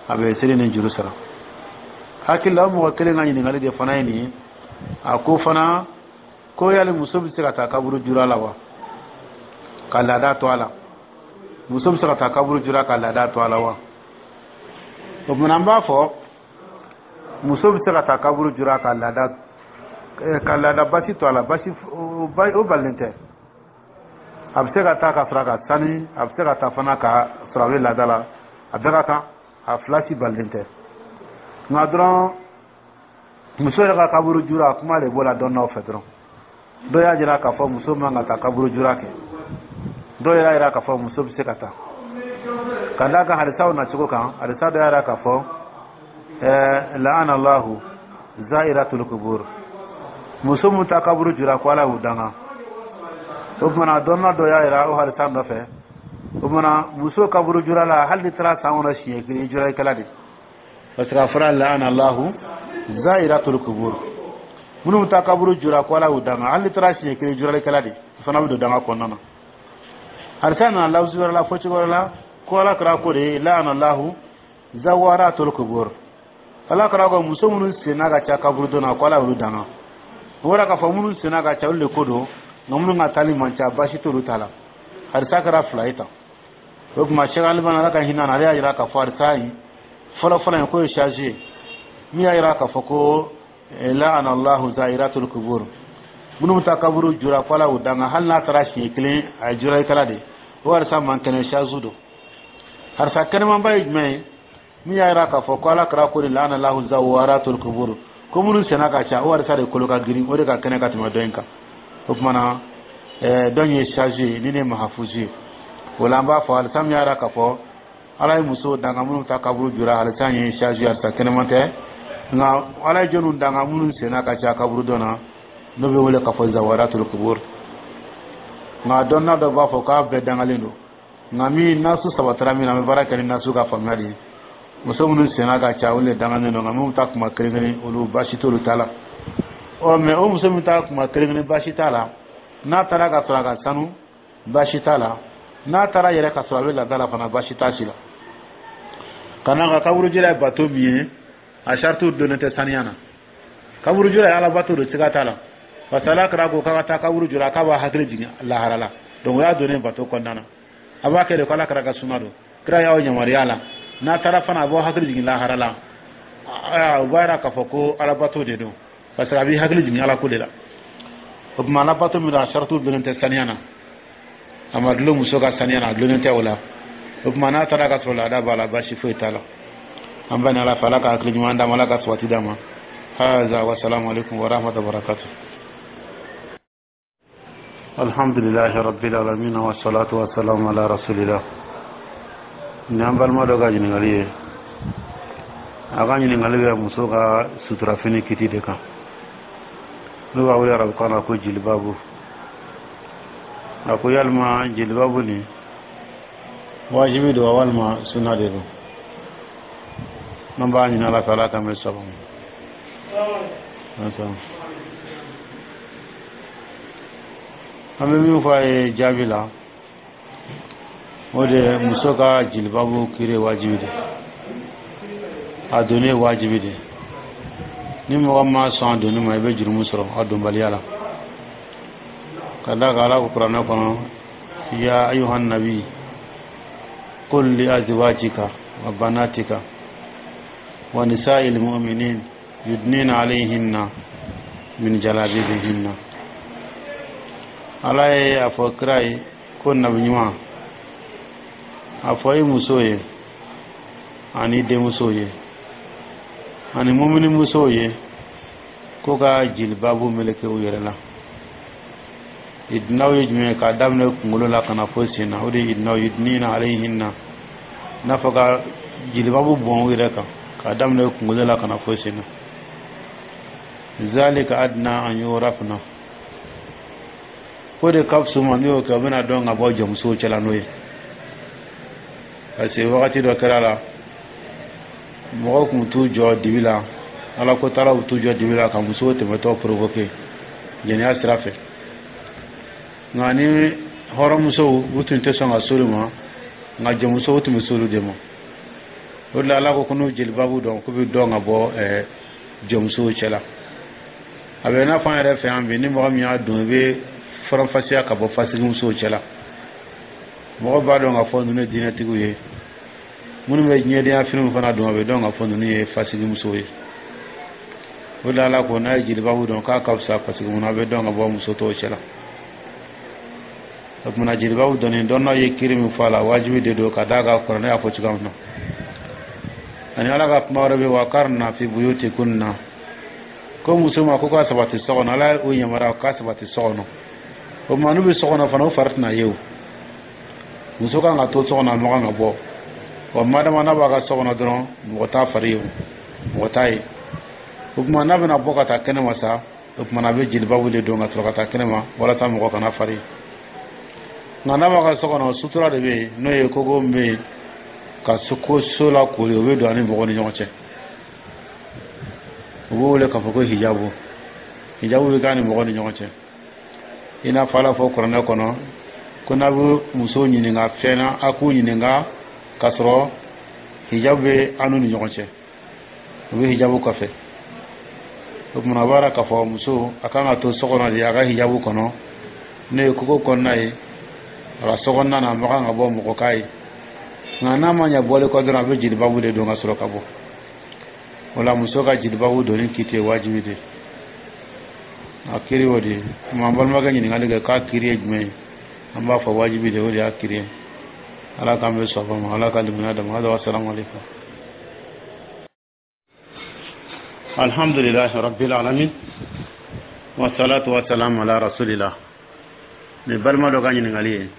a bɛ seli ni juru sara. Hakili la, o mɔgɔ kelen ka ɲininkali de fana ye nin ye. A ko fana ko yali muso bɛ se ka taa kaburu jura la wa, ka laada to a la? Muso bɛ se ka taa kaburu jura ka laada to a la wa? O tuma an b'a fɔ muso bɛ se ka taa kaburu jura ka laada ka laada basi to a la, basi o balilen tɛ. A bɛ se ka taa ka sɔrɔ a ka sani, a bɛ se ka taa fana ka sɔrɔ a bɛ laada la, a bɛɛ ka kan, a fila si balilen tɛ. Nka dɔrɔn muso yɛrɛ ka kaburu jura, kuma de b'o la dɔn fɛ dɔrɔn. Dɔw y'a jira k'a fɔ muso man ka taa kaburu jura kɛ, dɔw y'a jira k'a fɔ muso bɛ se ka taa, ka d'a kan hadisaw nacogo kan. Hadisa dɔ y'a jira k'a fɔ ɛɛ la'ana Allahu za'iratul kubur, muso min ta kaburu jura, ko Ala y'u danga. O tuma dɔnna dɔ y'a jira o hadisa nɔfɛ. O tuma muso kaburu jura la, hali ni taara san kɔnɔ siɲɛ kelen, i juralikɛla de, parce que a fɔra la'ana Allahu za'iratul kubur, minnu bɛ taa kaburu jura, ko Ala y'u danga. Hali ni taara siɲɛ kelen, juralikɛla de, o fana bɛ don danga kɔnɔna na. Hadisa nana lafzi wɛrɛ la, fɔ cogo wɛrɛ la, ko Ala kɛra ko de la'ana Allahu zawaratul kubur, Ala kɛra ko muso minnu senna ka ca kaburudon na, ko Ala y'olu danga. O bɔra k'a fɔ minnu senna ka ca, olu de ko don, nka minnu ka taali man ca, baasi t'olu ta la. Hadisa kɛra fila ye tan. O tuma Cheikh Albani, Ala ka hinɛ na, ale y'a jira k'a fɔ hadisa in fɔlɔ fɔlɔ in k'o ye charge ye, min y'a jira k'a fɔ ko la'ana Allahu za'iratul kubur, minnu bɛ taa kaburu jura, ko Ala y'u danga, hali n'a taara siɲɛ kelen, a ye juralikɛla de. O hadisa man kɛnɛ, charge don. Hadisa kɛnɛmanba ye jumɛn ye? Min y'a jira k'a fɔ ko Ala kɛra ko de la'ana Allahu zawaratul kubur, ko minnu senna ka ca, o hadisa de kolo ka girin, o de ka kɛnɛ ka tɛmɛ dɔ in kan. O tuma na dɔ in ye charge ye, ni ne ye mahafuzi ye. O la an b'a fɔ hadisa min y'a jira k'a fɔ Ala ye musow danga minnu ta kaburu jura, hadisa in ye charge ye, hadisa kɛnɛman tɛ. Nka Ala ye jɔnniw danga? Minnu senna ka ca kaburudon na, n'o bɛ wele k'a fɔ zawaratul kubur. Nka dɔnna dɔ b'a fɔ k'a bɛɛ dangalen don, nka min nasu sabatara min na, an bɛ baara kɛ ni nasu ka faamuya de ye. Muso minnu senna ka ca, olu de dangalen don, nka minnu ta kuma kelen kelen, olu baasi t'olu ta la. Ɔ mɛ o muso min ta kuma kelen kelen, baasi t'a la. N'a taara ka sɔrɔ a ka sanu, baasi t'a la. N'a taara yɛrɛ ka sɔrɔ a bɛ laada la fana, baasi t'a si la. Ka n'a ka kaburujira ye bato min ye, a saritiw donnen tɛ saniya na. Kaburujura ye alabato don, siga t'a la, parce que Ala kɛra ko k'a ka taa kaburu jura, k'a b'a hakili jigin lahara la. Donc o y'a donnen bato kɔnɔna na, a b'a kɛ de ko Ala kɛra ka suna don, kira y'aw yamaruya la. N'a taara fana, a b'aw hakili jigin lahara la. O b'a yira k'a fɔ ko alabato de don, parce que a b'i hakili jigin Ala ko de la. O tuma alabato min don, a saritiw donnen tɛ saniya na, a ma dulon muso ka saniya na, a dulonnen tɛ o la. O tuma n'a taara ka sɔrɔ laada b'a la, baasi foyi t'a la. An bɛ ni Ala fɛ, Ala ka hakili ɲuman d'a ma, Ala ka sabati d'a ma. Haza wa salamu alaikum wa rahmatullahi wa barakatuh. Alhamdulillahi rabbil alamin, wa salatu wa salamu ala rasulillah. Ni an balima dɔ ka ɲininkali ye, a ka ɲininkali bɛ muso ka suturafini kiti de kan, n'o b'a wele arabukan na ko jilibabu. A ko yalima jilibabu nin wajibi don wa, walima suna de don? An b'a ɲini Ala fɛ, Ala k'an bɛ sababu. An bɛ min fɔ a ye jaabi la, o de ye muso ka jilibabu kiri wajibi de, a donni ye wajibi de. Ni mɔgɔ ma sɔn a donni ma, i bɛ jurumu sɔrɔ a donbaliya la, ka d'a kan Ala ko kuranɛ kɔnɔ: ya ayuhan nabi qul li azwajika wa banatika wa nisa'il mu'minin yudnina alayhinna min jalabibihinna. Ala ye a fɔ kira ye ko nabi ɲuman, a fɔ i muso ye ani denmuso ye ani mumini musow ye ko ka jilibabu meleke u yɛrɛ la. Idinaw ye jumɛn ye? K'a daminɛ kunkolo la ka na fo sen na, o de ye idinaw. Yudnina alayhinna, n'a fɔ ka jilibabu bɔn u yɛrɛ kan, k'a daminɛ kunkolo la ka na fo sen na. Zalika adna an yurafna, ko de ka fisa ma. N'u y'o kɛ, u bɛna dɔn ka bɔ jɔnmusow cɛla n'o ye, parce que wagati dɔ kɛra la, mɔgɔw tun t'u jɔ dibi la, Ala ko taalaw t'u jɔ dibi la ka musow tɛmɛtɔ provoquer jɛnɛya sira fɛ. Nka ni hɔrɔnmusow, u tun tɛ sɔn ka s'olu ma, nka jɔnmusow tun bɛ s'olu de ma. O de la, Ala ko ko n'u jelibabu dɔn, k'u bɛ dɔn ka bɔ jɔnmusow cɛ la. A bɛ i n'a fɔ an yɛrɛ fɛ yan bi, ni mɔgɔ min y'a don, i bɛ faranfasiya ka bɔ fasigimusow cɛ la. Mɔgɔ b'a dɔn k'a fɔ ninnu ye diinɛtigiw ye. Minnu bɛ diɲɛdenya finiw fana don, a bɛ dɔn k'a fɔ ninnu ye fasigimusow ye. O de la, Ala ko n'a ye jelibabu dɔn, k'a ka fisa, parce que mun na? A bɛ dɔn ka bɔ muso tɔw cɛ la. O kumana, jelibabu dɔnni, dɔnnaw ye kiri min fɔ a la, wajibi de don, ka d'a kan kuranɛ y'a fɔ cogoya min na. Ani Ala ka kuma wɛrɛ bɛ وقرن في بيوتكن, ko muso ma ko k'a sabati so kɔnɔ. Ala y'o yamaruya k'a sabati so kɔnɔ. O tuma, n'u bɛ so kɔnɔ fana, u fari tɛna ye. O muso kan ka to so kɔnɔ, a ma kan ka bɔ. Wa madama n'a b'a ka so kɔnɔ dɔrɔn, mɔgɔ t'a fari ye, mɔgɔ t'a ye. O tuma, n'a bɛna bɔ ka taa kɛnɛma sa, o tuma, a bɛ jelibabu de don ka sɔrɔ ka taa kɛnɛma, walasa mɔgɔ kana fari ye. Nka n'a b'a ka so kɔnɔ, sutura de bɛ yen, n'o ye kogo min bɛ yen ka ko so la kori, o bɛ don ani mɔgɔw ni ɲɔgɔn cɛ. U b'o wele k'a fɔ ko hijabu. Hijabu bɛ k'a ni mɔgɔw ni ɲɔgɔn cɛ. I n'a fɔ Ala fɔ kuranɛ kɔnɔ ko n'a bɛ muso ɲininka fɛn na, a k'u ɲininka k'a sɔrɔ hijabu bɛ an n'u ni ɲɔgɔn cɛ. U bɛ hijabu kɔfɛ. O tuma, a b'a k'a fɔ muso a kan ka to so kɔnɔ de, a ka hijabu kɔnɔ, n'o ye kogo kɔnɔna ye. A ka so kɔnɔna na, a ma kan ka bɔ mɔgɔ k'a ye. Nka n'a ma ɲɛ bɔli kɔ dɔrɔn, a bɛ jelibabu de don ka sɔrɔ ka bɔ. O la, muso ka jelibabu donni kiti ye wajibi de, a kiri o de ye. An balimakɛ ɲininkali kɛ k'a kiri ye jumɛn ye, an b'a fɔ wajibi de, o de y'a kiri ye. Ala k'an bɛ sɔn ma, Ala ka limaniya d'a ma. السلام عليكم. الحمد لله رب العالمين والصلاة والسلام على رسول الله. Ni balima dɔ ka ɲininkali ye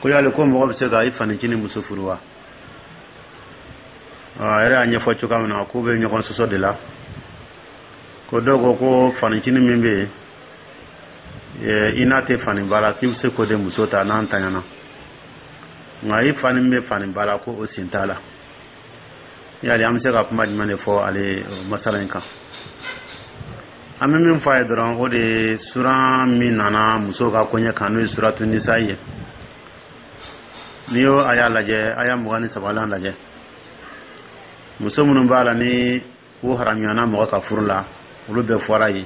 ko yali ko mɔgɔ bɛ se ka i fanicinin muso furu wa? A yɛrɛ y'a ɲɛfɔ cogoya min na, k'u bɛ ɲɔgɔn sɔsɔ de la, ko dɔw ko ko fanicinin min bɛ yen, i n'a tɛ faniba la, k'i bɛ se k'o de muso ta n'an taɲana, nka i fa min bɛ faniba la, ko o sen t'a la. Yali an bɛ se ka kuma jumɛn de fɔ ale masala in kan? An bɛ min fɔ a ye dɔrɔn, o de ye suran min nana muso ka koɲɛ kan, n'o ye suratu nisa ye. N'i y'o a y'a lajɛ, a y'a mugan ni sabanan lajɛ, muso minnu b'a la ni u haramuyana mɔgɔ ka furu la, olu bɛɛ fɔra yen.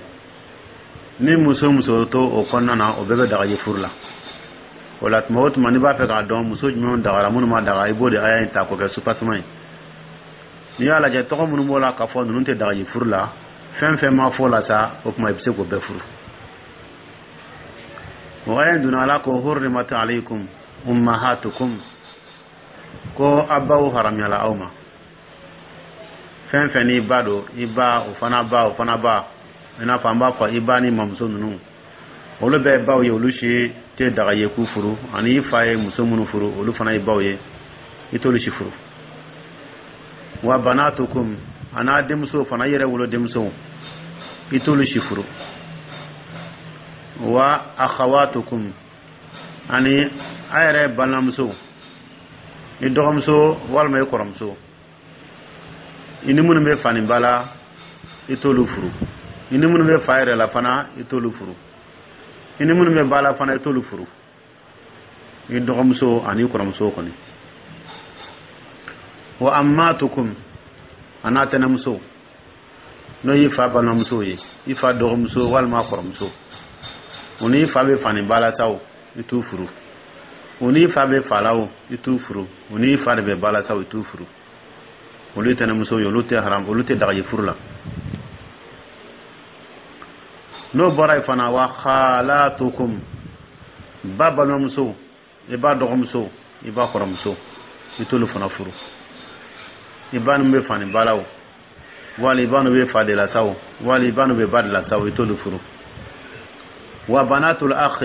Ni muso muso to o kɔnɔna na, o bɛɛ bɛ daga ye furu la. O la, tuma o tuma n'i b'a fɛ k'a dɔn muso jumɛnw dagara, minnu ma daga, i b'o de aya in ta k'o kɛ soubassement ye. N'i y'a lajɛ, tɔgɔ minnu b'o la k'a fɔ ninnu tɛ daga ye furu la, fɛn fɛn ma fɔ la sa, o tuma i bɛ se k'o bɛɛ furu. O aya in donna, Ala ko حرمت عليكم أمهاتكم, ko a baw haramuyala aw ma. Fɛn fɛn n'i ba don, i ba, o fana ba, o fana ba, i n'a fɔ an b'a fɔ i ba ni mamuso ninnu, olu bɛɛ ye baw ye, olu si tɛ daga ye k'u furu. Ani i fa ye muso minnu furu, olu fana ye baw ye, i t'olu si furu. وبناتكم, a n'a denmuso fana, i yɛrɛ wolo denmuso, i t'olu si furu. وأخواتكم, ani a yɛrɛ balimamuso, i dɔgɔmuso walima i kɔrɔmuso, i ni minnu bɛ faniba la, i t'olu furu. I ni minnu bɛ fa yɛrɛ la fana, i t'olu furu. I ni minnu bɛ ba la fana, i t'olu furu. I dɔgɔmuso ani i kɔrɔmuso kɔni. وعماتكم, a n'a tɛnɛmuso, n'o y'i fa balimamuso ye, i fa dɔgɔmuso walima kɔrɔmuso, o n'i fa bɛ fani ba la sa o, i t'u furu. O n'i fa bɛ fa la o, i t'u furu. O n'i fa de bɛ ba la sa o, i t'u furu. Olu ye tɛnɛmuso ye, olu tɛ haram, olu tɛ daga ye furu la. N'o bɔra yen fana, وخالاتكم, ba balimamuso, i ba dɔgɔmuso, i ba kɔrɔmuso, i t'olu fana furu. I ba ninnu bɛ fani ba la o, wali i ba ninnu bɛ fa de la sa o, wali i ba ninnu bɛ ba de la sa o, i t'olu furu. وبنات الأخ,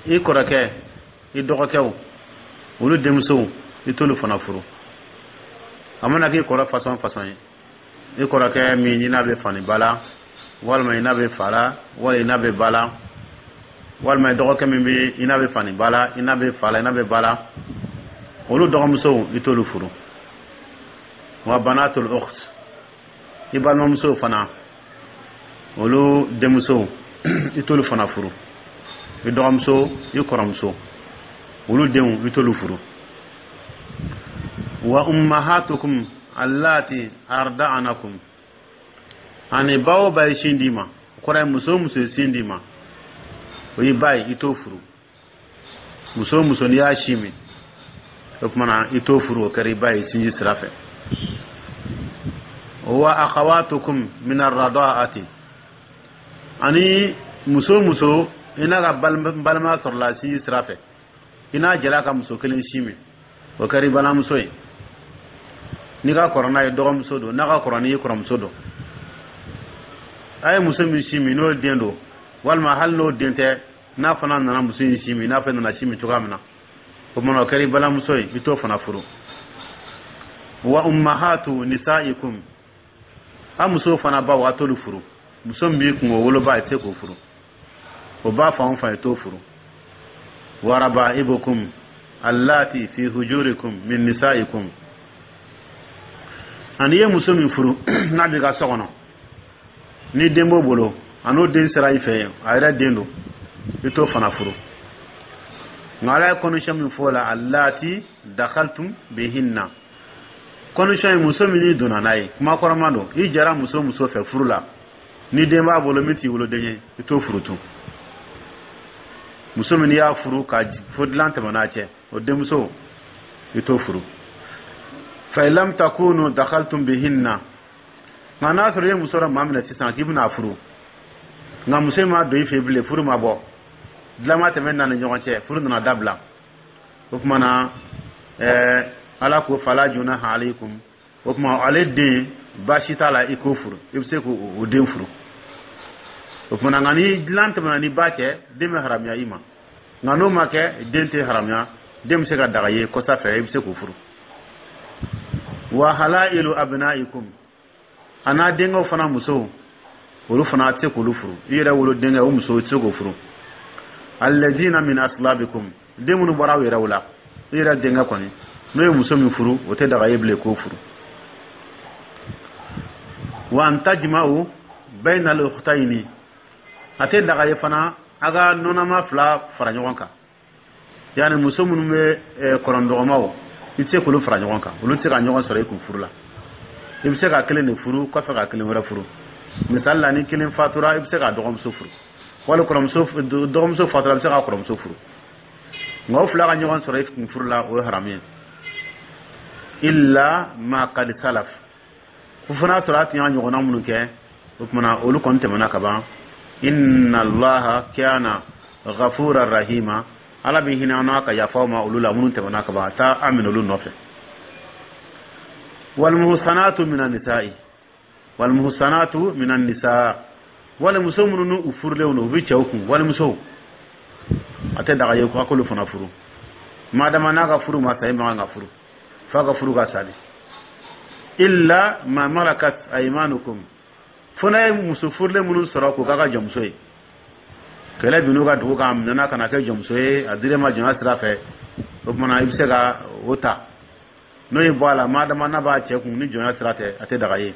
i kɔrɔkɛ, i dɔgɔkɛw, olu denmusow, i t'olu fana furu. A mana k'i kɔrɔ façon façon ye, i kɔrɔkɛ min i n'a bɛ fani ba la, walima i n'a bɛ fa la, wali i n'a bɛ ba la, walima i dɔgɔkɛ min bɛ i n'a bɛ fani ba la, i n'a bɛ fa la, i n'a bɛ ba la, olu dɔgɔmusow, i t'olu furu. وبنات الأخت, i balimamusow fana, olu denmusow, i t'olu fana furu. I dɔgɔmuso, i kɔrɔmuso, olu denw, i t'olu furu. Wa ummahatukum allati arda'anakum, ani ba o ba ye sin d'i ma, o kɔrɔ ye muso o muso ye sin d'i ma, o y'i ba ye, i t'o furu. Muso o muso n'i y'a sin min, o tuma na i t'o furu, o kɛra i ba ye sinji sira fɛ. Wa akhawatukum min arrada'ati, ani muso o muso i n'a ka balimaya sɔrɔla sinji sira fɛ, i n'a jɛla ka muso kelen sin min, o kɛra i balimamuso ye. N'i ka kɔrɔ n'a ye, dɔgɔmuso don, n'a ka kɔrɔ n'i ye, kɔrɔmuso don. A ye muso min sin min, n'o den don, walima hali n'o den tɛ, n'a fana nana muso in sin min, n'a fana nana sin min cogoya min na, o tuma o kɛra i balimamuso ye, i t'o fana furu. Wa ummahatu nisaikum, a muso fana baw, a t'olu furu. Muso min b'i kun, o woloba, i tɛ se k'o furu. O ba fan o fan, i t'o furu. Wa rabaibukum allati fi hujurikum min nisaikum, ani i ye muso min furu n'a b'i ka so kɔnɔ, ni den b'o bolo, a n'o den sera i fɛ yen, a yɛrɛ den don, i t'o fana furu. Nka Ala ye condition min fɔ o la, allati dakhaltum bihinna, condition ye muso min n'i donna n'a ye. Kuma kɔrɔma don, i jɛra muso muso fɛ furu la, ni den b'a bolo min t'i woloden ye, i t'o furu tun. Muso min n'i y'a furu ka fo dilan tɛmɛ n'a cɛ, o denmuso, i t'o furu. Fa in lam takunu dakhaltum bihinna, nka n'a sɔrɔ i ye muso dɔ maa minɛ sisan k'i bɛna furu, nka muso in ma don i fɛ bilen, furu ma bɔ, dilan ma tɛmɛ n'a ni ɲɔgɔn cɛ, furu nana dabila, o tuma na ɛɛ Ala ko fala junaha alaykum, o tuma ale den, baasi t'a la, i k'o furu, i bɛ se k'o den furu. O tuma na, nka ni dilan tɛmɛna ni ba cɛ, den bɛ haramuya i ma. Nka n'o ma kɛ, den tɛ haramuya, den bɛ se ka daga ye kɔsa fɛ, i bɛ se k'o furu. Wa halailu abnaikum, a n'a denkɛw fana musow, olu fana tɛ se k'olu furu. I yɛrɛ wolo denkɛ, o muso, i tɛ se k'o furu. Alladina min aslabikum, den minnu bɔra aw yɛrɛw la, i yɛrɛ denkɛ kɔni, n'o ye muso min furu, o tɛ daga ye bilen k'o furu. Wa an tajma'u bayna al-ukhtayni, a tɛ daga ye fana a ka nɔnɔma fila fara ɲɔgɔn kan, yani muso minnu bɛ kɔrɔndɔgɔmaw, i tɛ se k'olu fara ɲɔgɔn kan, olu tɛ se ka ɲɔgɔn sɔrɔ i kun furu la. I bɛ se ka kelen de furu kɔfɛ ka kelen wɛrɛ furu. Misali la, ni kelen fatura, i bɛ se ka dɔgɔmuso furu, wali kɔrɔmuso dɔgɔmuso fatura, i bɛ se ka kɔrɔmuso furu. Nka o fila ka ɲɔgɔn sɔrɔ i kun furu la, o ye haramu ye. Illa ma qad salaf, fo fana sɔrɔ a tun y'a ɲɔgɔnna minnu kɛ, o tuma olu kɔni tɛmɛna ka ban. Inna Allaha kana ghafura rahima, Ala bɛ hinɛ an n'a ka yafa ma olu la minnu tɛmɛna ka ban, a taa an minɛ olu nɔfɛ. Walmuhsanatu minan nisa'i, walmuhsanatu minan nisa, wali muso minnu n'u furulenw don, u bɛ cɛw kun, walimusow, a tɛ daga ye ko a k'olu fana furu. Madama n'a ka furu ma sa, e man kan ka furu f'a ka furu ka sa de. Illa ma malakat aymanukum, fo n'a ye muso furulen minnu sɔrɔ k'o k'a ka jɔnmuso ye, kɛlɛ bin'u ka dugu kan, a minɛna ka na kɛ jɔnmuso ye, a dir'e ma jɔnya sira fɛ, o tuma na i bɛ se ka o ta. N'o ye bɔ a la, madama n'a b'a cɛ kun ni jɔnya sira tɛ, a tɛ daga ye.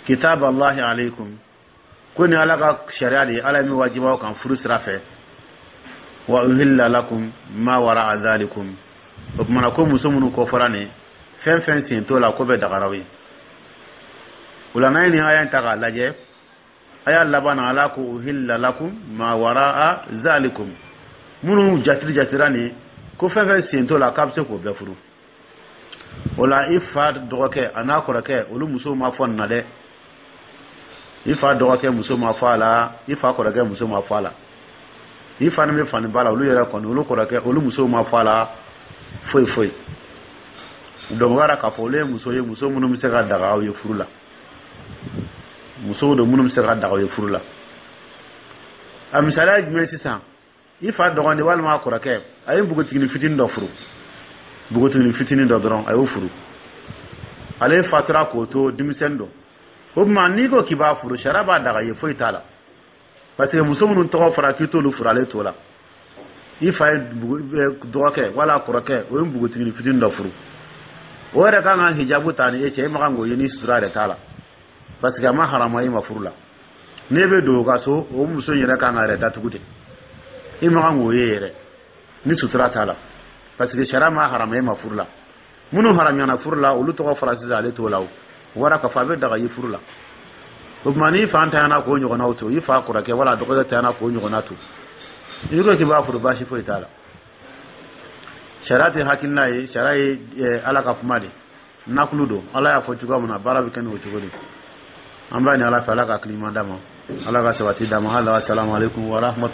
Kitab Allahi alaykum, ko ni Ala ka sariya de ye, Ala ye min wajibaw kan furu sira fɛ. Wa uhilla lakum ma wara'a dhalikum, o tuma na ko muso minnu kɔfɔra nin, fɛn fɛn sen t'o la, ko bɛ dagaraw ye. O la, n'an ye nin aya in ta k'a lajɛ, a y'a laban na, Ala ko uhilla lakum ma wara'a zalikum, minnu jatiri jatira nin, ko fɛn fɛn sen t'o la, k'a bɛ se k'o bɛɛ furu. O la, i fa dɔgɔkɛ a n'a kɔrɔkɛ, olu musow ma fɔ nin na dɛ. I fa dɔgɔkɛ muso ma fɔ a la, i fa kɔrɔkɛ muso ma fɔ a la, i fa ni bɛ fani ba la, olu yɛrɛ kɔni, olu kɔrɔkɛ, olu musow ma fɔ a la foyi foyi. Donc o b'a k'a fɔ olu ye muso ye, muso minnu bɛ se ka daga aw ye furu la, musow don minnu bɛ se ka daga aw ye furu la. A misaliya ye jumɛn sisan? I fa dɔgɔnin walima a kɔrɔkɛ, a ye npogotiginin fitinin dɔ furu, npogotiginin fitinin dɔ dɔrɔn, a y'o furu, ale fatura k'o to denmisɛnnin don. O tuma n'i ko k'i b'a furu, sariya b'a daga ye, foyi t'a la, parce que muso minnu tɔgɔ fɔra k'i t'olu furu, ale t'o la. I fa ye dɔgɔkɛ wala kɔrɔkɛ, o ye npogotiginin fitinin dɔ furu, o yɛrɛ kan ka hijabu ta ni e cɛ, e ma kan k'o ye ni sutura yɛrɛ t'a la, parce que a ma haramu e ma furu la. N'e bɛ don o ka so, o muso in yɛrɛ kan ka yɛrɛ datugu de. I ma kan k'o ye yɛrɛ ni sutura t'a la, parce que sariya ma haramu e ma furu la. Minnu haramuyana furu la, olu tɔgɔ fɔra sisan, ale t'o la. O wara k'a fɔ a bɛ daga i furu la. O tuma, n'i fa tanyana k'o ɲɔgɔnnaw to, i fa kɔrɔkɛ wala dɔgɔkɛ tanyana k'o ɲɔgɔnna to, i ko k'i b'a furu, baasi foyi t'a la. Sariya tɛ hakilina ye, sariya ye Ala ka kuma de, nakulu don. Ala y'a fɔ cogoya min na, baara bɛ kɛ n'o cogo de. An b'a ni Ala fɛ, Ala ka hakili ɲuman d'a ma, Ala ka sabati d'a ma. Hali, asalamu aleykum wa rahmatulah.